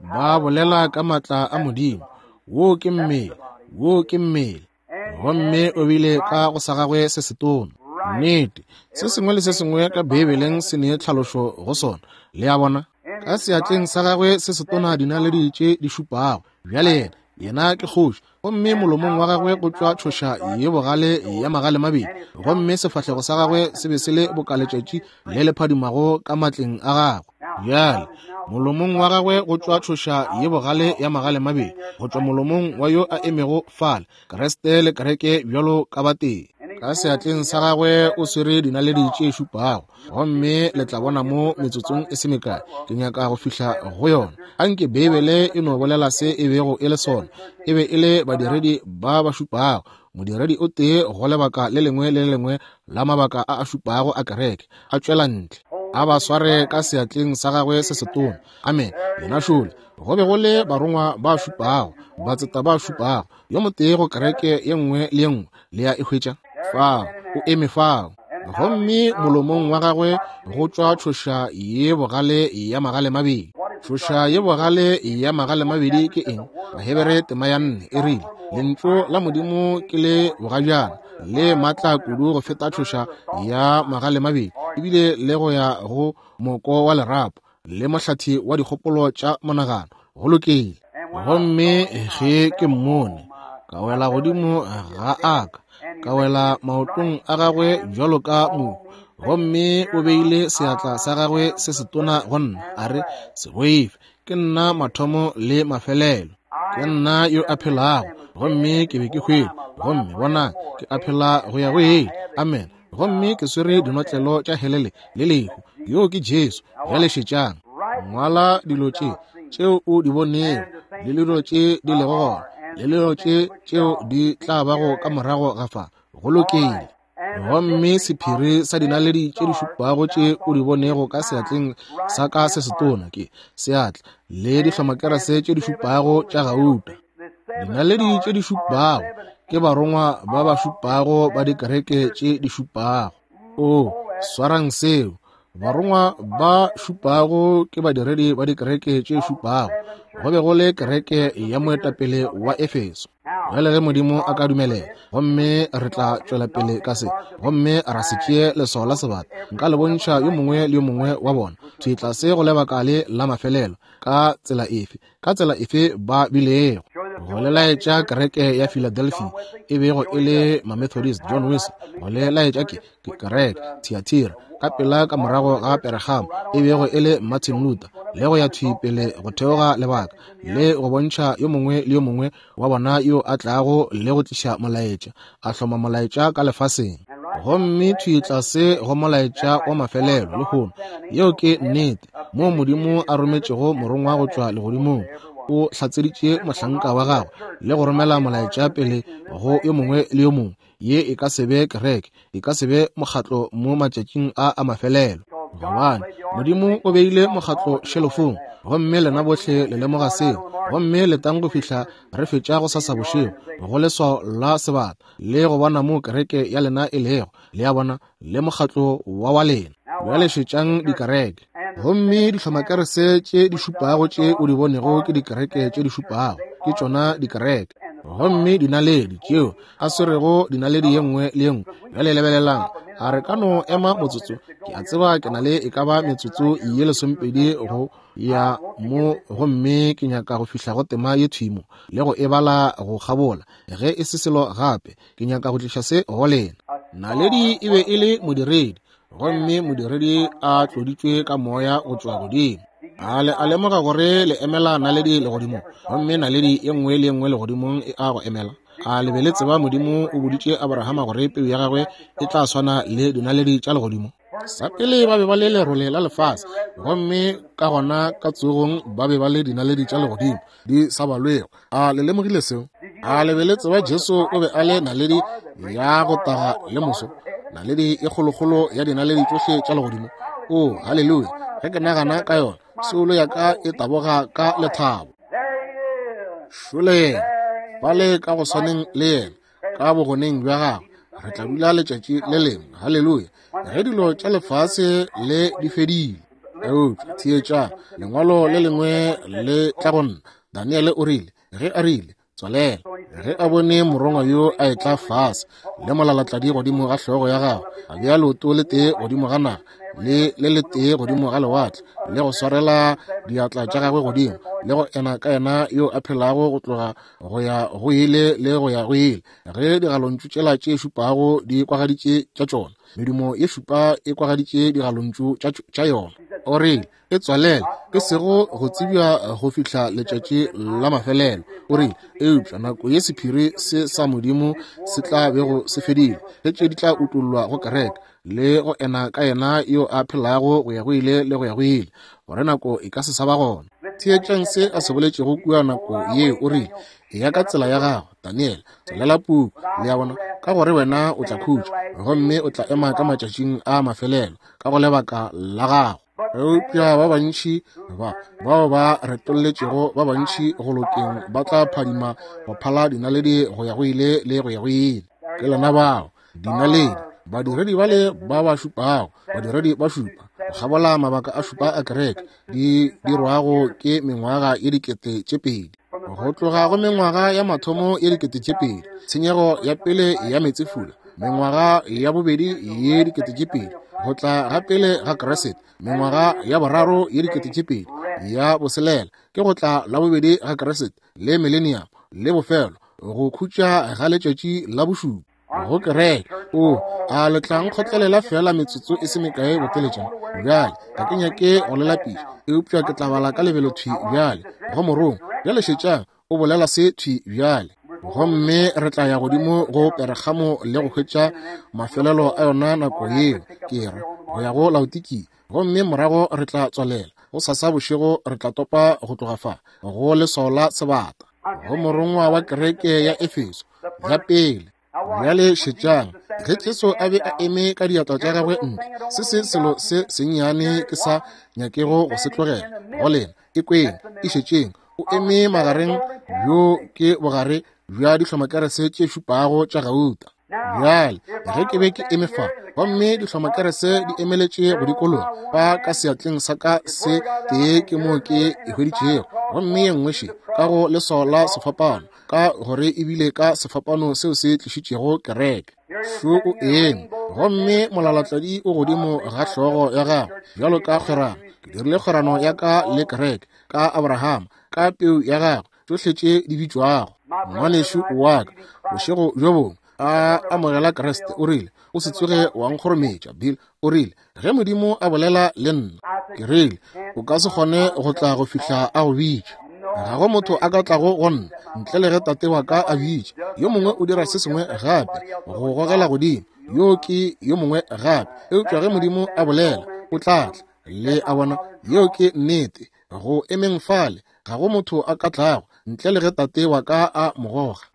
ba bolela ka matla a Modimo. Wo ke mmele, wo ke mmele. Gomme o bile ka go sa gagwe se setona. Nnete, se sengwe le se sengwe ka Beibeleng se ne tlhalošo go sona. Le a bona, ka seatleng sa gagwe se setona dinaledi tše di šupago. Bjale yena, yena ke kgoši, gomme molomong wa gagwe go tšwa tšhoša ye bogale ya magale mabedi, gomme sefahlego sa gagwe se be se le boka letšatši le le phadimago ka matleng a gagwe. Bjale molomong wa gagwe go tšwa tšhoša ye bogale ya magale mabedi, go tšwa molomong wa yo a emego fale, Kriste le kereke bjalo ka batee. Ka seatleng sa gagwe o swere dinaledi tše šupago, gomme le tla bona mo metsotsong e se mekae. Ke nyaka go fihla go yona. Anke Beibele e no bolela se e bego e le sona. E be e le badiredi ba ba šupago, modiredi o tee go lebaka le lengwe le lengwe la mabaka a a šupago a kereke, a tšwela ntle, a ba sware ka seatleng sa gagwe se setona. Amen. Yena šole. Go be go le barongwa ba šupago, batseta ba šupago, yo motee go kereke ye nngwe le ye nngwe. Le ya e hwetša fao, o eme fao. Gomme molomong wa gagwe go tšwa tšhoša ye bogale ya magale mabedi. Tšhoša ye bogale ya magale mabedi ke eng? Bahebere tema ya nne e rile, lentšu la Modimo ke le bogajana le matla kudu go feta tšhoša ya magale mabedi, ebile le go ya go moko wa lerapo le mohlathi wa dikgopolo tša monagano. Go lokile. Gomme ge ke mmone, ka wela godimo ga aka, ka wela maotong a gagwe bjalo ka mohu, gomme o beile seatla sa gagwe se setona go nna, a re, se boife, ke nna mathomo le mafelelo, ke nna yo a phelago, gomme ke be ke hwele, gomme bona ke a phela go ya go ile. Amen. Gomme ke swere dinotlelo tša helele le lehu. Yo ke Jesu. Bjale šetšang. Ngwala dilo tše tšeo o di bonego, le dilo tše di lego gona, le dilo tše tšeo di tla bago ka morago ga fa. Go lokile. Gomme sephiri sa dinaledi tše di šupago tše o di bonego ka seatleng sa ka se setona ke seatla le dihlomakerese tše di šupago tša gauta. Dinaledi tše di šupago ke barongwa ba ba šupago ba dikereke tše di šupago. O swarang seo. Barongwa ba šupago ke badiredi ba dikereke tše šupago. Go be go le kereke ya moetapele wa Efeso. Bjale ge Modimo a ka dumelela, gomme re tla tšwela pele ka se, gomme ra se tšee leswao la sebata, nka le bontšha yo mongwe le yo mongwe wa bona thwi tlase go lebaka le la mafelelo, ka tsela efe, ka tsela efe ba bilego. Go le laetša kereke ya Philadelphia e bego e le Mamethodist, John Wesley. Go le laetša ke, ke kereke Thyatira ka pela ka morago ga Pergamo e bego e le Martin Luther, le go ya thwi pele go theoga lebaka, le go bontšha yo mongwe le yo mongwe wa bona yo a tlago le go tliša molaetša, a hloma molaetša ka lefaseng. Gomme thwi tlase go molaetša wa mafelelo lehono, yeo ke nnete, moo Modimo a rometšego morongwa go tšwa legodimong, o hlatseditše mohlanka wa gagwe le go romela molaetša pele go yo mongwe le yo mongwe. Ye e ka se be kereke, e ka se be mokgatlo mo matšatšing a a mafelelo, gobane Modimo o beile mokgatlo šelofong, gomme lena bohle le lemoga seo. Gomme letang go fihla re fetša go sasa bošego go leswao la sebata le go bona mo kereke ya lena e lego, le a bona, le mokgatlo wa wa lena. Bjale šetšang dikereke. Gomme dihlomakerese tše di šupago tše o di bonego ke dikereke tše di šupago, ke tšona dikereke. Gomme dinaledi tšeo a swerego dinaledi ye nngwe le ye nngwe. Bjale lebelelang, a re ka no ema motsotso? Ke a tseba ke na le e ka ba metsotso ye lesomepedi go ya mo, gomme ke nyaka go fihla go tema ye thwi mo le go e bala go kgabola. Ge e se selo gape, ke nyaka go tliša se go lena. Naledi e be e le modiredi, gomme modiredi a tloditšwe ka moya go tšwa godimo. A le a lemoga gore le emela naledi legodimong, gomme naledi ye nngwe le ye nngwe legodimong e a go emela. A le be le tseba Modimo o boditše Abrahama gore peu ya gagwe e tla swana le dinaledi tša legodimo? Sa pele ba be ba le lerole la lefase, gomme ka gona ka tsogong ba be ba le dinaledi tša legodimo di sa balwego. A le lemogile seo? A le be le tseba Jesu o be a le naledi ya go taga le moso, naledi e kgolokgolo ya dinaledi tšohle tša legodimo? O, haleluya! Ge ke nagana ka yona, soulo ya ka e taboga ka lethabo. Šole yena, bale ka go swaneng le yena, ka bogoneng bja gagwe, re tla dula letšatši le lengwe. Haleluya! Ge dilo tša lefase le di fedile. Eupša theetša, lengwalo le lengwe le tla go nna. Daniele o rile, ge a rile, tswalela, ge a bone morongwa yo a etla fase le molalatladi godimo ga hlogo ya gagwe, a bea leoto le tee godimo ga naga le le letee godimo ga lewatle, le go swarela diatla tša gagwe godimo, le go ena ka yena yo a phelago go tloga go ya go ile le go ya go ile. Ge digalontšu tšela tše šupago di kwagaditše tša tšona, medumo ye šupa e kwagaditše digalontšu tša yona. O rile, e tswalele, e sego go tsebja go fihla letšatši la mafelelo. O rile, eupša nako ye sephiri se sa Modimo se tla bego se fedile, ge tše di tla utollwa go kereke, le go ena ka yena yo a phelago go ya go ile le go ya go ile, gore nako e ka se sa ba gona. Theetšang se a se boletšego kua nako yeo. O rile, eya ka tsela ya gago, Daniele, tswalela puku, le a bona, ka gore wena o tla khutša, gomme o tla ema ka matšatšing a mafelelo ka go lebaka la gago. Eupša ba bantši ba bao ba retolletšego ba bantši go lokeng ba tla phadima go phala dinaledi go ya go ile le go ya go ile. Ke lena bao dinaledi, badiredi bale ba ba šupago, badiredi ba šupa go kgabola mabaka a šupa a kereke, di dirwago ke mengwaga ye dikete tše pedi. Go tloga go mengwaga ya mathomo ye dikete tše pedi, tshenyego ya pele ya meetsefula, mengwaga ya bobedi ye dikete tše pedi, go tla ga pele ga Kriste, mengwaga ya boraro ye dikete tše pedi, ya boselela ke go tla la bobedi ga Kriste, le millennium, le bofelo, go khutša ga letšatši la bošupa go kereke. O a le tla nkgotlelela fela metsotso e se mekae boteletšana? Bjale ga ke nyake go le lapiša, eupša ke tla bala ka lebelo thwi bjale go morongwa. Bjale šetšang, o bolela se thwi bjale. Gomme re tla ya godimo go Pergamo le go hwetša mafelelo a yona nako yeo, ke re go ya go Laodikia, gomme morago re tla tswalela go sasa bošego. Re tla topa go tloga fa go leswao la sebata go morongwa wa kereke ya Efeso ya pele. Bjale šetšang, Ge Jesu a be a eme ka diatla tša gagwe ntle, se se selo se sennyane ke sa nyakego go se tlogela go lena, e kweng, e šetšeng. O eme magareng, bjo ke bogare bja dihlomakerese tše šupago tša gauta. Bjale, ge ke be ke eme fa, gomme dihlomakerese di emeletše go dikologa fa ka seatleng sa ka se tee ke moo ke e hweditšego, gomme ye nngwe še ka go leswao la sefapano, ka gore ebile ka sefapano seo se tlišitšego kereke. Šo o eme, gomme molalatladi o godimo ga hlogo ya gagwe bjalo ka kgwerano. Ke dirile kgwerano ya ka le kereke, ka Abraham, ka peu ya gagwe, tšohle tše di bitšwago. Ngwanešu wa ka, bošego bjo bongwe a amogela Kriste, o rile, o se tsoge wa nkgorometša, Bill. O rile, ge Modimo a bolela le nna, ke rile, o ka se kgone go tla go fihla a go bitša. Ga go motho a ka tlago go nna ntle le ge tate wa ka a bitša. Yo mongwe o dira se sengwe gape go gogela godimo, yo ke yo mongwe gape. Eupša ge Modimo a bolela, o tla tla. Le a bona, yeo ke nnete. Go emeng fale, ga go motho a ka tlago ntle le ge tate wa ka a mo goga.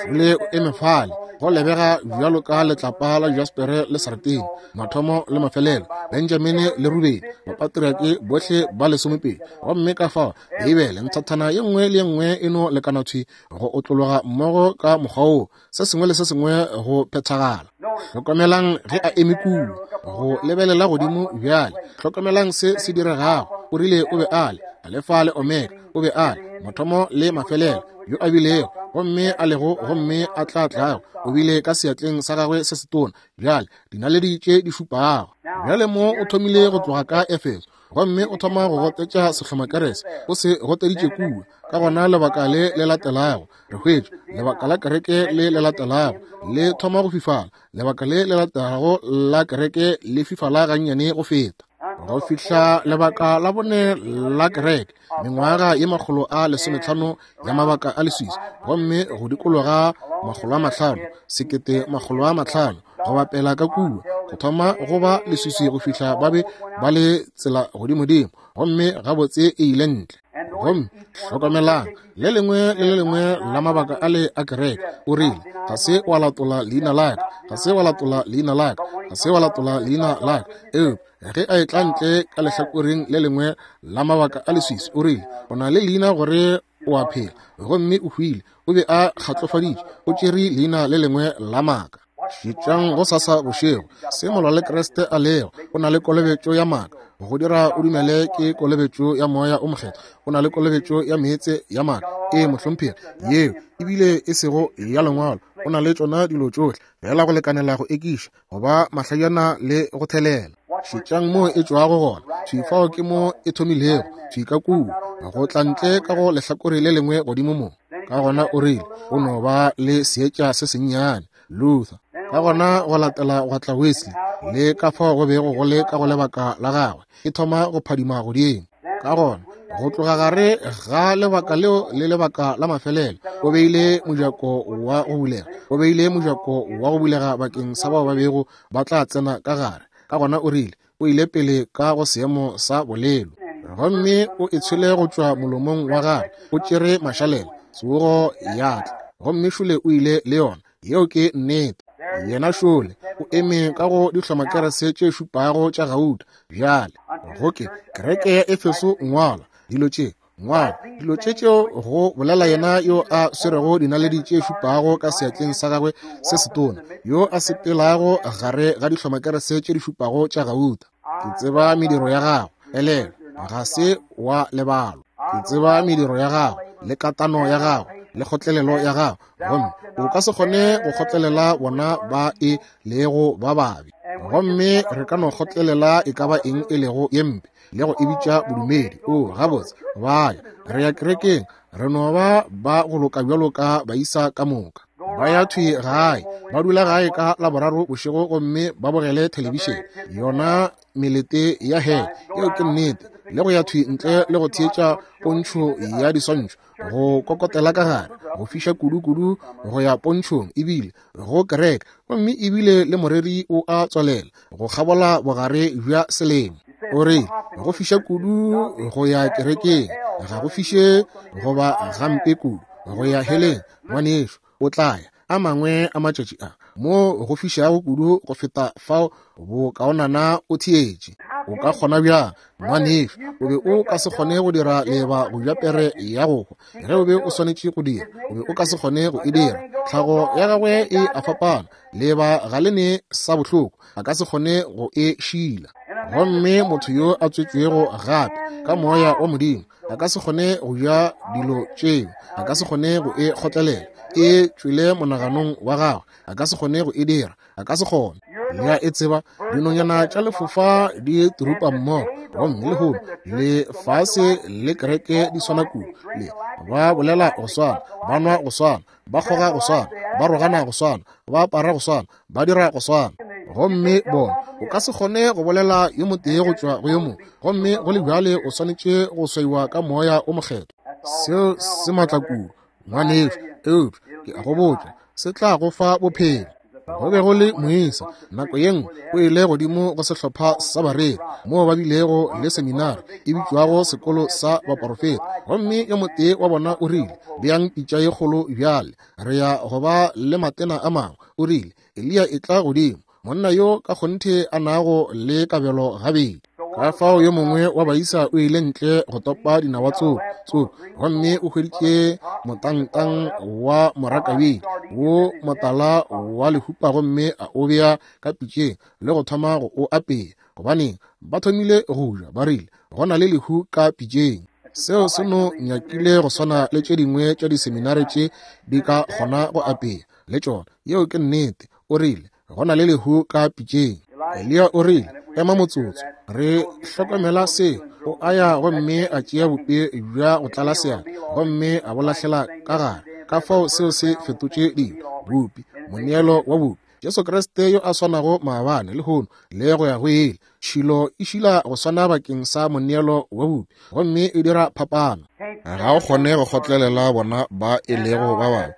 Le o eme fale, go lebega bjalo ka letlapa la jaspere le sartine, mathomo le mafelelo, Benjamine le Rubeni, bapatriake bohle ba lesomepedi. Gomme ka fao Beibele nthathana ye nngwe le ye nngwe e no lekana thwi go otlologa mmogo ka mokgwa wo, se sengwe le se sengwe go phethagala. Hlokomelang ge a eme kua go lebelela godimo bjale. Hlokomelang se se diregago. O rile o be a le Alefa le Omega, o be a le mathomo le mafelelo, yo a bilego gomme a lego gomme a tla tlago. O bile ka seatleng sa gagwe se setona bjale dinaledi tše di šupago. Bjale mo o thomile go tloga ka Efeso, gomme o thoma go gotetša sehlomakerese, o se goteditše kua. Ka gona lebaka le le latelago re hwetša lebaka la kereke le le latelago le thoma go fifala, lebaka le le latelago la kereke le fifala gannyane go feta, go fihla lebaka la bone la kereke, mengwaga ye makgolo a lesometlhano ya mabaka a leswiswi, gomme go dikologa makgolo a mahlano, sekete makgolo a mahlano, go bapela ka kua, go thoma go ba leswiswi go fihla ba be ba le tsela godimodimo, gomme gabotse e ile ntle. Gomme hlokomelang, le lengwe le le lengwe la mabaka a le a kereke, o rile, ga se wa latola leina la ka, ga se wa latola leina la ka, ga se wa latola leina la ka. Eupša ge a etla ntle ka lehlakoreng le lengwe la mabaka a leswiswi, o rile, o na le leina gore o a phela, gomme o hwile. O be a kgatlofaditše, o tšere leina le lengwe la maaka. Šetšang go sasa bošego se molwa le Kriste a lego. O na le kolobetšo ya maaka, go dira o dumele ke kolobetšo ya moya o mokgethwa. O na le kolobetšo ya meetse ya maaka, e mohlomphegi, yeo ebile e sego ya lengwalo. O na le tšona dilo tšohle fela go lekanela go ekiša, go ba mahlajana le go thelela. Šetšang mo e tšwago gona, thwi fao ke mo e thomilego, thwi ka kua, go tla ntle ka go lehlakore le lengwe godimo mo. Ka gona o rile, o no ba le seetša se sennyane, Luther. Ka gona go latela gwa tla Wesley, le ka fao go bego go le ka go lebaka la gagwe, e thoma go phadima godimo. Ka gona go tloga gare ga lebaka leo le lebaka la mafelelo, o beile mojako wa go bulega, o beile mojako wa go bulega bakeng sa bao ba bego ba tla tsena ka gare. Ka gona o rile, o ile pele ka go seemo sa bolelo, gomme o e tshwele go tšwa molomong wa gagwe, o tšere mašalela, tsogo ya tla, gomme šole o ile le yona. Yeo ke nnete. Yena šole o eme ka go dihlomakerese tše šupago tša gauta. Bjale go ke kereke ya Efeso, ngwala dilo tše, ngwala dilo tše tšeo go bolela yena yo a swerego dinaledi tše šupago ka seatleng sa gagwe se setona, yo a sepelago gare ga dihlomakerese tše di šupago tša gauta. Ke tseba mediro ya gago, elelwa, ga se wa lebalwa. Ke tseba mediro ya gago le katano ya gago le kgotlelelo ya gago, gomme o ka se kgone go kgotlelela bona ba e lego ba babe. Gomme re ka no kgotlelela e ka ba eng e lego ye mpe le go e bitša bodumedi. O gabotse, ba ya re ya kerekeng, re no ba ba go loka bjalo ka baisa ka moka. Ba ya thwi gae, ba dula gae ka Laboraro bošego gomme ba bogele thelebišene, yona melete ya hell. Yeo ke nnete. Le go ya thwi ntle le go theetša pontšho ya diswantšho, go kokotela ka gare, go fiša kudu-kudu go ya pontšhong ebile go kereke, gomme ebile le moreri o a tswalela go kgabola bogare bja selemo. O re go fiša kudu go ya kerekeng, ga go fiše goba gampe kudu go ya heleng. Ngwanešu, o tla ya. A mangwe a matšatši a mo go fišago kudu go feta fao, bokaonana o theetše. O ka kgona bjang, ngwanešu? O be o ka se kgone go dira leeba go ja pere ya go hwa. Ge o be o swanetše go dira, o be o ka se kgone go e dira. Tlhago ya gagwe e a fapana. Leeba ga le ne sa bohloko, a ka se kgone go e šila. Gomme motho yo a tswetšwego gape ka moya wa Modimo a ka se kgone go ja dilo tšeo, a ka se kgone go e kgotlelela. E tšwele monaganong wa gagwe, a ka se kgone go e dira, a ka se kgone. Le e tseba, dinonyana tša lefofa di turupa mmogo, gomme lehono lefase le kereke di swana kudu. Le ba bolela go swana, ba nwa go swana, ba kgoga go swana, ba rogana go swana, ba apara go swana, ba dira go swana. Gomme bona, o ka se kgone go bolela yo motee go tšwa go yo mongwe, gomme go le bjale o swanetše go swaiwa ka moya o mokgethwa. Seo se matla kudu, ngwanešu, eupša ke a go botša, se tla go fa bophelo. Go be go le moisa nako ye nngwe o ile godimo go sehlopha sa bareri moo ba bilego le seminari e bitšwago sekolo sa baporofeta, gomme yo motee wa bona o rile, beang pitša ye kgolo bjale, re ya go ba le matena a mangwe. O rile, Eliya e tla godimo, monna yo ka kgonthe a nago le kabelo gabedi. Ka fao yo mongwe wa baisa o ile ntle go topa dinawa tsoko tsoko, gomme o hweditše motangtang wa morakabedi wo motala wa lehupa, gomme a o bea ka pitšeng le go thoma go o apea. Gobaneng ba thomile go ja, ba rile go na le lehu ka pitšeng. Seo se no nyakile go swana le tše dingwe tša diseminare tše di ka kgona go apea le tšona. Yeo ke nnete. O rile go na le lehu ka pitšeng. Eliya o rile, ema motsotso, re hlokomela se. O a ya gomme a tšea bupi bja go tlala seatla gomme a bo lahlela ka gare. Ka fao seo se fetotše dilo. Bupi, moneelo wa bupi, Jesu Kriste yo a swanago maabane, lehono le go ya go ile. Tšhilo e šila go swana bakeng sa moneelo wa bupi, gomme e dira phapano. Ga o kgone go kgotlelela bona ba e lego ba babe,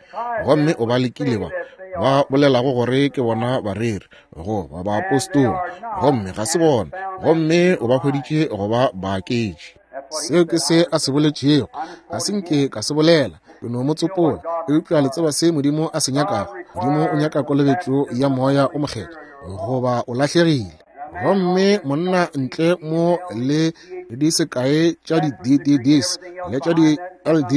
gomme o ba lekile ba ba bolelago gore ke bona bareri goba baapostola, gomme ga se bona, gomme o ba hweditše go ba baaketši. Seo ke se a se boletšego, ga se nke ka se bolela, ke no mo tsopola. Eupša le tseba se Modimo a se nyakago. Modimo o nyaka kolobetšo ya moya o mokgethwa, goba o lahlegile. Gomme monna ntle mo le di sekae tša di D D Ds le tša di L D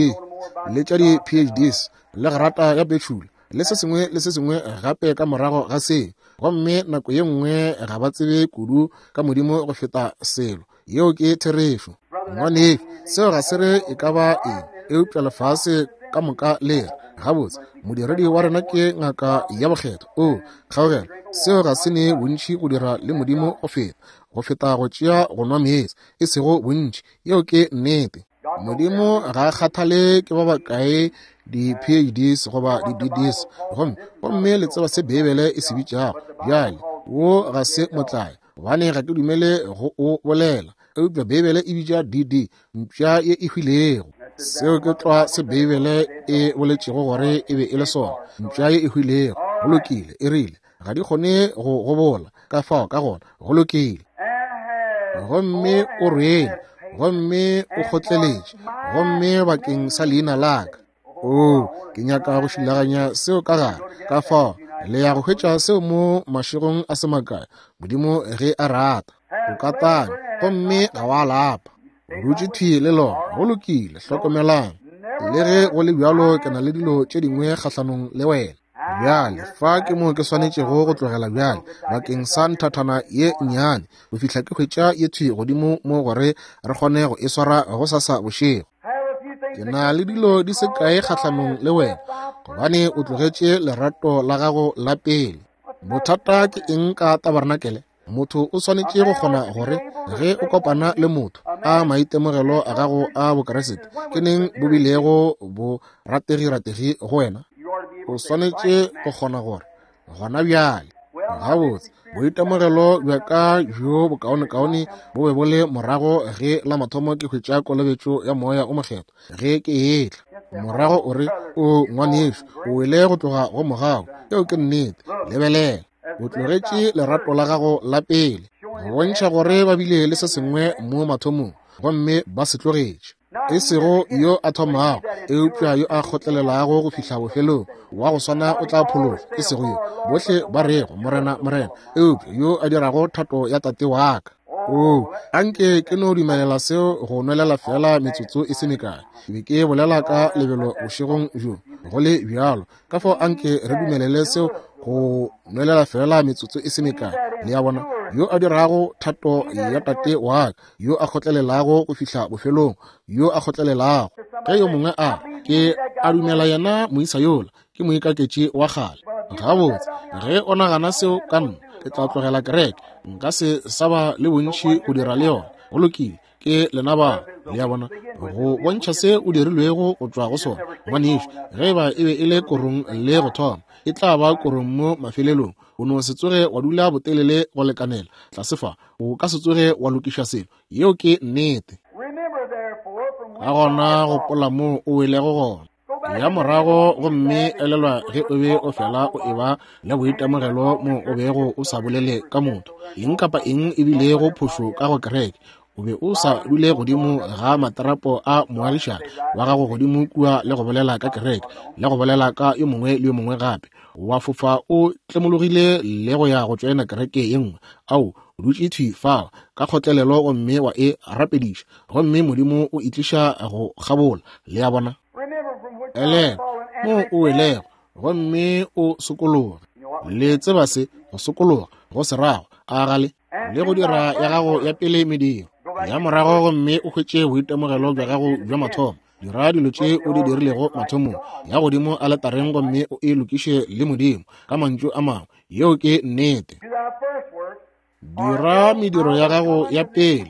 le tša di P H Ds le grata ya betšhula le se sengwe le se sengwe gape ka morago ga se, gomme nako ye nngwe ga ba tsebe kudu ka Modimo go feta selo. Yeo ke therešo, ngwanešu. Seo ga se re e ka ba eng, eupša lefase ka moka le re gabotse modiredi wa rena ke ngaka ya bokgethwa. O kgaogelo, seo ga se ne bontši go dira le Modimo go feta go feta go tšea go nwa meetse, e sego bontši. Yeo ke nnete. Modimo ga a kgathale ke ba bakae di P H Ds goba di D Ds, gomme gomme le tseba se Beibele e se bitšago. Bjale wo ga se motlae, gobane ga ke dumele go o bolela, eupša Beibele e bitša D D mpša ye e hwilego. Seo ke tlwa se Beibele e boletšego gore e be e le sona, mpša ye e hwilego. Go lokile, e rile ga di kgone go gobola, ka fao ka gona go lokile. Gomme o rwele, gomme o kgotleletše, gomme bakeng sa leina la ka. O, ke nyaka go šilaganya seo ka gare. Ka fao le ya go hwetša seo mo mašegong a se makae, Modimo ge a rata. O ka tanya, gomme ga wa lapa. O dutše thwi le lona. Go lokile, hlokomelang. Le ge go le bjalo, ke na le dilo tše dingwe kgahlanong le wena. Bjale fa ke mo ke swanetšego go tlogela bjale bakeng sa nthathana ye nnyane go fihla ke hwetša ye thwi godimo mo gore re kgone go e swara go sasa bošego. Ke na le dilo di se kae kgahlanong le wena, gobane o tlogetše lerato la gago la pele. Bothata ke eng ka tabarnakele? Motho o swanetše go kgona gore ge o kopana le motho a maitemogelo a gago a Bokeresete ke neng bo bilego bo rategi-rategi go wena. O swanetše go kgona gore gona bjale gabotse boitemogelo bja ka bjo bokaonekaone bo be bo le morago ge la mathomo ke hwetša kolobetšo ya moya o mokgethwa ge ke etla. Morago o re, o ngwanešu, o wele go tloga go mogau. Yeo ke nnete. Lebelela, o tlogetše lerato la gago la pele, go bontšha gore ba bile le se sengwe mo mathomong, gomme ba se tlogetše. E sego yo a thomago, eupša yo a kgotlelelago go fihla bofelong, wa go swana o tla phološwa. E sego yo bohle ba rego Morena, Morena, eupša yo a dirago thato ya Tate wa ka. Oo, anke ke no dumelela seo go nwelela fela metsotso e se mekae. Ke be ke bolela ka lebelo bošegong bjo, go le bjalo. Ka fao anke re dumelele seo go nwelela fela metsotso e se mekae. Le a bona, yo a dirago thato ya Tate wa ka, yo a kgotlelelago go fihla bofelong, yo a kgotlelelago. Ge yo mongwe a ke a dumela yena moisa yola, ke moikaketši wa kgale. Gabotse, ge o nagana seo ka nna, ke tla tlogela kereke. Nka se sa ba le bontši go dira le yona. Go lokile, ke lena ba. Le a bona, go bontšha se o dirilwego go tšwa go sona. Ngwanešu, ge eba e be e le korong le go thoma, e tla ba korong mo mafelelong. O no se tsoge wa dula botelele go lekanela tlase fa, o ka se tsoge wa lokiša selo. Yeo ke nnete. Ka gona gopola moo o welego gona. Ya morago gomme elelwa ge o be o fela o eba le boitemogelo mo o bego o sa bolele ka motho. Eng kapa eng e bilego phošo ka go kereke, o be o sa dule godimo ga materapo a moagišane wa gago godimo kua le go bolela ka kereke le go bolela ka yo mongwe le yo mongwe gape. Wa fofa o tlemologile le go ya go tšoena kereke ye nngwe. Ao, o dutše thwi fao ka kgotlelelo gomme wa e rapediša, gomme Modimo o itliša go kgabola. Le a bona? Elelwa mo o welego gomme o sokologe. Le tseba se go sokologa go se rago, a gale le go dira ya gago ya pele mediro. Ya morago gomme o hwetše boitemogelo bja gago bja mathomo. Dira dilo tše o di dirilego mathomong. Ya godimo aletareng gomme o e lokiše le Modimo. Ka mantšu a mangwe, yeo ke nnete. Dira mediro ya gago ya pele,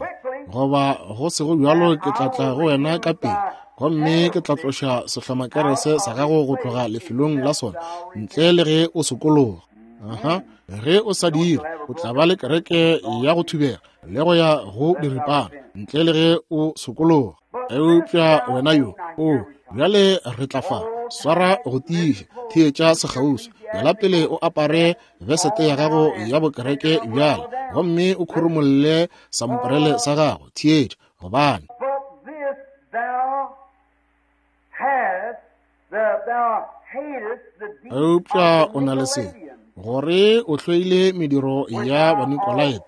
goba go sego bjalo ke tla tla go wena ka pele, gomme ke tla tloša sehlomakerese sa gago go tloga lefelong la sona, ntle le ge o sokologa. Aha, ge o sa dire, o tla ba le kereke ya go thubega le go ya go diripana, ntle le ge o sokologa. Eupša wena yo, o bjale re tla fa, swara go tiiša, theetša sekgauswi. Bjala pele o apare vesete ya gago ya bokereke bjale, gomme o khurumolle samporele sa gago. Theetša, gobane eupša o na le se, gore o hloile mediro ya Banikolaite,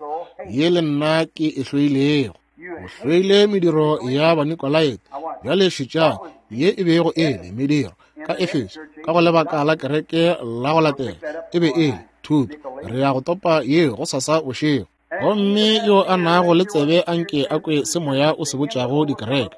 ye le nna ke e hloilego. O hloile mediro ya Banikolaite. Bjale šetšang ye e bego e le mediro ka Efeso, ka go lebaka la kereke la go latela, e be e le thuto. Re ya go topa ye go sasa bošego. Gomme yo a nago le tsebe anke a kwe se moya o se botšago dikereke.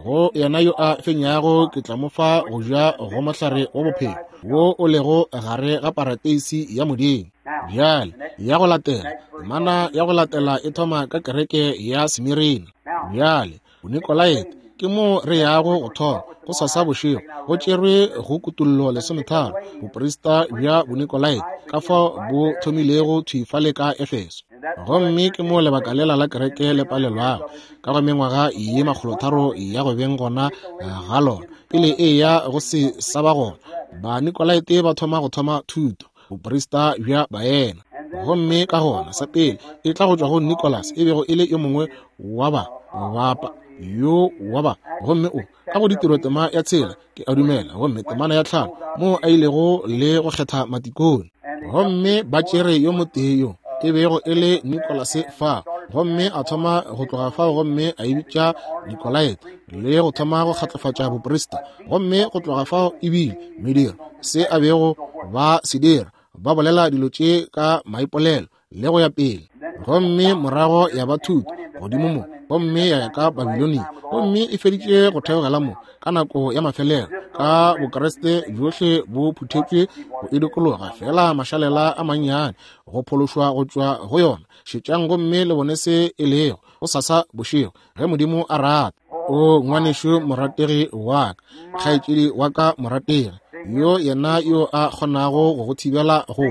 Go yena yo a fenyago ke tla mo fa go ja go mohlare wa bophelo wo o lego gare ga parateisi ya Modimo. Bjale ya go latela, temana ya go latela e thoma ka kereke ya Smirina. Bjale Bonikolaite ke mo re yago go thoma go sasa bošego. Go tšerwe go Kutullo lesometharo, boprista bja Bonikolaite, ka fao bo thomilego thwi fale ka Efeso. Gomme ke mo lebaka lela la kereke le palelwago ka go mengwaga ye makgolotharo ya go beng gona ga lona pele e ya go se sa ba gona. Banikolaite ba thoma go thoma thuto, boprista bja baena. Gomme ka gona sa pele e tla go tšwa go Nicholas, e bego e le yo mongwe wa ba bapa yo wa ba, gomme o ka go ditiro tema ya tshela ke a dumela, gomme temana ya tlhano mo a ilego le go kgetha matikone. Gomme ba tšere yo motee yo e bego e le Nicholas fa, gomme a thoma go tloga fao gomme a e bitša Nikolaite le go thoma go kgatlofatša boprista. Gomme go tloga fao ebile mediro se a bego ba se dira, ba bolela dilo tše ka maipolelo le go ya pele. Gomme morago ya ba thuto godimo mo, gomme ya ya ka Babilonia, gomme e feditše go theogela mo ka nako ya mafelelo, ka Bokreste bjohle bo phuthetšwe go e dikologa, fela mašalela a mannyane go phološwa go tšwa go yona. Šetšang gomme le bone se e lego go sasa bošego, ge Modimo a rata. O ngwanešu morategi wa ka, kgaetšedi wa ka morategi, yo yena yo a kgonago go go thibela go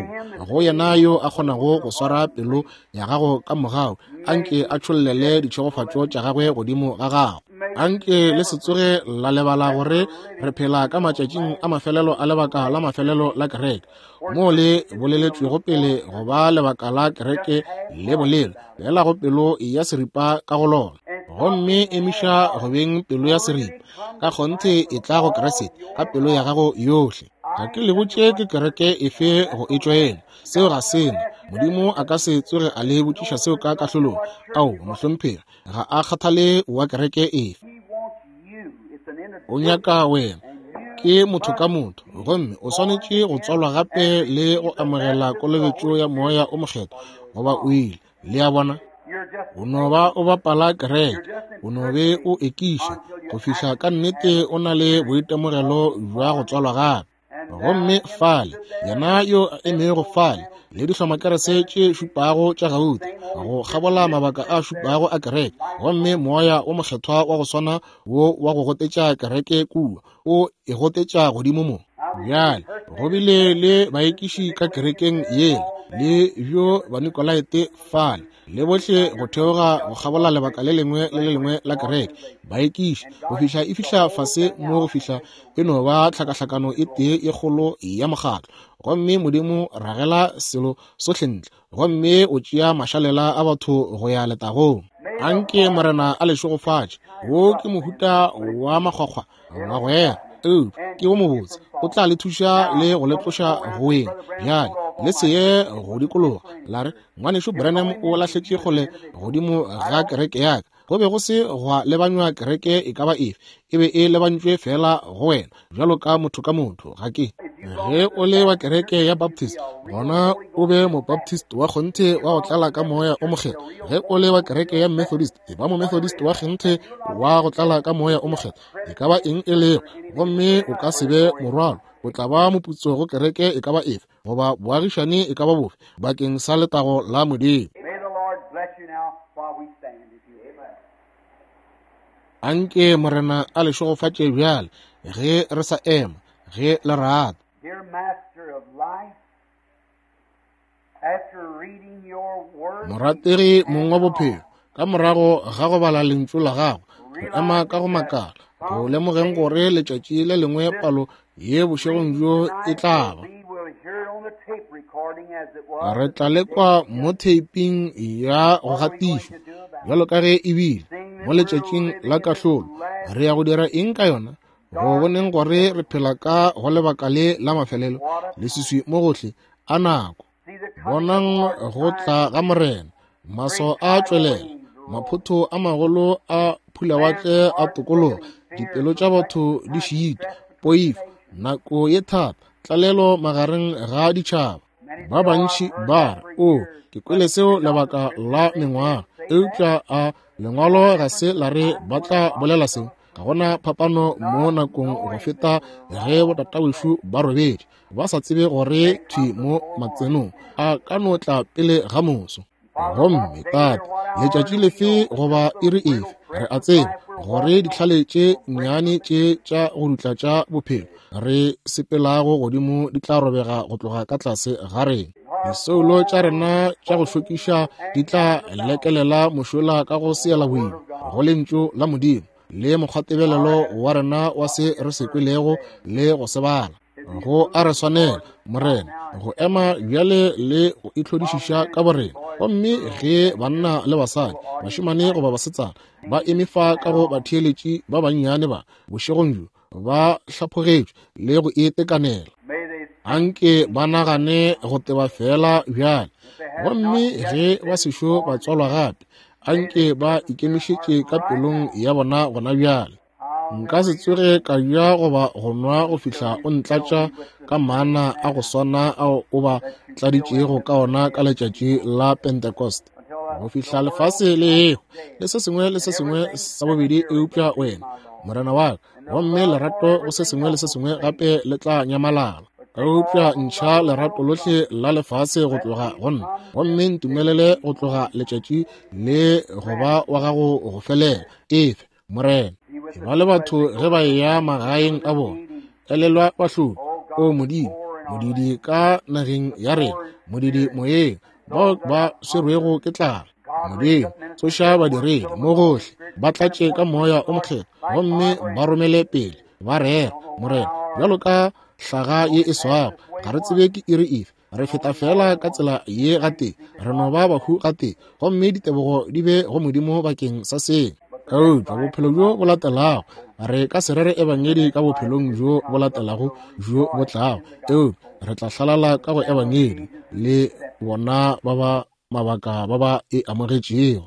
go yena yo a kgonago go swara pelo ya gago ka mogau, anke a tšhollele ditšhegofatšo tša gagwe godimo ga gago. Anke le se tsoge la lebala gore re phela ka matšatšing a mafelelo a lebaka la mafelelo la kereke, mo le boleletšwego pele go ba lebaka la kereke le bolelo fela go pelo ya seripa ka go lona. Gomme emiša go beng pelo ya seripa, ka kgonthe e tla go Kriste ka pelo ya gago yohle. Ga ke le botše ke kereke efe go e tšwela, seo ga sena. Modimo a ka se tsoge a le botšiša seo ka kahlolong. Ao, mohlomphegi, ga a kgathale wa kereke efe. O nyaka wena, ke motho ka motho, gomme o swanetše go tswalwa gape le go amogela kolobetšo ya Moya o Mokgethwa, goba o ile. Le a bona? O no ba o bapala kereke, o no be o ekiša go fihla ka nnete o na le boitemogelo bja go tswalwa gape. Gomme fale, yena yo a emego fale le dihlomakerese tše šupago tša gauta go kgabola mabaka a šupago a kereke, gomme Moya o Mokgethwa wa go swana wo wa go gotetša kereke kua, o e gotetša godimo mo. Bjale go bile le baekiši ka kerekeng yela, le bjo Banikolaite fale, le bohle go theoga go kgabola lebaka le lengwe le le lengwe la kereke, baekiši go fihla e fihla fase mo go fihla e no ba tlhakahlakano e tee e kgolo ya mokgatlo. Gomme Modimo ragela selo sohle ntle, gomme o tšea mašalela a batho go ya letagong. Anke Morena a le šegofatše. Wo ke mohuta wa makgwakgwa wa go ema, eupša ke wo mobotse, o tla le thuša le go le tloša go weng. Bjale le se ye go dikologa la re, ngwanešu Branham o lahletše kgole godimo ga kereke ya ka. Go be go se gwa lebanywa kereke e ka ba efe, e be e lebantšwe fela go wena bjalo ka motho ka motho. Ga ke ge o le wa kereke ya Baptist, gona o be mobaptist wa kgonthe wa go tlala ka Moya o Mokgethwa. Ge o le wa kereke ya Methodist, e ba momethodist wa kgonthe wa go tlala ka Moya o Mokgethwa. E ka ba eng e lego, gomme o ka se be morwalo, o tla ba moputso go kereke e ka ba efe goba boagišane e ka ba bofe, bakeng sa letago la Modimo. Anke Morena a le šegofatše bjale ge re sa ema, ge le rata. Dear Master of life, after reading your word, Morategi mong wa bophelo, ka morago ga go bala lentšu la gago, re ema ka go makala go lemogeng gore letšatši le lengwe palo ye bošegong bjo e tla ba. we will hear it on the tape recording as it was. Re tla lekwa mo theiping ya go gatišwa bjalo ka ge e bile mo letšatšing la kahlolo. Re ya go dira eng ka yona? Go boneng gore re phela ka go lebaka le la mafelelo, leswiswi mo gohle a nako. See the coming Bonang go tla ga Morena, maso a tšwelela, maphotho a magolo a phulawatle a tokologa, dipelo tša batho di šitwa, poifo, nako ye thata, tlalelo magareng ga ditšhaba. Ba bantši ba re, o, ke kwele seo lebaka la mengwaga, eupša a lengwalo ga se la re ba tla bolela seo. Ga gona phapano mo nakong go feta ge botatawešo ba robetše, ba sa tsebe gore thwi mo matsenong a ka no tla pele ga moso. Gomme Tate, letšatši lefe goba iri efe, re a tseba gore ditlhale tše nnyane tše tša go dutla tša bophelo re sepelago godimo di tla robega go tloga ka tlase ga rena. Disoulo tša rena tša go šokiša di tla lekelela mošola ka go seela boima go lentšu la Modimo le mokgwatebelelo wa rena wa se re se kwelego le go se bala. Go a re swanela, Morena, go ema bjale le go itlhodišiša ka borena. Gomme ge banna le basadi, bašemane goba basetsana, ba eme fa ka go batheeletši ba bannyane ba bošegong bjo, ba hlaphogetšwe le go itekanela, May they anke ba nagane go teba fela bjale. Gomme ge ba sešo ba tswalwa gape, anke ba ikemišetše ka pelong ya bona gona bjale. Nka se tsoge ka ja goba go nwa go fihla o ntlatša ka mana a go swana ao o ba tladitšego ka ona ka letšatši la Pentecost, go fihla lefase le ehwa le se sengwe le se sengwe sa bobedi eupša wena, Morena wa ka, gomme lerato go se sengwe le se sengwe gape le tla nyamalala. Eupša ntšha lerato lohle la lefase go tloga go nna, gomme ntumelele go tloga letšatši le go ba wa gago go felela. Efe, Morena. E ba le batho ge ba eya magaeng a bona, elelwa bahlodi, o Modimo, modidi ka nageng ya rena, modidi moyeng, bao ba swerwego ke tlala. Modimo, tsoša badiredi mo gohle, ba tlatše ka Moya o Mokgethwa, gomme ba romele pele, ba rera, Morena, bjalo ka hlaga ye e swago. Ga re tsebe ke iri efe, re feta fela ka tsela ye gatee, re no ba bahu gatee, gomme ditebogo di be go Modimo bakeng sa seo. Eupša bophelo bjo bo latelago, re ka se rere ebangedi ka bophelong bjo bo latelago bjo bo tlago, eupša re tla hlalala ka go ebangedi le bona ba ba mabaka ba ba e amogetšego.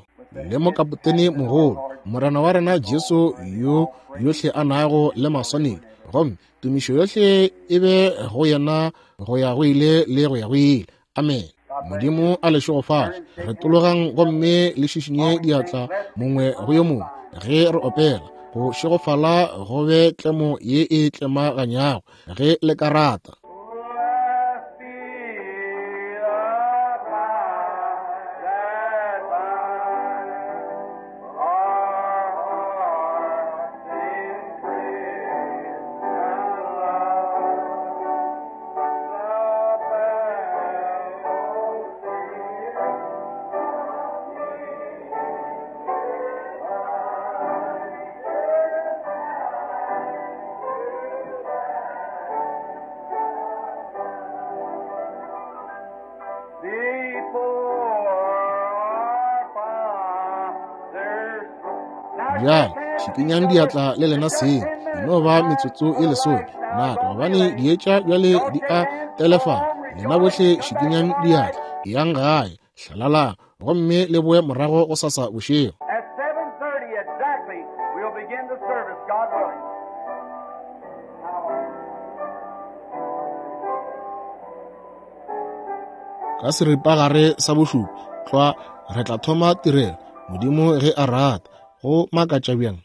Le mokapotene mogolo, Morena wa rena Jesu, yo yohle a nago le maswanedi, gomme tumišo yohle e be go yena go ya go ile le go ya go ile. Amen. Modimo a le šegofatše. Re tologang gomme le šišinye diatla mongwe go yo mongwe ge re opela. Go šegofala go be tlemo ye e tlemaganyago ge le ka rata. Blessed be the tie that binds our hearts in Christian love. The Before our fathers. Bjale šikinyang diatla le lena seng, e no ba metsotso e lesome nako, gobane dietša bjale di a telefala. Lena bohle šikinyang diatla, eyang gae, hlalalang, gomme le boe morago go sasa bošego. At seven thirty exactly, we'll begin the service, God willing. Ka seripagare sa bošupa tlwa re tla thoma tirelo, Modimo ge a rata. Go makatša bjang.